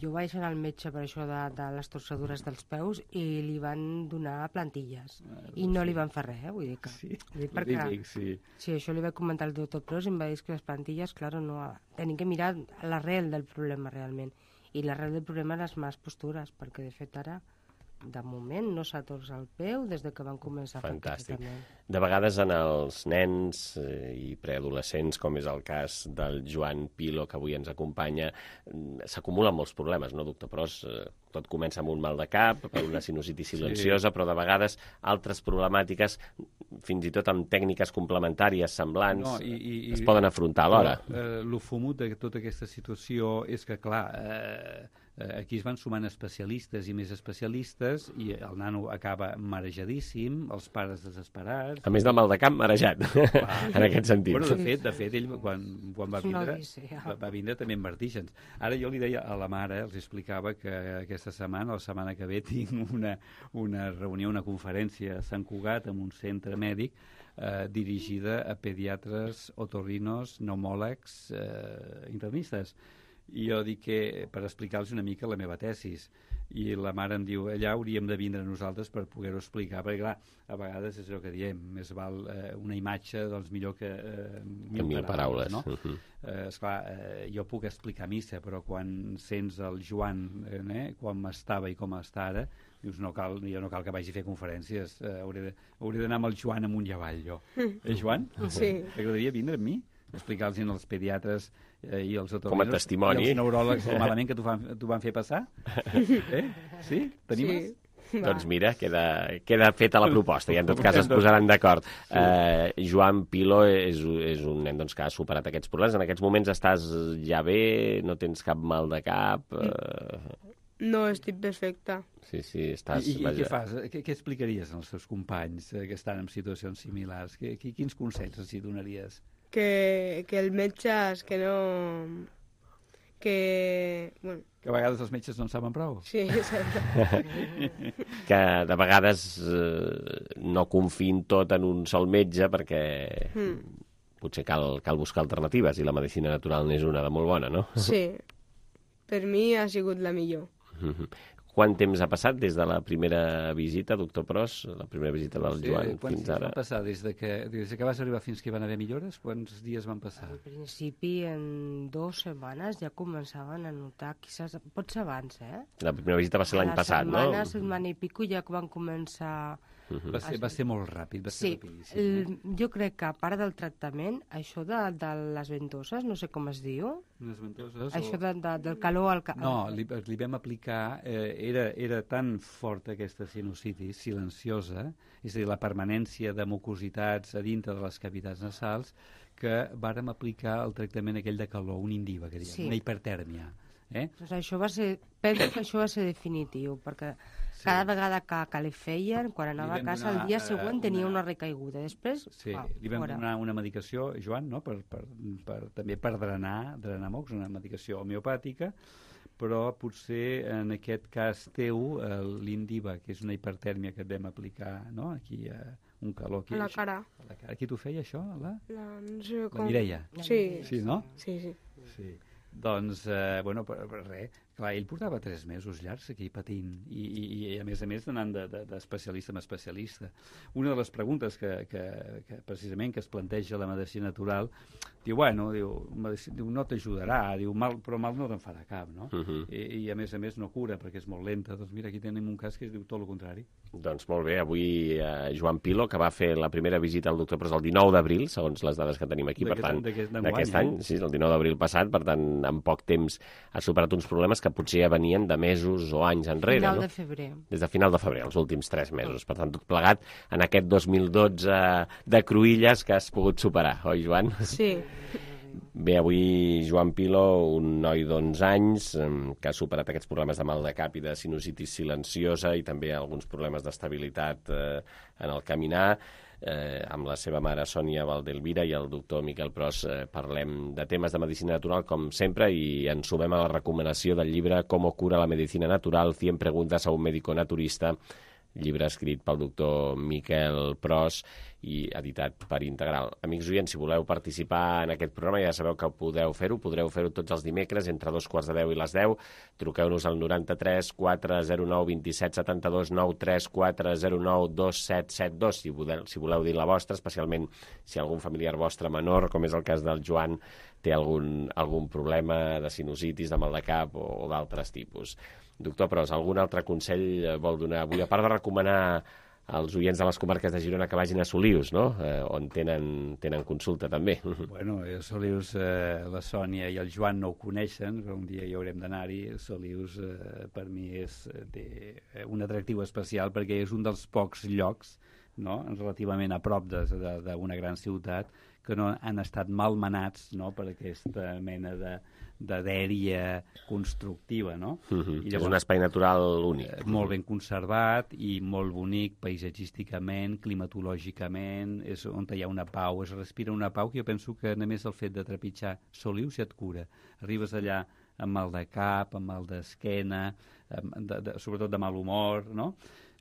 jo vaig anar al metge per això de les torcedures dels peus i li van donar plantilles i no li van fer res, vull dir que... Sí, això li vaig comentar al doctor Pros i em va dir que les plantilles, clar, no, tenim que mirar l'arrel del problema realment. I l'arrel del problema les males postures, perquè de fet ara, de moment, no s'ha torçat el peu des que van començar. Fantàstic. De vegades en els nens i preadolescents, com és el cas del Joan Pilo, que avui ens acompanya, s'acumulen molts problemes, no, doctor Pros? Tot comença amb un mal de cap, per una sinusitis silenciosa, però de vegades altres problemàtiques, fins i tot amb tècniques complementàries semblants, es poden afrontar alhora. El fumut de tota aquesta situació és que, clar, aquí es van sumant especialistes i més especialistes i el nano acaba marejadíssim, els pares desesperats... A més del mal de cap, marejat, en aquest sentit. Bueno, de fet, ell quan va vindre també amb vertígens. Ara jo li deia a la mare, els explicava que aquesta setmana, la setmana que ve, tinc una reunió, una conferència a Sant Cugat, en un centre mèdic, dirigida a pediatres, otorrinos, pneumòlegs, internistes. I jo dic que per explicar-los una mica la meva tesis. I la mare em diu, allà hauríem de vindre nosaltres per poder-ho explicar, perquè clar, a vegades és el que diem, més val una imatge doncs millor que mil paraules, no? Esclar, jo puc explicar missa, però quan sents el Joan, com estava i com està ara, dius, no cal que vagi a fer conferències, hauré d'anar amb el Joan amunt i avall, jo. Joan? Sí. T'agradaria vindre amb mi? Explicar-los als pediatres i als com a testimoni i els neuròlegs el malament que t'ho van fer passar? Sí? T'animes? Sí. Doncs mira, queda feta la proposta i en tot cas es posaran d'acord. Joan Pilo és un nen doncs, que ha superat aquests problemes. En aquests moments estàs ja bé, no tens cap mal de cap... No, estic perfecta. Sí, estàs... I què fas? Què explicaries als teus companys que estan en situacions similars? Quins consells els hi donaries? Que el metge que no... Bueno. Que a vegades els metges no en saben prou. Sí, exacte. Que de vegades no confiïn tot en un sol metge perquè potser cal buscar alternatives i la medicina natural n'és una de molt bona, no? Sí, per mi ha sigut la millor. Quant temps ha passat des de la primera visita, doctor Pros, la primera visita del Joan fins ara? Quants dies van passar? Des que vas arribar fins que hi van haver millores, quants dies van passar? Al principi, en 2 setmanes ja començaven a notar, potser abans, La primera visita va ser l'any passat, no? La setmana i pico ja van començar... Va ser molt ràpid, va ser rapidíssim. Jo crec que a part del tractament, això de les ventoses, no sé com es diu... Les ventoses? Això del calor al cap... No, li vam aplicar... Era tan forta aquesta sinusitis silenciosa, és a dir, la permanència de mucositats a dintre de les cavitats nasals, que vàrem aplicar el tractament aquell de calor, un Indiva, que diem, una hipertèrmia. Doncs això va ser... Penso que això va ser definitiu, perquè cada vegada que li feien, quan anava a casa, el dia següent tenia una recaiguda. Després, li vam donar una medicació, Joan, no? També per drenar mocs, una medicació homeopàtica, però potser en aquest cas teu, l'Indiva, que és una hipertèrmia que et vam aplicar, no? Aquí un calor aquí. A la cara. Qui t'ho feia, això? No sé com... La Mireia. Sí. Sí, no? Sí. Doncs, bueno, res, clar, ell portava 3 mesos llargs aquí patint i a més anant d'especialista en especialista. Una de les preguntes que precisament que es planteja la medicina natural, diu, bueno, no t'ajudarà, però mal no te'n farà cap, no? I a més no cura perquè és molt lenta. Doncs mira, aquí tenim un cas que es diu tot el contrari. Doncs molt bé, avui Joan Pilo, que va fer la primera visita al doctor Pros el 19 d'abril, segons les dades que tenim aquí, per tant, d'aquest any, sí, el 19 d'abril passat, per tant, en poc temps ha superat uns problemes que potser ja venien de mesos o anys enrere. Final de febrer. Des de final de febrer, els últims 3 mesos. Per tant, tot plegat en aquest 2012 de cruïlles que has pogut superar, oi, Joan? Sí. Bé, avui Joan Pilo, un noi d'11 anys que ha superat aquests problemes de mal de cap i de sinusitis silenciosa i també alguns problemes d'estabilitat en el caminar. Amb la seva mare Sònia Valdelvira i el doctor Miquel Pros parlem de temes de medicina natural com sempre i ens sumem a la recomanació del llibre Cómo cura la medicina natural, 100 preguntas a un médico naturista, llibre escrit pel doctor Miquel Pros i editat per Integral. Amics oients, si voleu participar en aquest programa ja sabeu que podreu fer-ho tots els dimecres entre 2:45 i les 10. Truqueu-nos al 93 409 27 72 93 409 2772 si voleu dir la vostra, especialment si algun familiar vostre menor, com és el cas del Joan, té algun problema de sinusitis, de mal de cap o d'altres tipus. Doctor Pros, algun altre consell vol donar avui, a part de recomanar als oients de les comarques de Girona que vagin a Solius, no? On tenen consulta també. Bueno, a Solius la Sònia i el Joan no ho coneixen, però un dia hi haurem d'anar-hi. Solius per mi té un atractiu especial perquè és un dels pocs llocs, no?, relativament a prop d'una gran ciutat que no han estat malmenats, no?, per aquesta mena de dèria constructiva, no? I llavors, és un espai natural únic. Molt ben conservat i molt bonic paisatgísticament, climatològicament, és on hi ha una pau, es respira una pau que jo penso que només el fet de trepitjar Solius ja et cura. Arribes allà amb mal de cap, amb mal d'esquena, sobretot de mal humor, no?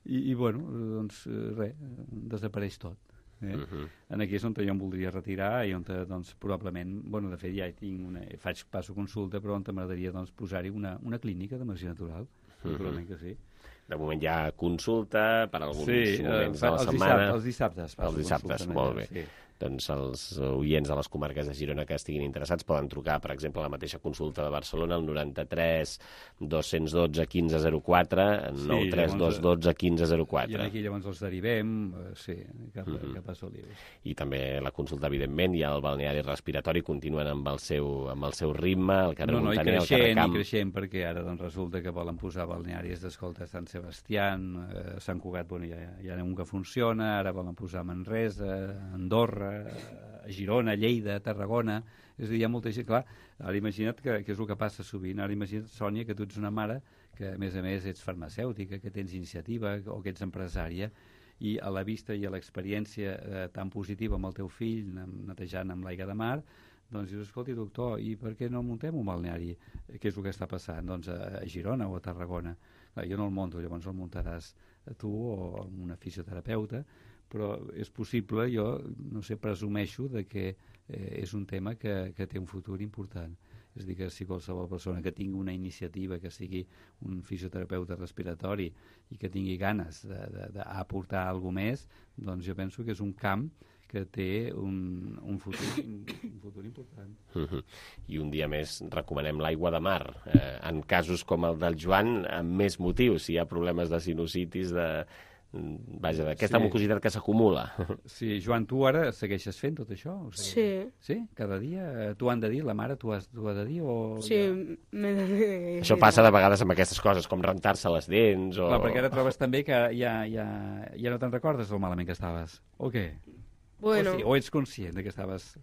I bueno, doncs res, desapareix tot. Aquí és on jo em voldria retirar i on doncs, probablement, bueno, de fet ja passo consulta, però on m'agradaria doncs, posar-hi una clínica de medicina natural, naturalment que sí. De moment hi ha consulta per alguns moments de la setmana. Els dissabtes. Els dissabtes, molt bé. Sí. Doncs els oients de les comarques de Girona que estiguin interessats poden trucar, per exemple, a la mateixa consulta de Barcelona, al 93 212 1504, 93 212 1504. I aquí llavors els derivem, cap a Solius. I també la consulta, evidentment, i el balneari respiratori continuen amb el seu ritme, el carrer Montaner, el carrer Camp. I creixent, perquè ara doncs, resulta que volen posar balnearis d'escolta a Sant Sebastián, Sant Cugat, bueno, hi ha un que funciona, ara volen posar a Manresa, Andorra, a Girona, Lleida, Tarragona. És a dir, hi ha molta gent, clar, ara imagina't que és el que passa sovint, ara imagina't, Sònia, que tu ets una mare que a més ets farmacèutica, que tens iniciativa o que ets empresària, i a la vista i a l'experiència tan positiva amb el teu fill, netejant amb l'aigua de mar, doncs dius, escolti, doctor, i per què no muntem un balneari? Què és el que està passant? Doncs a Girona o a Tarragona. Clar, jo no el munto, llavors el muntaràs tu o amb una fisioterapeuta, però és possible, jo, no sé, presumeixo de que és un tema que té un futur important. És a dir, que si qualsevol persona que tingui una iniciativa, que sigui un fisioterapeuta respiratori i que tingui ganes d'aportar alguna més, doncs jo penso que és un camp que té un futur important. I un dia més recomanem l'aigua de mar. En casos com el del Joan, amb més motius, si hi ha problemes de sinusitis, vaja, d'aquesta mucositat que s'acumula. Sí, Joan, tu ara segueixes fent tot això? Sí. Sí? Cada dia? Tu han de dir? La mare t'ho ha de dir? Sí, m'he de dir. Això passa de vegades amb aquestes coses, com rentar-se les dents o... Clar, perquè ara trobes també que ja no te'n recordes del malament que estaves, o què? Bueno... O ets conscient de que estaves...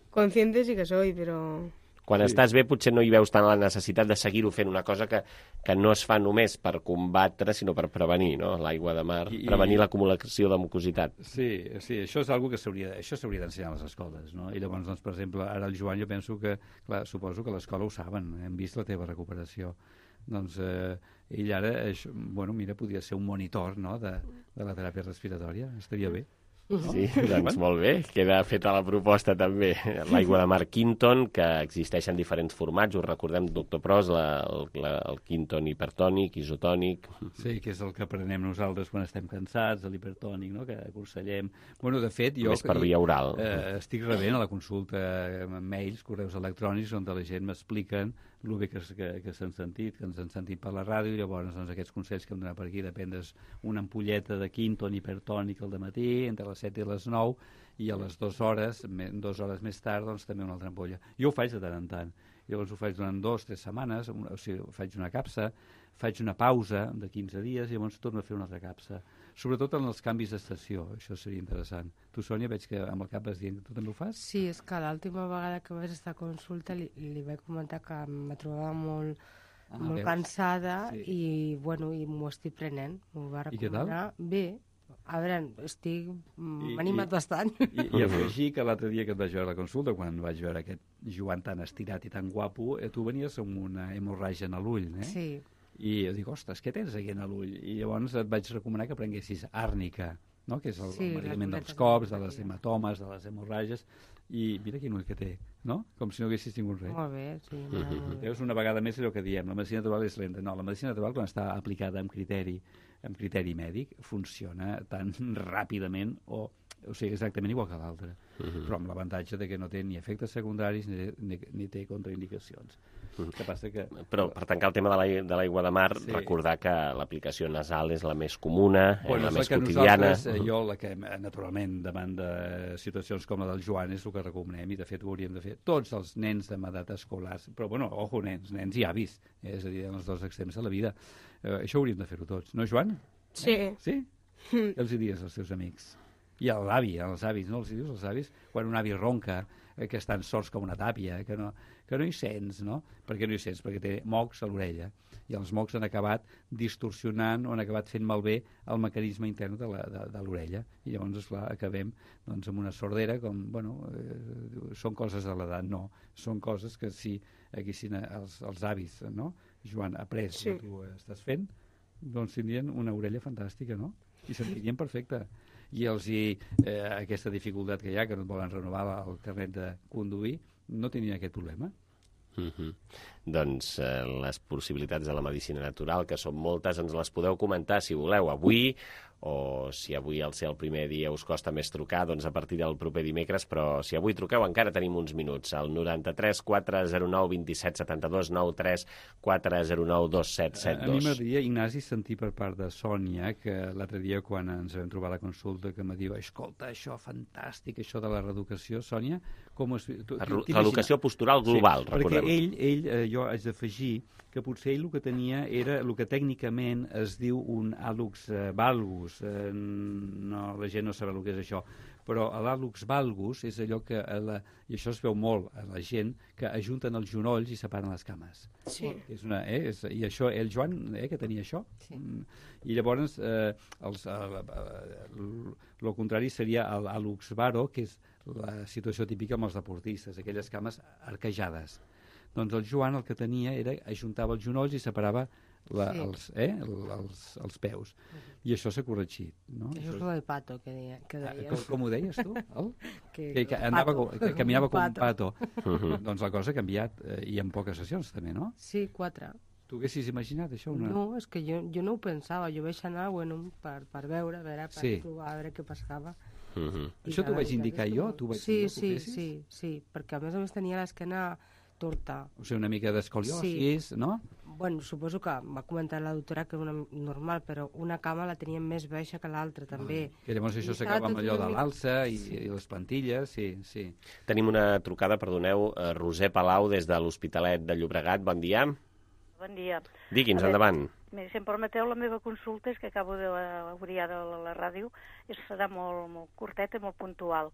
Consciente sí que soy, pero... Quan estàs bé potser no hi veus tant la necessitat de seguir-ho fent, una cosa que no es fa només per combatre, sinó per prevenir, no? L'aigua de mar, prevenir l'acumulació de mucositat. Sí, això és una que s'hauria d'ensenyar a les escoles, no? I llavors, doncs, per exemple, ara el Joan, jo penso que, clar, suposo que a l'escola ho saben, hem vist la teva recuperació. Doncs ell ara, bueno, mira, podria ser un monitor, no?, de la teràpia respiratòria, estaria bé. Sí, doncs molt bé, queda feta la proposta també. L'aigua de mar Quinton, que existeix en diferents formats, us recordem, doctor Pros, el Quinton hipertònic, isotònic... Sí, que és el que prenem nosaltres quan estem cansats, l'hipertònic, no?, que aconsellem. Bueno, de fet, jo... Més per via oral. Estic rebent a la consulta mails, correus electrònics, on la gent m'expliquen el bé que s'han sentit, que ens han sentit per la ràdio, i llavors doncs, aquests consells que hem donat per aquí, dependres una ampolleta de Quinton hipertònic al dematí, entre les 7 i les 9, i a les 2 hores més tard, doncs també una altra ampolla. Jo ho faig de tant en tant. Llavors ho faig durant 2 o 3 setmanes, o sigui, faig una capsa, faig una pausa de 15 dies i llavors torno a fer una altra capsa. Sobretot en els canvis d'estació, això seria interessant. Tu, Sònia, veig que amb el cap vas dient que tu també ho fas? Sí, és que l'última vegada que vaig estar a consulta li vaig comentar que me trobava molt cansada i m'ho estic prenent. M'ho va recomanar. Bé, a veure, m'ha animat bastant. I afegir que l'altre dia que et vaig veure a la consulta, quan vaig veure aquest Joan tan estirat i tan guapo, tu venies amb una hemorràgia a l'ull, eh? Sí. I jo dic, ostres, què tens aquí a l'ull? I llavors et vaig recomanar que prenguessis àrnica, no?, que és el medicament dels cops, de les hematomes, de les hemorràgies, i mira quin ull que té, no? Com si no haguessis tingut res. Molt bé, sí. Veus, una vegada més és el que diem, la medicina natural és lenta. No, la medicina natural, quan està aplicada amb criteri mèdic, funciona tan ràpidament o sigui, exactament igual que l'altre, però amb l'avantatge de que no té ni efectes secundaris ni té contraindicacions. Que passa que... Però per tancar el tema de l'aigua de mar, recordar que l'aplicació nasal és la més comuna, la més quotidiana. Jo, la que naturalment davant de situacions com la del Joan és el que recomanem, i de fet ho hauríem de fer tots els nens de edat escolar, però bueno, ojo, nens i avis, és a dir, en els dos extrems de la vida. Això hauríem de fer-ho tots, no, Joan? Sí. Sí? Què els diries als teus amics? I a l'avi, als avis, no? Els dius als avis? Quan un avi ronca, que estan sords com una tàpia, que no hi sents, no? Per què no hi sents? Perquè té mocs a l'orella. I els mocs han acabat distorsionant o han acabat fent malbé el mecanisme intern de l'orella. I llavors, esclar, acabem doncs, amb una sordera, com, bueno, són coses de l'edat, no. Són coses que si haguessin els avis, no? Joan, après el que tu estàs fent, doncs tindrien una orella fantàstica, no? I sentirien perfecte. I aquesta dificultat que hi ha, que no et volen renovar el carnet de conduir, no tenien aquest problema. Doncs les possibilitats de la medicina natural, que són moltes, ens les podeu comentar si voleu avui, o si avui al ser el primer dia us costa més trucar, doncs a partir del proper dimecres, però si avui truqueu encara tenim uns minuts, al 93 409 27 72 93 409 2772. A mi m'agradaria, Ignasi, sentir per part de Sònia, que l'altre dia quan ens vam trobar a la consulta, que em diu, escolta, això fantàstic, això de la reeducació, Sònia, com es... Reeducació postural global, recordem. Perquè ell, jo haig d'afegir que potser ell el que tenia era el que tècnicament es diu un hàlux valgus. No, la gent no sabrà el que és això, però l'hàlux valgus és allò que, i això es veu molt a la gent, que ajunten els genolls i separen les cames. Sí. I això, el Joan, que tenia això. Sí. I llavors, el contrari seria l'hàlux varo, que és la situació típica amb els deportistes, aquelles cames arquejades. Doncs el Joan el que tenia era ajuntava els genolls i separava els peus. I això s'ha corregit. No? Això és el pato que deies. Com ho deies tu? Que caminava com un pato. Doncs la cosa ha canviat, i en poques sessions també, no? Sí, 4. Tu haguessis imaginat això? No, és que jo no ho pensava. Jo vaig anar per veure, per provar, a veure què passava. Això t'ho vaig indicar jo? Sí, perquè a més tenia l'esquena torta. O sigui, una mica d'escoliosis, no? Bueno, suposo que va comentar la doctora que era normal, però una cama la tenia més baixa que l'altra, també. Que llavors això s'acaba amb allò de l'alça i les plantilles, sí. Tenim una trucada, perdoneu, Roser Palau, des de l'Hospitalet de Llobregat. Bon dia. Bon dia. Digui'ns, endavant. Si em permeteu, la meva consulta és que acabo d'obrir ara la ràdio i serà molt curteta i molt puntual.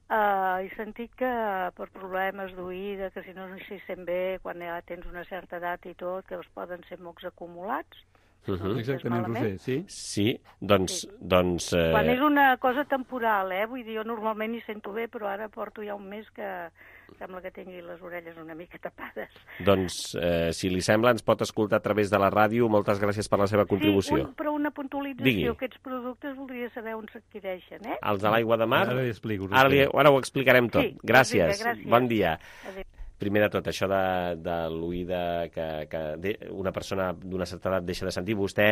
He sentit que per problemes d'oïda, que si no s'hi sent bé, quan ja tens una certa edat i tot, que es poden ser mocs acumulats. Exactament, Roser, sí? Sí, doncs... Quan és una cosa temporal, vull dir, jo normalment hi sento bé, però ara porto ja un mes que sembla que tingui les orelles una mica tapades. Doncs, si li sembla, ens pot escoltar a través de la ràdio. Moltes gràcies per la seva contribució. Sí, però una puntualització. Digui. Aquests productes voldria saber on s'adquireixen, Els de l'aigua de mar? Ara li explico. Ara ho explicarem tot. Sí, Gràcies. gràcies. Bon dia. Adéu. Primer de tot, això de l'oïda que una persona d'una certa edat deixa de sentir. Vostè,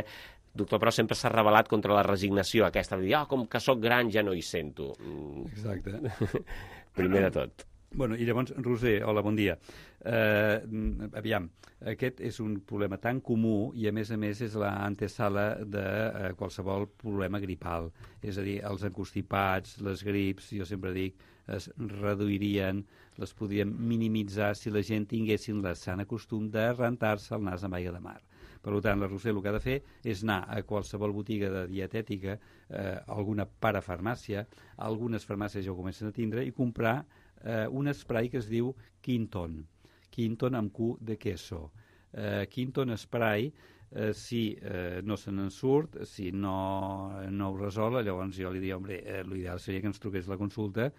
doctor Pros, sempre s'ha rebel·lat contra la resignació aquesta de dir, com que sóc gran ja no hi sento. Exacte. Primer de tot. Bueno, i llavors, Roser, hola, bon dia. Aviam, aquest és un problema tan comú i, a més, és l'antesala de qualsevol problema gripal. És a dir, els encostipats, les grips, jo sempre dic, es reduirien, les podríem minimitzar si la gent tinguessin el sant costum de rentar-se el nas amb aigua de mar. Per tant, la Roser el que ha de fer és anar a qualsevol botiga de dietètica, alguna parafarmàcia, algunes farmàcies ja ho comencen a tindre, i comprar un spray que es diu Quinton. Quinton amb Q de queso. Quinton spray, si no se n'en surt, si no ho resol, llavors jo li diria, l'ideal seria que ens truqués la consulta,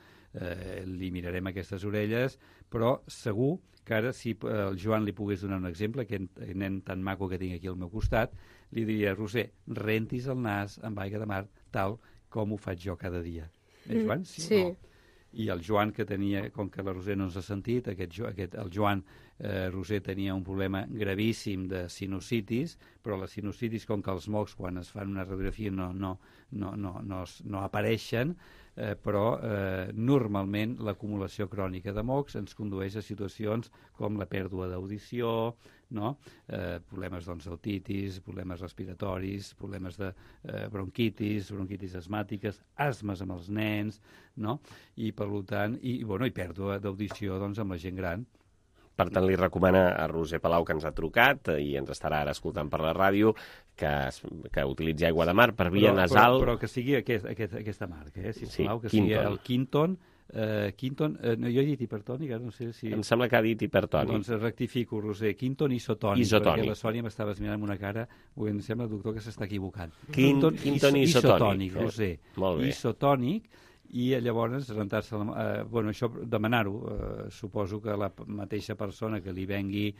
li mirarem aquestes orelles, però segur que ara, si el Joan li pogués donar un exemple, aquest nen tan maco que tinc aquí al meu costat, li diria, Roser, rentis el nas amb aigua de mar tal com ho faig jo cada dia. Joan? Sí. No? I el Joan, que tenia, com que la Roser no ens ha sentit, el Joan Roser tenia un problema gravíssim de sinusitis, però la sinusitis, com que els mocs, quan es fan una radiografia, no apareixen, però normalment l'acumulació crònica de mocs ens condueix a situacions com la pèrdua d'audició, problemes d'otitis, problemes respiratoris, problemes de bronquitis asmàtiques, asmes amb els nens, i per tant, i pèrdua d'audició amb la gent gran. Per tant, li recomana a Roser Palau, que ens ha trucat i ens estarà ara escoltant per la ràdio, que utilitzi aigua de mar per via nasal. Però que sigui aquesta marca, sisplau, que sigui el Quinton. Jo he dit hipertònic, ara no sé si... Em sembla que ha dit hipertònic. Doncs rectifico, Roser, Quinton isotònic. Perquè la Sònia m'estava mirant amb una cara, em sembla, doctor, que s'està equivocant. Quinton isotònic, Roser. Molt bé. Isotònic, i llavors rentar-se això, demanar-ho, suposo que la mateixa persona que li vengui,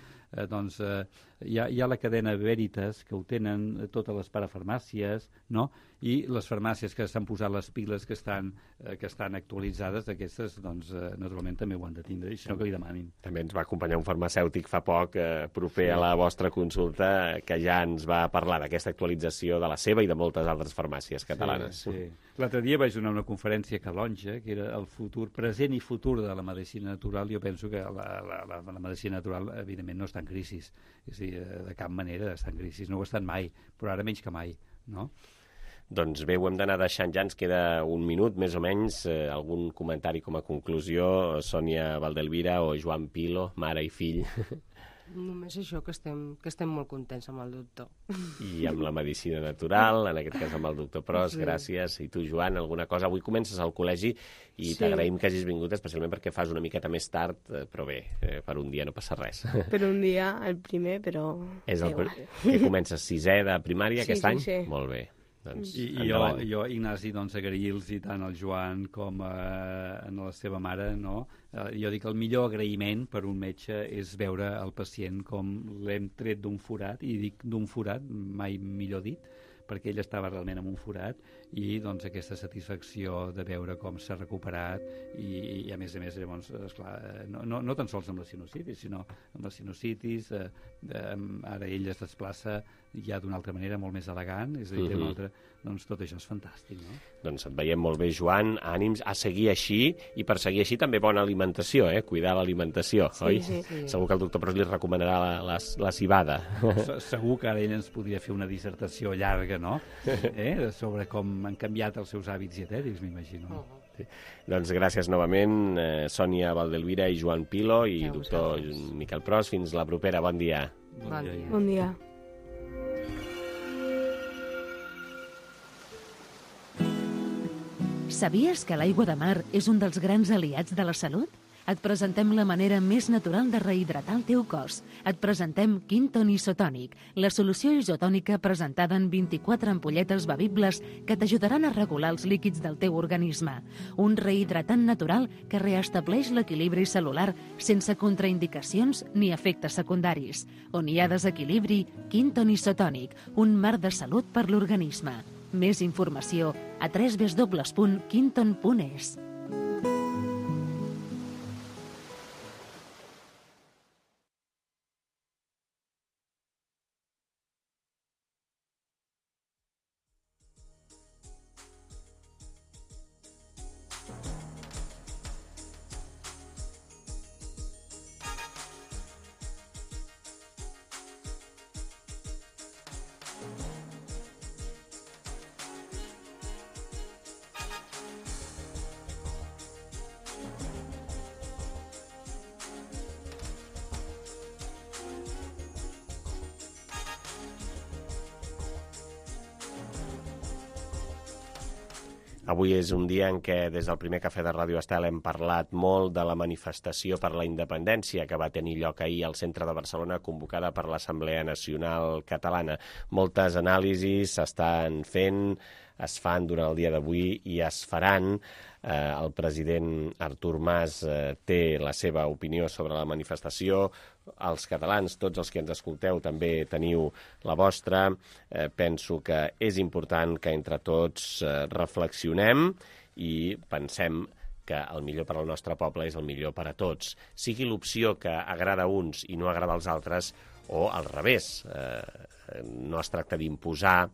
hi ha la cadena Veritas, que ho tenen totes les parafarmàcies, i les farmàcies que s'han posat les piles que estan actualitzades, aquestes, naturalment també ho han de tindre, i si no que li demanin. També ens va acompanyar un farmacèutic fa poc, proper a la vostra consulta, que ja ens va parlar d'aquesta actualització de la seva i de moltes altres farmàcies catalanes. Sí. L'altre dia vaig donar una conferència a Calonge, que era el futur, present i futur de la medicina natural. Jo penso que la medicina natural, evidentment, no està en crisi. És a dir, de cap manera està en crisi. No ho ha estat mai, però ara menys que mai, no? Doncs bé, ho hem d'anar deixant ja, ens queda un minut, més o menys. Algun comentari com a conclusió, Sònia Valdelvira o Joan Pilo, mare i fill? Només això, que estem molt contents amb el doctor. I amb la medicina natural, en aquest cas amb el doctor Pros, gràcies. I tu, Joan, alguna cosa? Avui comences al col·legi i t'agraïm que hagis vingut, especialment perquè fas una miqueta més tard, però bé, per un dia no passa res. Per un dia, el primer, però... Que comences 6è de primària aquest any? Sí. Molt bé. I jo, Ignasi, agrair-los tant al Joan com a la seva mare, jo dic el millor agraïment per un metge és veure el pacient com l'hem tret d'un forat, i dic d'un forat, mai millor dit, perquè ell estava realment en un forat, i aquesta satisfacció de veure com s'ha recuperat, i a més, llavors, esclar, no tan sols amb la sinusitis, sinó amb la sinusitis, ara ell es desplaça ja d'una altra manera, molt més elegant, és a dir, una altra, tot això és fantàstic, no? Doncs et veiem molt bé, Joan, ànims a seguir així, i per seguir així també bona alimentació, cuidar l'alimentació, oi? Sí. Segur que el doctor Pros li recomanarà la cibada. Segur que ara ell ens podria fer una dissertació llarga, no? Sobre com han canviat els seus hàbits dietètics, m'imagino. Sí. Doncs gràcies novament, Sònia Valdelvira i Joan Pilo i doctor Miquel Pros. Fins la propera. Bon dia. Bon dia. Sabies que l'aigua de mar és un dels grans aliats de la salut? Et presentem la manera més natural de rehidratar el teu cos. Et presentem Quinton Isotònic, la solució isotònica presentada en 24 ampolletes bevibles que t'ajudaran a regular els líquids del teu organisme. Un rehidratant natural que reestableix l'equilibri cel·lular sense contraindicacions ni efectes secundaris. On hi ha desequilibri, Quinton Isotònic, un mar de salut per l'organisme. Més informació a www.quinton.es. Avui és un dia en què des del primer cafè de Ràdio Estel hem parlat molt de la manifestació per la independència que va tenir lloc ahir al centre de Barcelona, convocada per l'Assemblea Nacional Catalana. Moltes anàlisis s'estan fent, es fan durant el dia d'avui i es faran. El president Artur Mas té la seva opinió sobre la manifestació. Els catalans, tots els que ens escolteu, també teniu la vostra. Penso que és important que entre tots reflexionem i pensem que el millor per al nostre poble és el millor per a tots. Sigui l'opció que agrada a uns i no agrada als altres, o al revés. No es tracta d'imposar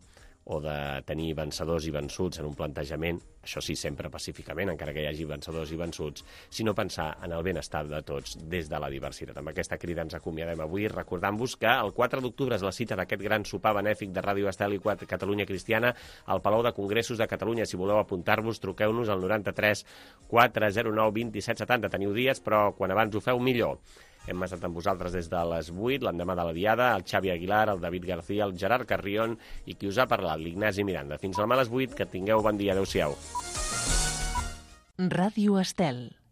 o de tenir vencedors i vençuts en un plantejament, això sí, sempre pacíficament, encara que hi hagi vencedors i vençuts, sinó pensar en el benestar de tots des de la diversitat. Amb aquesta crida ens acomiadem avui, recordant-vos que el 4 d'octubre és la cita d'aquest gran sopar benèfic de Ràdio Estel i Catalunya Cristiana al Palau de Congressos de Catalunya. Si voleu apuntar-vos, truqueu-nos al 93 409 27 70. Teniu dies, però quan abans ho feu, millor. Hem estat amb vosaltres des de les 8, l'endemà de la Diada, el Xavi Aguilar, el David García, el Gerard Carrion i qui us ha parlat, l'Ignasi Miranda. Fins demà a les 8, que tingueu bon dia. Adéu-siau. Ràdio Estel.